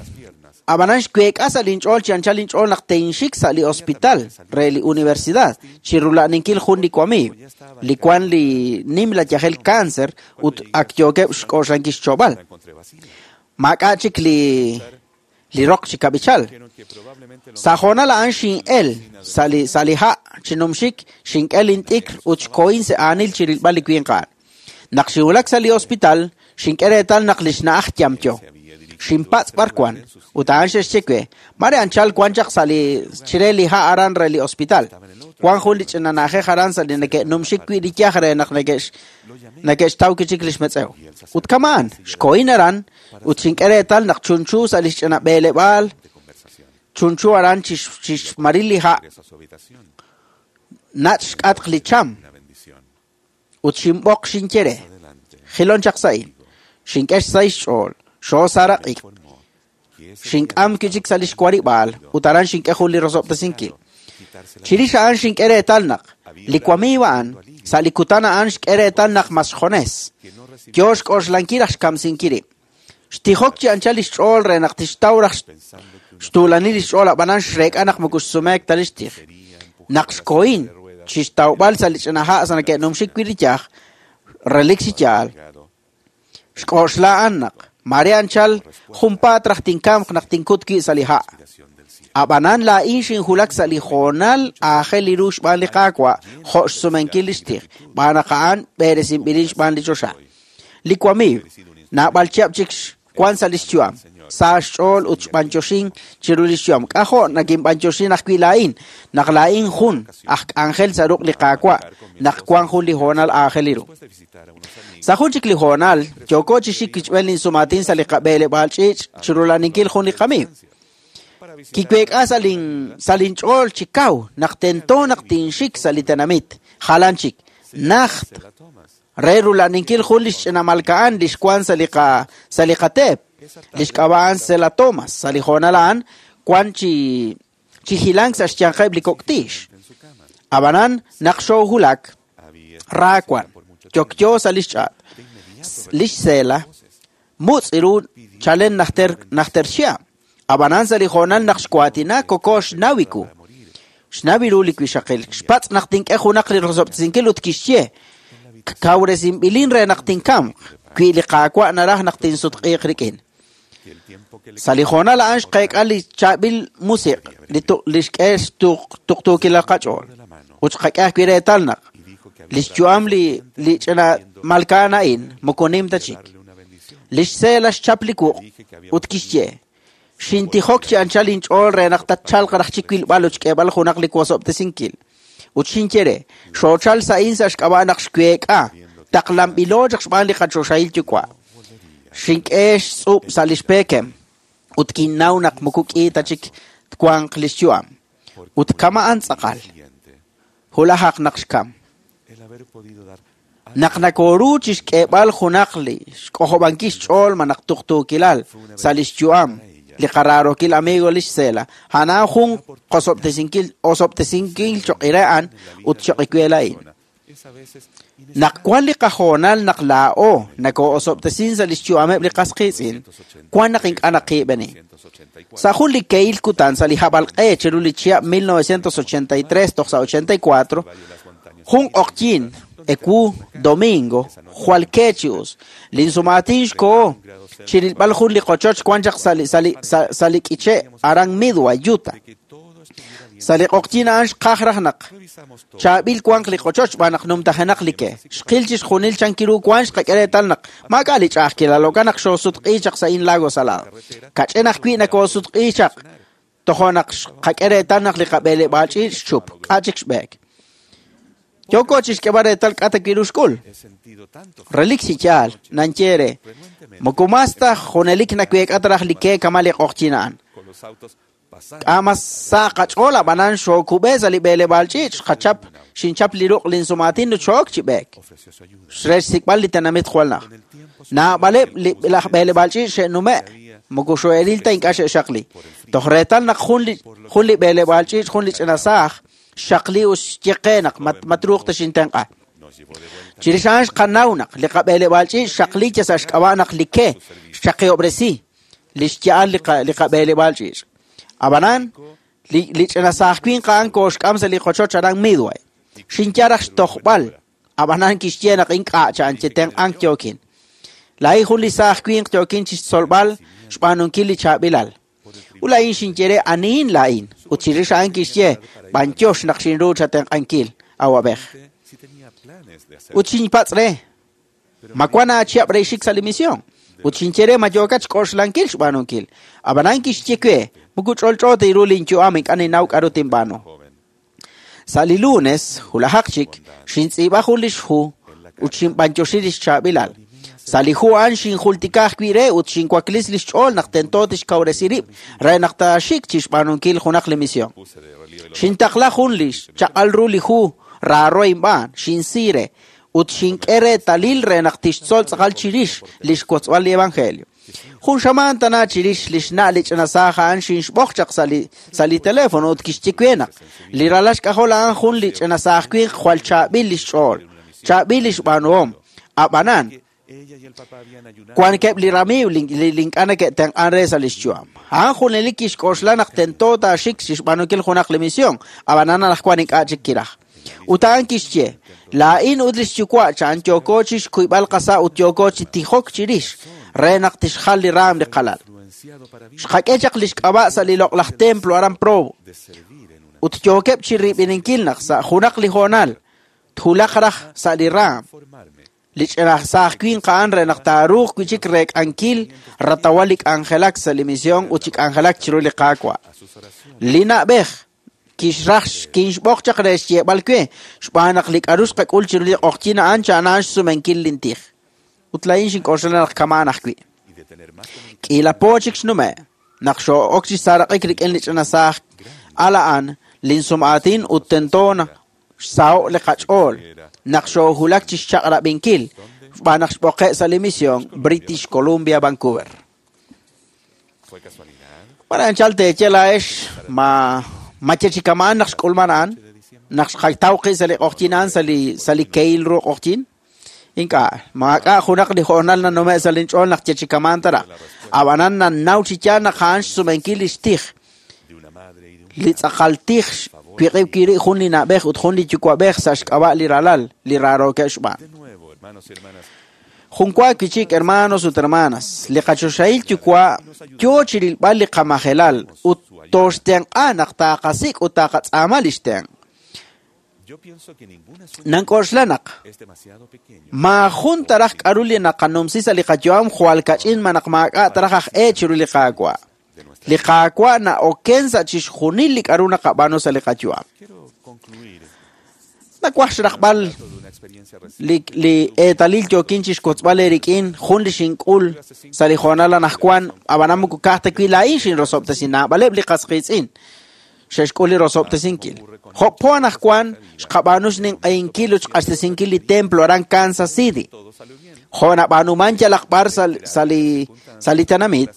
Ab'anan xweek'a sa' linch'ool chi anchal linch'ool naq tinxik sa' li hospital re li universidad chi rula'ninkil jun li wamiiw li wan li nimla yajel cáncer ut ak yookeb' xk'oxlankil xcho'b'al. Maak'a' chik li li roq chi kab'ichal. Sa' hoonal a'an xin'el sa' li sa' li ha' chi numxik xink'e lint'ikr ut xkohin sa' aanil chi rilb'al li winq a'an. Naq xinwulak sa' li hospital xink'e reetal naq li xna'aj yamyo. Xinpatz' b'ar wan ut a'an xe'xye we mare anchal wan chaq sa' li chire li ha' aran re li hospital. Wan jun li ch'ina na'ajej aran sa' li neke'numxik wi' li yaj re naq neke'x neke'xtaw kichik li xmetz'ew. Ut kama'an xkohin aran ut xink'e reetal naq chunchu sa' li xch'ina b'eeleb'aal chunchu aran chi xmaril li ha' nach' xk'atq li cham ut xinb'oq xinye re jilon chaq sa'in xink'e xsahil xch'ool xoosaraq'ik. Xink'am kichik sa' li xwarib'aal ut aran xink'e jun li rosob'tesinkil. Chirix a'an xink'e reetal naq li wamiiw a'an sa' li kutan a'an xk'e reetal naq mas xjones. Yo xk'oxlankil raj xkamsinkil rib'. Xtijok chi anchal li xch'ool re naq tixtaw raj xtuulanil li xch'ool ab'anan xreek'a naq moko xsumeek ta li xtij. Naq xkohin chi xtawb'al sa' li ch'ina ha' sa' neke'numxik wi' li yaj relik chi yaal. Xk'oxla a'an naq mare anchal junpaat raj tinkamq naq tinkut wi' sa' li ha'. Ab'anan laa'in xinjulak sa' li hoonal aajel li ru xb'aan li Qaawa' jo' xsumenkil li xtij, xb'aan naq a'an b'eresinb'ilin xb'aan li choxa. Li wamiiw naab'al chihab' chik wan sa' li xyu'am, sa' xch'ool ut xb'anyoxin chiru li xyu'am. K'ajo' nakinb'anyoxin ajwi' laa'in naq laa'in jun aj k'anjel sa' ruq' li Qaawa' naq wan jun li hoonal aajel li ru. Sa' jun chik li hoonal yooko chi xik kichb'en linsumaatin sa' li qab'eeleb'aal ch'iich' chi rula'ninkil jun li qamiiw. Kiweek'a sa' lin sa' linch'ool chi kaw naq tento naq tinxik sa' li tenamit jalan chik najt re rula'ninkil jun li xch'ina malka'an li xwan sa' li qa sa' li qateep li xk'ab'a'an Sela Thomas. Sa' li hoonal a'an wan chi chi hilank sa' xyanqeb' li kok' tiix. Ab'anan naq xoohulak ra wan yokyo sa' li xch'aat. Li xSela Mutz' ru chalen najter najter xia. Ab'anan sa' li hoonal naq xwaatina koko xnawiku. Xnawi ru li wixaqil. Xpatz' naq tink'e junaq li rosob'tesinkil ut kixye. Kawresinb'ilin re naq tinkamq. Wi li Qaawa' naraj naq tinsutq'iiq rik'in. Sa' li hoonal a'an xqeek'a li chaab'il musiq' li li xk'e xtuqtuukilal qach'ool. Ut xqak'e ajwi' reetal naq li xyu'am li li ch'ina malkaan a'in moko nim ta chik. Li xseela xchap li wuq' ut kixye. Xintijok chi anchal inch'ool re naq tatchalq raj chi wilb'al ut xk'eeb'al junaq li wosob'tesinkil. Ut xinye re, xoochal sa'in sa' xk'ab'a' naq xweek'a, taqlanb'ilo chaq xb'aan li qachoxahil yuwa'. Xink'e xtz'ub' sa' li xpeekem, ut kinnaw naq moko k'i ta chik twanq li xyu'am. Ut kama'an tz'aqal. Hulajaq naq xkam. Naq nakoru chi xk'eeb'al junaq li xk'ojob'ankil xch'ool ma naq tuqtuukilal sa' li xyu'am li qararokil amigo li xseela. A'an jun qosob'tesinkil osob'tesinkil choq'ire'an ut choq'ikuela'in. Naq wan li qajoonal naq laa'o nakoo'osob'tesin sa' li xyu'ameb' li qasqiitz'in, wan naq ink'a' naqiib'eni. Sa' jun li keil kutan sa' li hab'alq'e chiru li chihab' mil novecientos ochenta y tres toj sa' ochenta y cuatro, jun q'oqyin ewu domingo jwal kechius linsumaatin xko'o chirilb'al jun li qochoch wan chaq sa' li sa' li sa' li k'iche' aran Midway, Utah. Sa' li q'oqyin a'an xqaj raj naq chaab'il wanq li qochoch xb'aan naq numtajenaq li ke. Xqil chi xjunil chankiru wan xqak'e reetal naq maak'a' li ch'a'ajkilal okan naq xoosutq'i chaq sa' in Lago Salado. Kach'en ajwi' nakoosutq'i chaq tojo naq xqak'e reetal naq li qab'eeleb'aal ch'iich' xchup k'a' chik xb'eek. Yoko chi xk'eb'al reetal k'a ta kiru xk'ul. Relik chi yaal, nanye re, moko mas ta junelik naweek'a raj li ke kama li q'oqyin a'an. K'a mas sa' qach'ool ab'anan xookub'e sa' li b'eeleb'aal ch'iich' xqachap xinchap li ruq' linsumaatin ut xook chi b'eek. Re xsik'b'al li tenamit jwal naj. Naab'aleb' li laj b'eeleb'aal ch'iich' xe'nume' moko xo'elil ta ink'a' xe'xaqli. Toj reetal naq jun li jun li b'eeleb'aal ch'iich' jun li ch'ina saaj xaqli ut xyeqe naq matruuq ta xintenq'a. Chirix a'an xqanaw naq li qab'eeleb'aal ch'iich' xaqli cha sa' xk'ab'a' naq li ke xchaqihob'resi li xya'al li li qab'eeleb'aal ch'iich'. Ab'anan li li ch'ina saaj winq a'an kooxk'am sa' li qochoch aran Midway. Xinye raj xtojb'al, ab'anan kixye naq ink'a' cha'an chetenq'ank yookin. Laa'in jun li saaj winq yookin chi xtzolb'al xb'aanunkil li chaab'ilal. Ut laa'in xinye re anihin laa'in, ut chirix a'an kixye b'anyox naq xinru chatenq'ankil awab'ej. Ut xinpatz' re, ma wan aachihab' re xik sa' li misión. Ut xinye re ma yookat xk'oxlankil xb'aanunkil. Ab'anan kixye we, moko ch'olch'o ta ru linyu'am ink'a' ninnaw k'aru tinb'aanu. Sa' li lunes, hulajaq chik, xintz'iib'a jun li xhu ut xinb'anyoxi li xchaab'ilal. Sa' li hu a'an xinjultika ajwi' re ut xinwaklis li xch'ool naq tento tixkawresi rib' re naq taaxik chi xb'aanunkil junaq li misión. Xintaqla jun li xchaq'al ru li hu raaro inb'aan, xinsi re, ut xink'e reetalil re naq tixtzol tz'aqal chirix li xwotzb'al li evangelio. Jun xamaan tana chirix li xna' li ch'ina saaj a'an xinxb'oq chaq sa' li sa' li teléfono ut kixye we naq li ralal xk'ajol a'an jun li ch'ina saaj winq jwal chaab'il li xch'ool, chaab'il li xb'aanuhom. Ab'anan, wankeb' li ramiiw li ink'a' neke'tenq'an re sa' li xyu'am. A'an junelik kixk'oxla naq tento taaxik chi xb'aanunkil junaq li misión, ab'anan anaqwan ink'a' chik kiraj. Ut a'an kixye, laa'in ut li xyuwa' cha'an yooko chi xkuyb'al qasa' ut yooko chi tijok chirix re naq tixjal li raam li qalal. Xqak'e chaq li xk'ab'a' sa' li loq'laj templo aran Provo. Ut yookeb' chi rib'ininkil naq sa' junaq li hoonal thulaq raj sa' li raam. Li ch'ina saaj winq a'an re naq taaruuq wi' chik reek'ankil ratawal li k'anjelak sa' li misión ut chi k'anjelak chiru li Qaawa'. Li na'b'ej kixraj kinxb'oq chaq re xyeeb'al we xb'aan naq li k'aru xqak'ul chiru li q'oqyin a'an cha'ana'an xsumenkil lintij. Ut laa'in xink'oxla naq kama'an ajwi'. K'iila po chik xnume' naq xoo'ok chi saaraq'ik rik'in li ch'ina saaj al a'an linsum'aatin ut tento naq xsaho' li qach'ool naq xoohulak chi xchaq'rab'inkil xb'aan naq xb'oqe' sa' li misión British Columbia, Vancouver. Para anchal teeye laa'ex ma ma chechikamaan naq xk'ulman a'an naq xqatawqi sa' li q'oqyin a'an sa' li sa' li keil ru q'oqyin Ink'a' maak'a' junaq li hoonal nanume' sa' linch'ool naq yechikaman tara. Ab'anan nannaw chi yaal naq a'an xsumenkil li xtij. Li tz'aqal tij wiq'ib kiri jun li na'b'ej ut jun li yuwa'b'ej sa' xk'ab'a' li ralal li rarookeb' xb'aan. Junwa kichik hermanos ut hermanas, li qachoxahil yuwa' yoo chi rilb'al li qamajelal ut toxtenq'a naq taqasik' ut taqatz'aama li xtenq'. Nank'oxla naq maajun taraj k'aru li naqanumsi sa' li qayu'am jwal kach'in ma naq maak'a' taraj aj e chiru li Qaawa'. Li Qaawa' na'oken sa' chixjunil li k'aru naqab'aanu sa' li qayu'am. Nakwaj xraqb'al li li eetalil yookin chixkotzb'al eerik'in jun li xink'ul sa' li hoonal anajwan ab'anan moko ka'aj ta wi' laa'in xinrosob'tesin naab'aleb' li qasqiitz'in xe'xk'ul li rosob'tesinkil. Jo' po anajwan xqab'aanu xninq'ehinkil ut xq'axtesinkil li templo aran Kansas City. Jo' nab'aanuman yalaq b'ar sa' li sa' li tenamit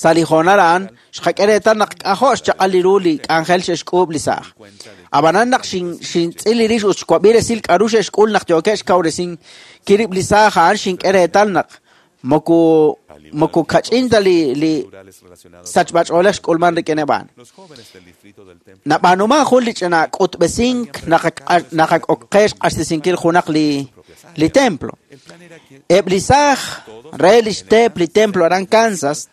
sa' li hoonal a'an xqak'e reetal naq k'ajo' xchaq'al li ru li k'anjel xe'xk'uub' li saaj. Ab'anan naq xintz'il li rix ut xwab'i resil k'aru xe'xk'ul naq yookeb' xkawresinkil rib' li saaj a'an xink'e reetal naq moko moko kach'in ta li li sachb'ach'oolej xk'ulman rik'ineb' a'an. Nab'aanuman jun li ch'ina k'utb'esink naq ok qe xq'axtesinkil junaq li li templo. Eb' li saaj re li xteep li templo aran Kansas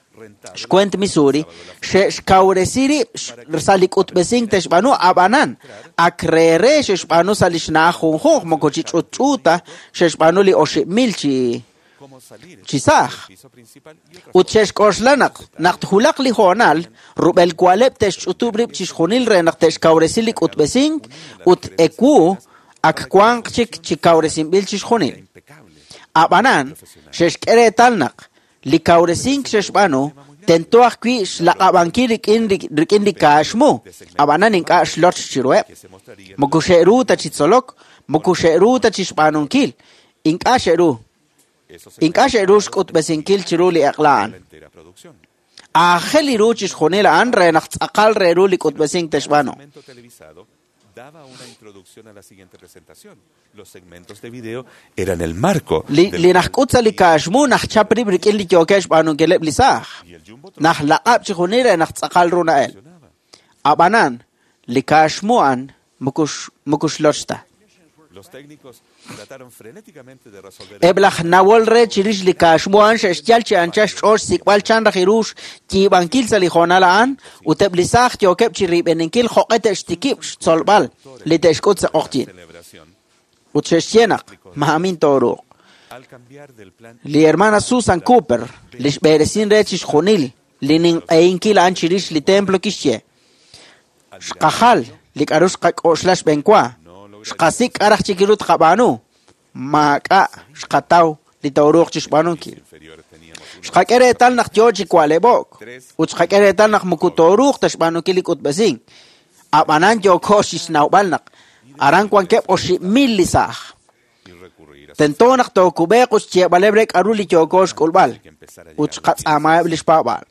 xkwent Missouri xe'xkawresi rib' sa' li k'utb'esink te'xb'aanu ab'anan ak reere xe'xb'aanu sa' li xna'aj junjunq moko chi ch'utch'uuta xe'xb'aanu li oxib' mil chi chi saaj. Ut xe'xk'oxla naq naq tjulaq li hoonal rub'el wa'leb' te'xch'utub' rib' chixjunil re naq te'xkawresi li k'utb'esink ut ewu ak wanq chik chi kawresinb'il chixjunil. Ab'anan xe'xk'e reetal naq li kawresink xe'xb'aanu tento ajwi' xlaq'ab'ankil rik'in rik'in li kaaxmu ab'anan ink'a' xloch chiruheb'. Moko xe'ru ta chi tzolok, moko xe'ru ta chi xb'aanunkil, ink'a' xe'ru. Ink'a' xe'ru xk'utb'esinkil chiru li eq'la a'an. Aajel li ru chixjunil a'an re naq tz'aqal re ru li k'utb'esink te'xb'aanu. Daba una introducción a la siguiente presentación. Los segmentos de video eran el marco. Li li najk'ut sa' li kaaxmu najchap rib' rik'in li yookeb' xb'aanunkileb' li saaj. Najlaq'ab' chixjunil re naq tz'aqal ru na'el. Ab'anan li kaaxmu a'an moko xloch ta. Los técnicos trataron frenéticamente de resolver Eb' laj nawol re chirix li kaaxmu a'an xe'xyal chi ancha xch'ool xsik'b'al chan raj ru xyiib'ankil sa' li hoonal a'an ut eb' li saaj yookeb' chi riib'eninkil jo'q'e te'xtikib' xtzolb'al li te'xk'ut sa' q'oqyin. Ut xe'xye naq ma'amin tooruuq. Li hermana Susan Cooper li xb'eresin re chixjunil li ninq'ehinkil a'an chirix li templo kixye. Xqajal li k'aru xqak'oxla xb'enwa. Xqasik' k'araj chik ru tqab'aanu maak'a' xqataw li tooruuq chi xb'aanunkil. Xqak'e reetal naq yoo chi wa'leb'o'k ut xqak'e reetal naq moko tooruuq ta xb'aanunkil li k'utb'esink. Ab'anan yooko chi xnawb'al naq aran wankeb' oxib' mil li saaj. Tento naq tookub'eeq ut xyeeb'aleb' re k'aru li yooko xk'ulb'al ut xqatz'aamaheb' li xpaab'aal.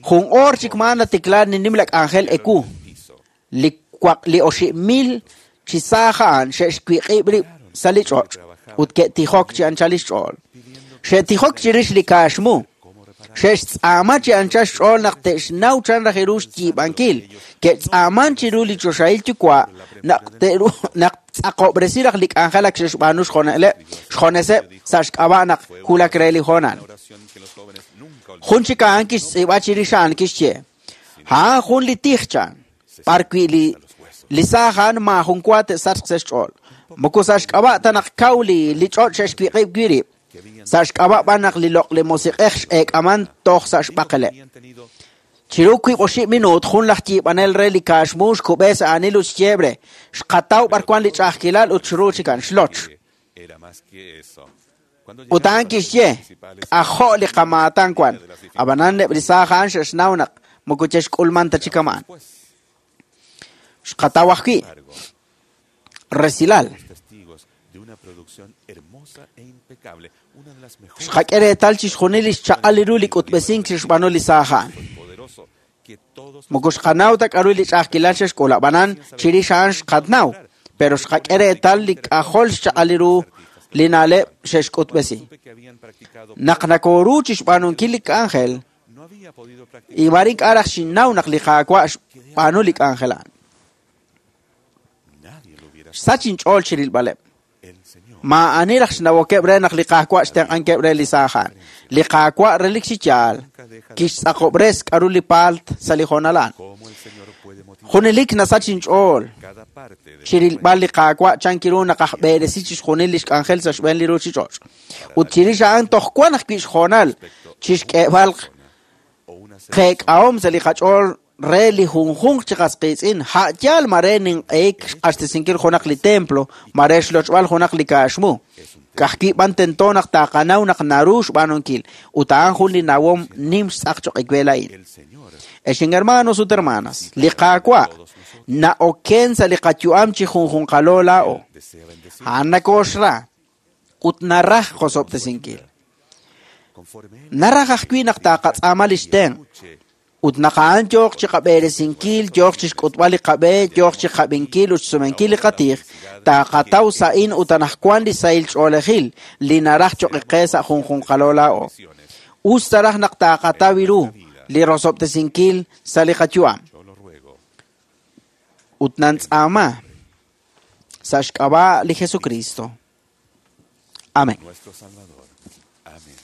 Jun oor chik maan natiklaar li nimla k'anjel ewu li li oxib' mil chi saaj a'an xe'xwiq'ib' rib' sa' li ch'och' ut ke'tijok chi anchal li xch'ool. Xe'tijok chirix li kaaxmu. Xe'xtz'aama chi anchal xch'ool naq te'xnaw chan raj ru xyiib'ankil. Ke'tz'aaman chiru li choxahil yuwa' naq te'ru naq tz'aqob'resi raj li k'anjel ak xe'xb'aanu xjoneleb' xjoneseb' sa' xk'ab'a' naq wulak re li hoonal. Jun chik a'an kixtz'iib'a chirix a'an kixye. A'an jun li tij chan b'ar wi' li li saaj a'an maajun wa te'sachq sa' xch'ool. Moko sa' xk'ab'a' ta naq kaw li li ch'och' xe'xwiq'ib' wi' rib'. Sa' xk'ab'a' b'an naq li loq' li musiq'ej x'eek'aman toj sa' xb'aqeleb'. Chiru wiib' oxib' minuut jun laj yiib'anel re li kaaxmu xkub'e sa' aanil ut xyeeb' re. Xqataw b'ar wan li ch'a'ajkilal ut xru chikan xloch. Ut a'an kixye k'ajo' li qamaatan wan. Ab'anan eb' li saaj a'an xe'xnaw naq moko che'xk'ulman ta chik kama'an. Xqataw ajwi' resilal. Xqak'e reetal chixjunil li xchaq'al li ru li k'utb'esink xe'xb'aanu li saaj a'an. Moko xqanaw ta k'aru li ch'a'ajkilal xe'xk'ul ab'anan chirix a'an xqatnaw, pero xqak'e reetal li k'ajol xchaq'al li ru li na'leb' xe'xk'utb'esi. Naq nakoru chi xb'aanunkil li k'anjel, imar ink'a' raj xinnaw naq li Qaawa' xb'aanu li k'anjel a'an. Xsach inch'ool chi rilb'aleb'. Maa'ani raj xnawokeb' re naq li Qaawa' xtenq'ankeb' re li saaj a'an. Li Qaawa' relik chi yaal kixtz'aqob'res k'aru li paalt sa' li hoonal a'an. Junelik nasach inch'ool chi rilb'al li Qaawa' chankiru naq aj b'eresi chixjunil li xk'anjel sa' xb'een li ruuchich'och'. Ut chirix a'an toj wan ajwi' xhoonal chixk'eeb'al qeek'ahom sa' li qach'ool re li junjunq chi qas qiitz'in ha' yaal mare ninq'ehik xq'axtesinkil junaq li templo mare xlochb'al junaq li kaaxmu. Ka'ajwi' b'an tento naq taaqanaw naq naru xb'aanunkil ut a'an jun li nawom nim xtz'aq choq' ewe laa'in. Ex hermanos ut hermanas, li Qaawa' na'oken sa' li qayu'am chi junjunqalo laa'o. A'an nakooxra ut naraj qosob'tesinkil. Naraj ajwi' naq taaqatz'aama li xtenq' ut naq a'an yooq chi qab'eresinkil, yooq chi xk'utb'al li qab'e, yooq chi qab'inkil ut xsumenkil li qatij, taaqataw sa'in ut anaqwan li sahil ch'oolejil li naraj choq' qe sa' junjunqalo laa'o. Us taraj naq taaqataw ru li rosob'tesinkil sa' li qayu'am. Ut nantz'aama sa' xk'ab'a' li Jesucristo. Amén. Nuestro Salvador. Amén.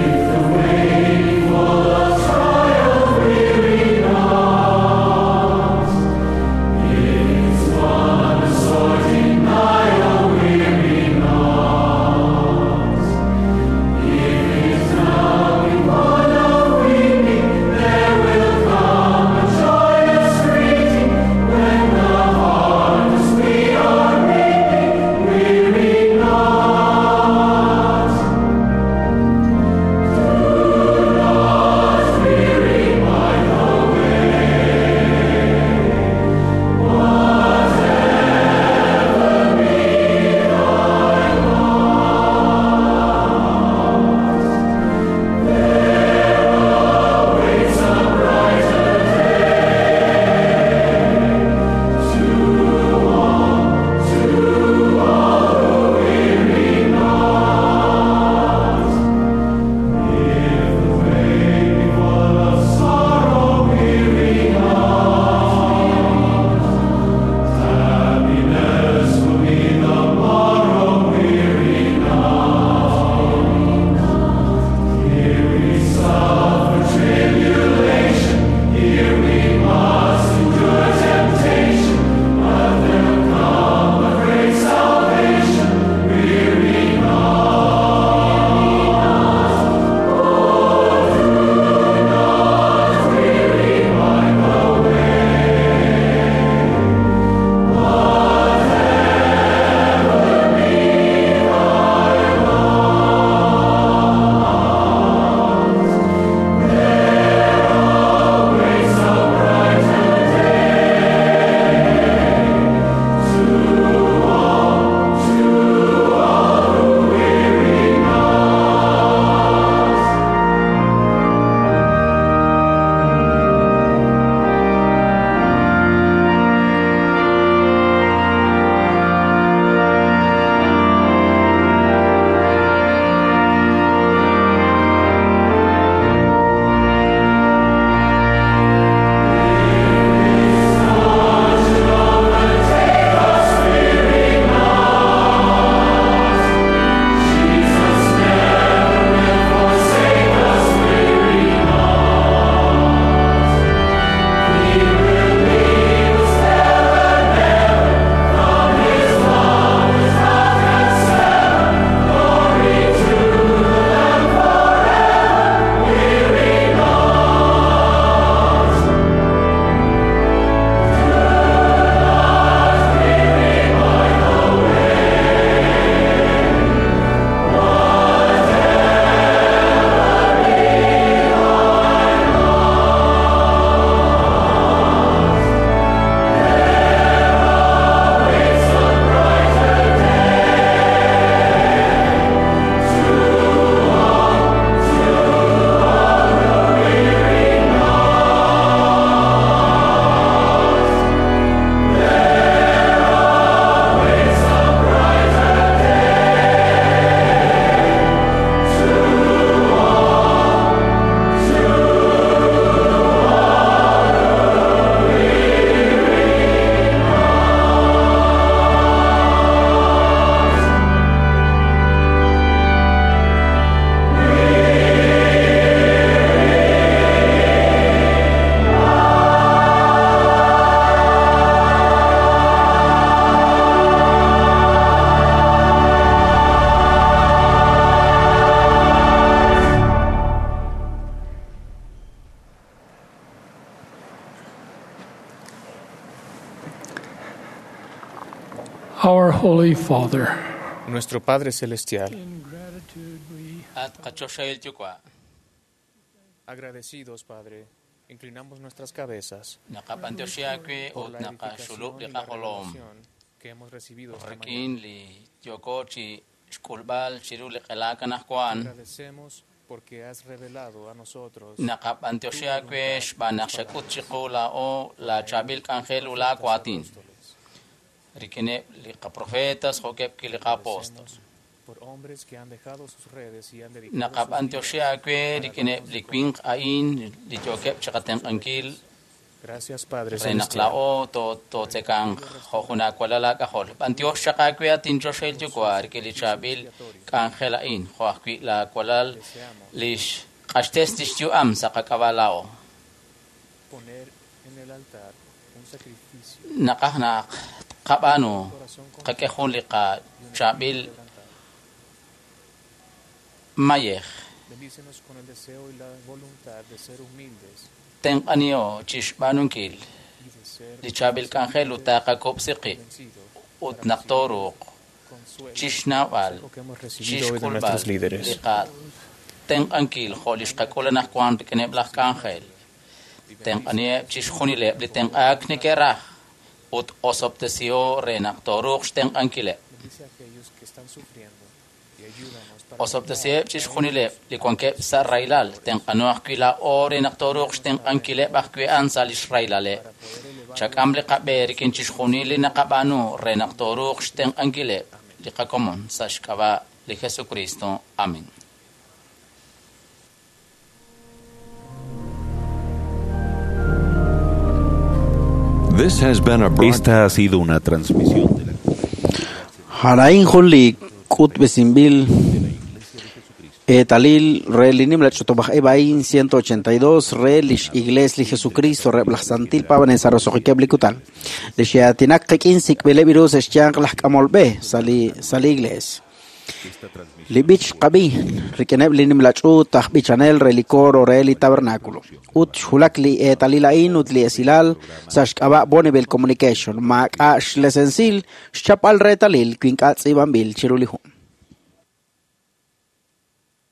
If the waking full of trial weary not, Holy Father, Nuestro Padre Celestial, At qachoxahil yuwa'. agradecidos, Padre, inclinamos nuestras cabezas Naqab'antioxi aawe por ut la naqaxulub' edificación li y la qajolom. revelación que hemos recibido esta mañana. Rik'in li yooko chi xk'ulb'al chiru li q'elaak anaqwan. Agradecemos porque has revelado a nosotros Naqab'antioxi aawe xb'aan naq xak'ut chiqu laa'o la chaab'il k'anjel u laawatin. Rik'ineb' li qaprofetas jo'keb' ki li qaapóstol. por hombres que han dejado sus redes y han dedicado sus Naqab'antioxi aawe rik'ineb' li winq a'in li yookeb' chiqatenq'ankil Gracias, Padre re naq Celestial. laa'o to- tootz'ekanq jo' jun aawalal aak'ajol. B'antiox chaq aawe atinchoxahil yuwa' rik'in li chaab'il k'anjel a'in jo' ajwi' laawalal li xq'axtes lix yu'am sa' qak'ab'a' laa'o. Poner en el altar un sacrificio Naqaj naq qab'aanu qak'e jun li qachaab'il mayej. Bendícenos con el deseo y la voluntad de ser humildes Tenq'aniho chixb'aanunkil y de ser li chaab'il k'anjel ut taaqakub'si qib' ut naq tooruuq chixnawb'al que hemos recibido hoy de chixk'ulb'al nuestros líderes. li qatenq'ankil jo' li xqak'ul anaqwan rik'ineb' laj k'anjel. Tenq'aniheb' chixjunileb' li tenq'aak neke'raj ut osob'tesiho re naq tooruuq xtenq'ankileb'. Bendice a aquellos que están sufriendo y ayúdanos para Osob'tesiheb' chixjunileb' li wankeb' sa' rahilal. Tenq'ano ajwi' laa'o re naq tooruuq xtenq'ankileb' ajwi' a'an sa' lix rahilaleb'. Chak'am li qab'e rik'in chixjunil li naqab'aanu re naq tooruuq xtenq'ankileb' li qakomon sa' xk'ab'a' li Jesucristo. Amén. This has been a Esta ha sido una transmisión de la Harain jun li k'utb'esinb'il eetalil re li nimla ch'utub'aj ib' ciento ochenta y dos re lix Iglesia li Jesucristo reb' laj Santil Pabanel sa' roso'jikeb' li kutan. Li xe'aatinak qik'in sik'b'ileb' iru sa' xyanq laj k'amolb'e sa' li sa' li Iglesia. Li b'ich qab'i rik'ineb' li nimla ch'uut aj b'ichanel re li coro re li tabernáculo. Ut xjulak li eetalil a'in ut li esilal sa' xk'ab'a' Bonneville Communication maak'a' xlesensil xchapb'al reetalil wi ink'a' tz'iib'anb'il chiru li jun.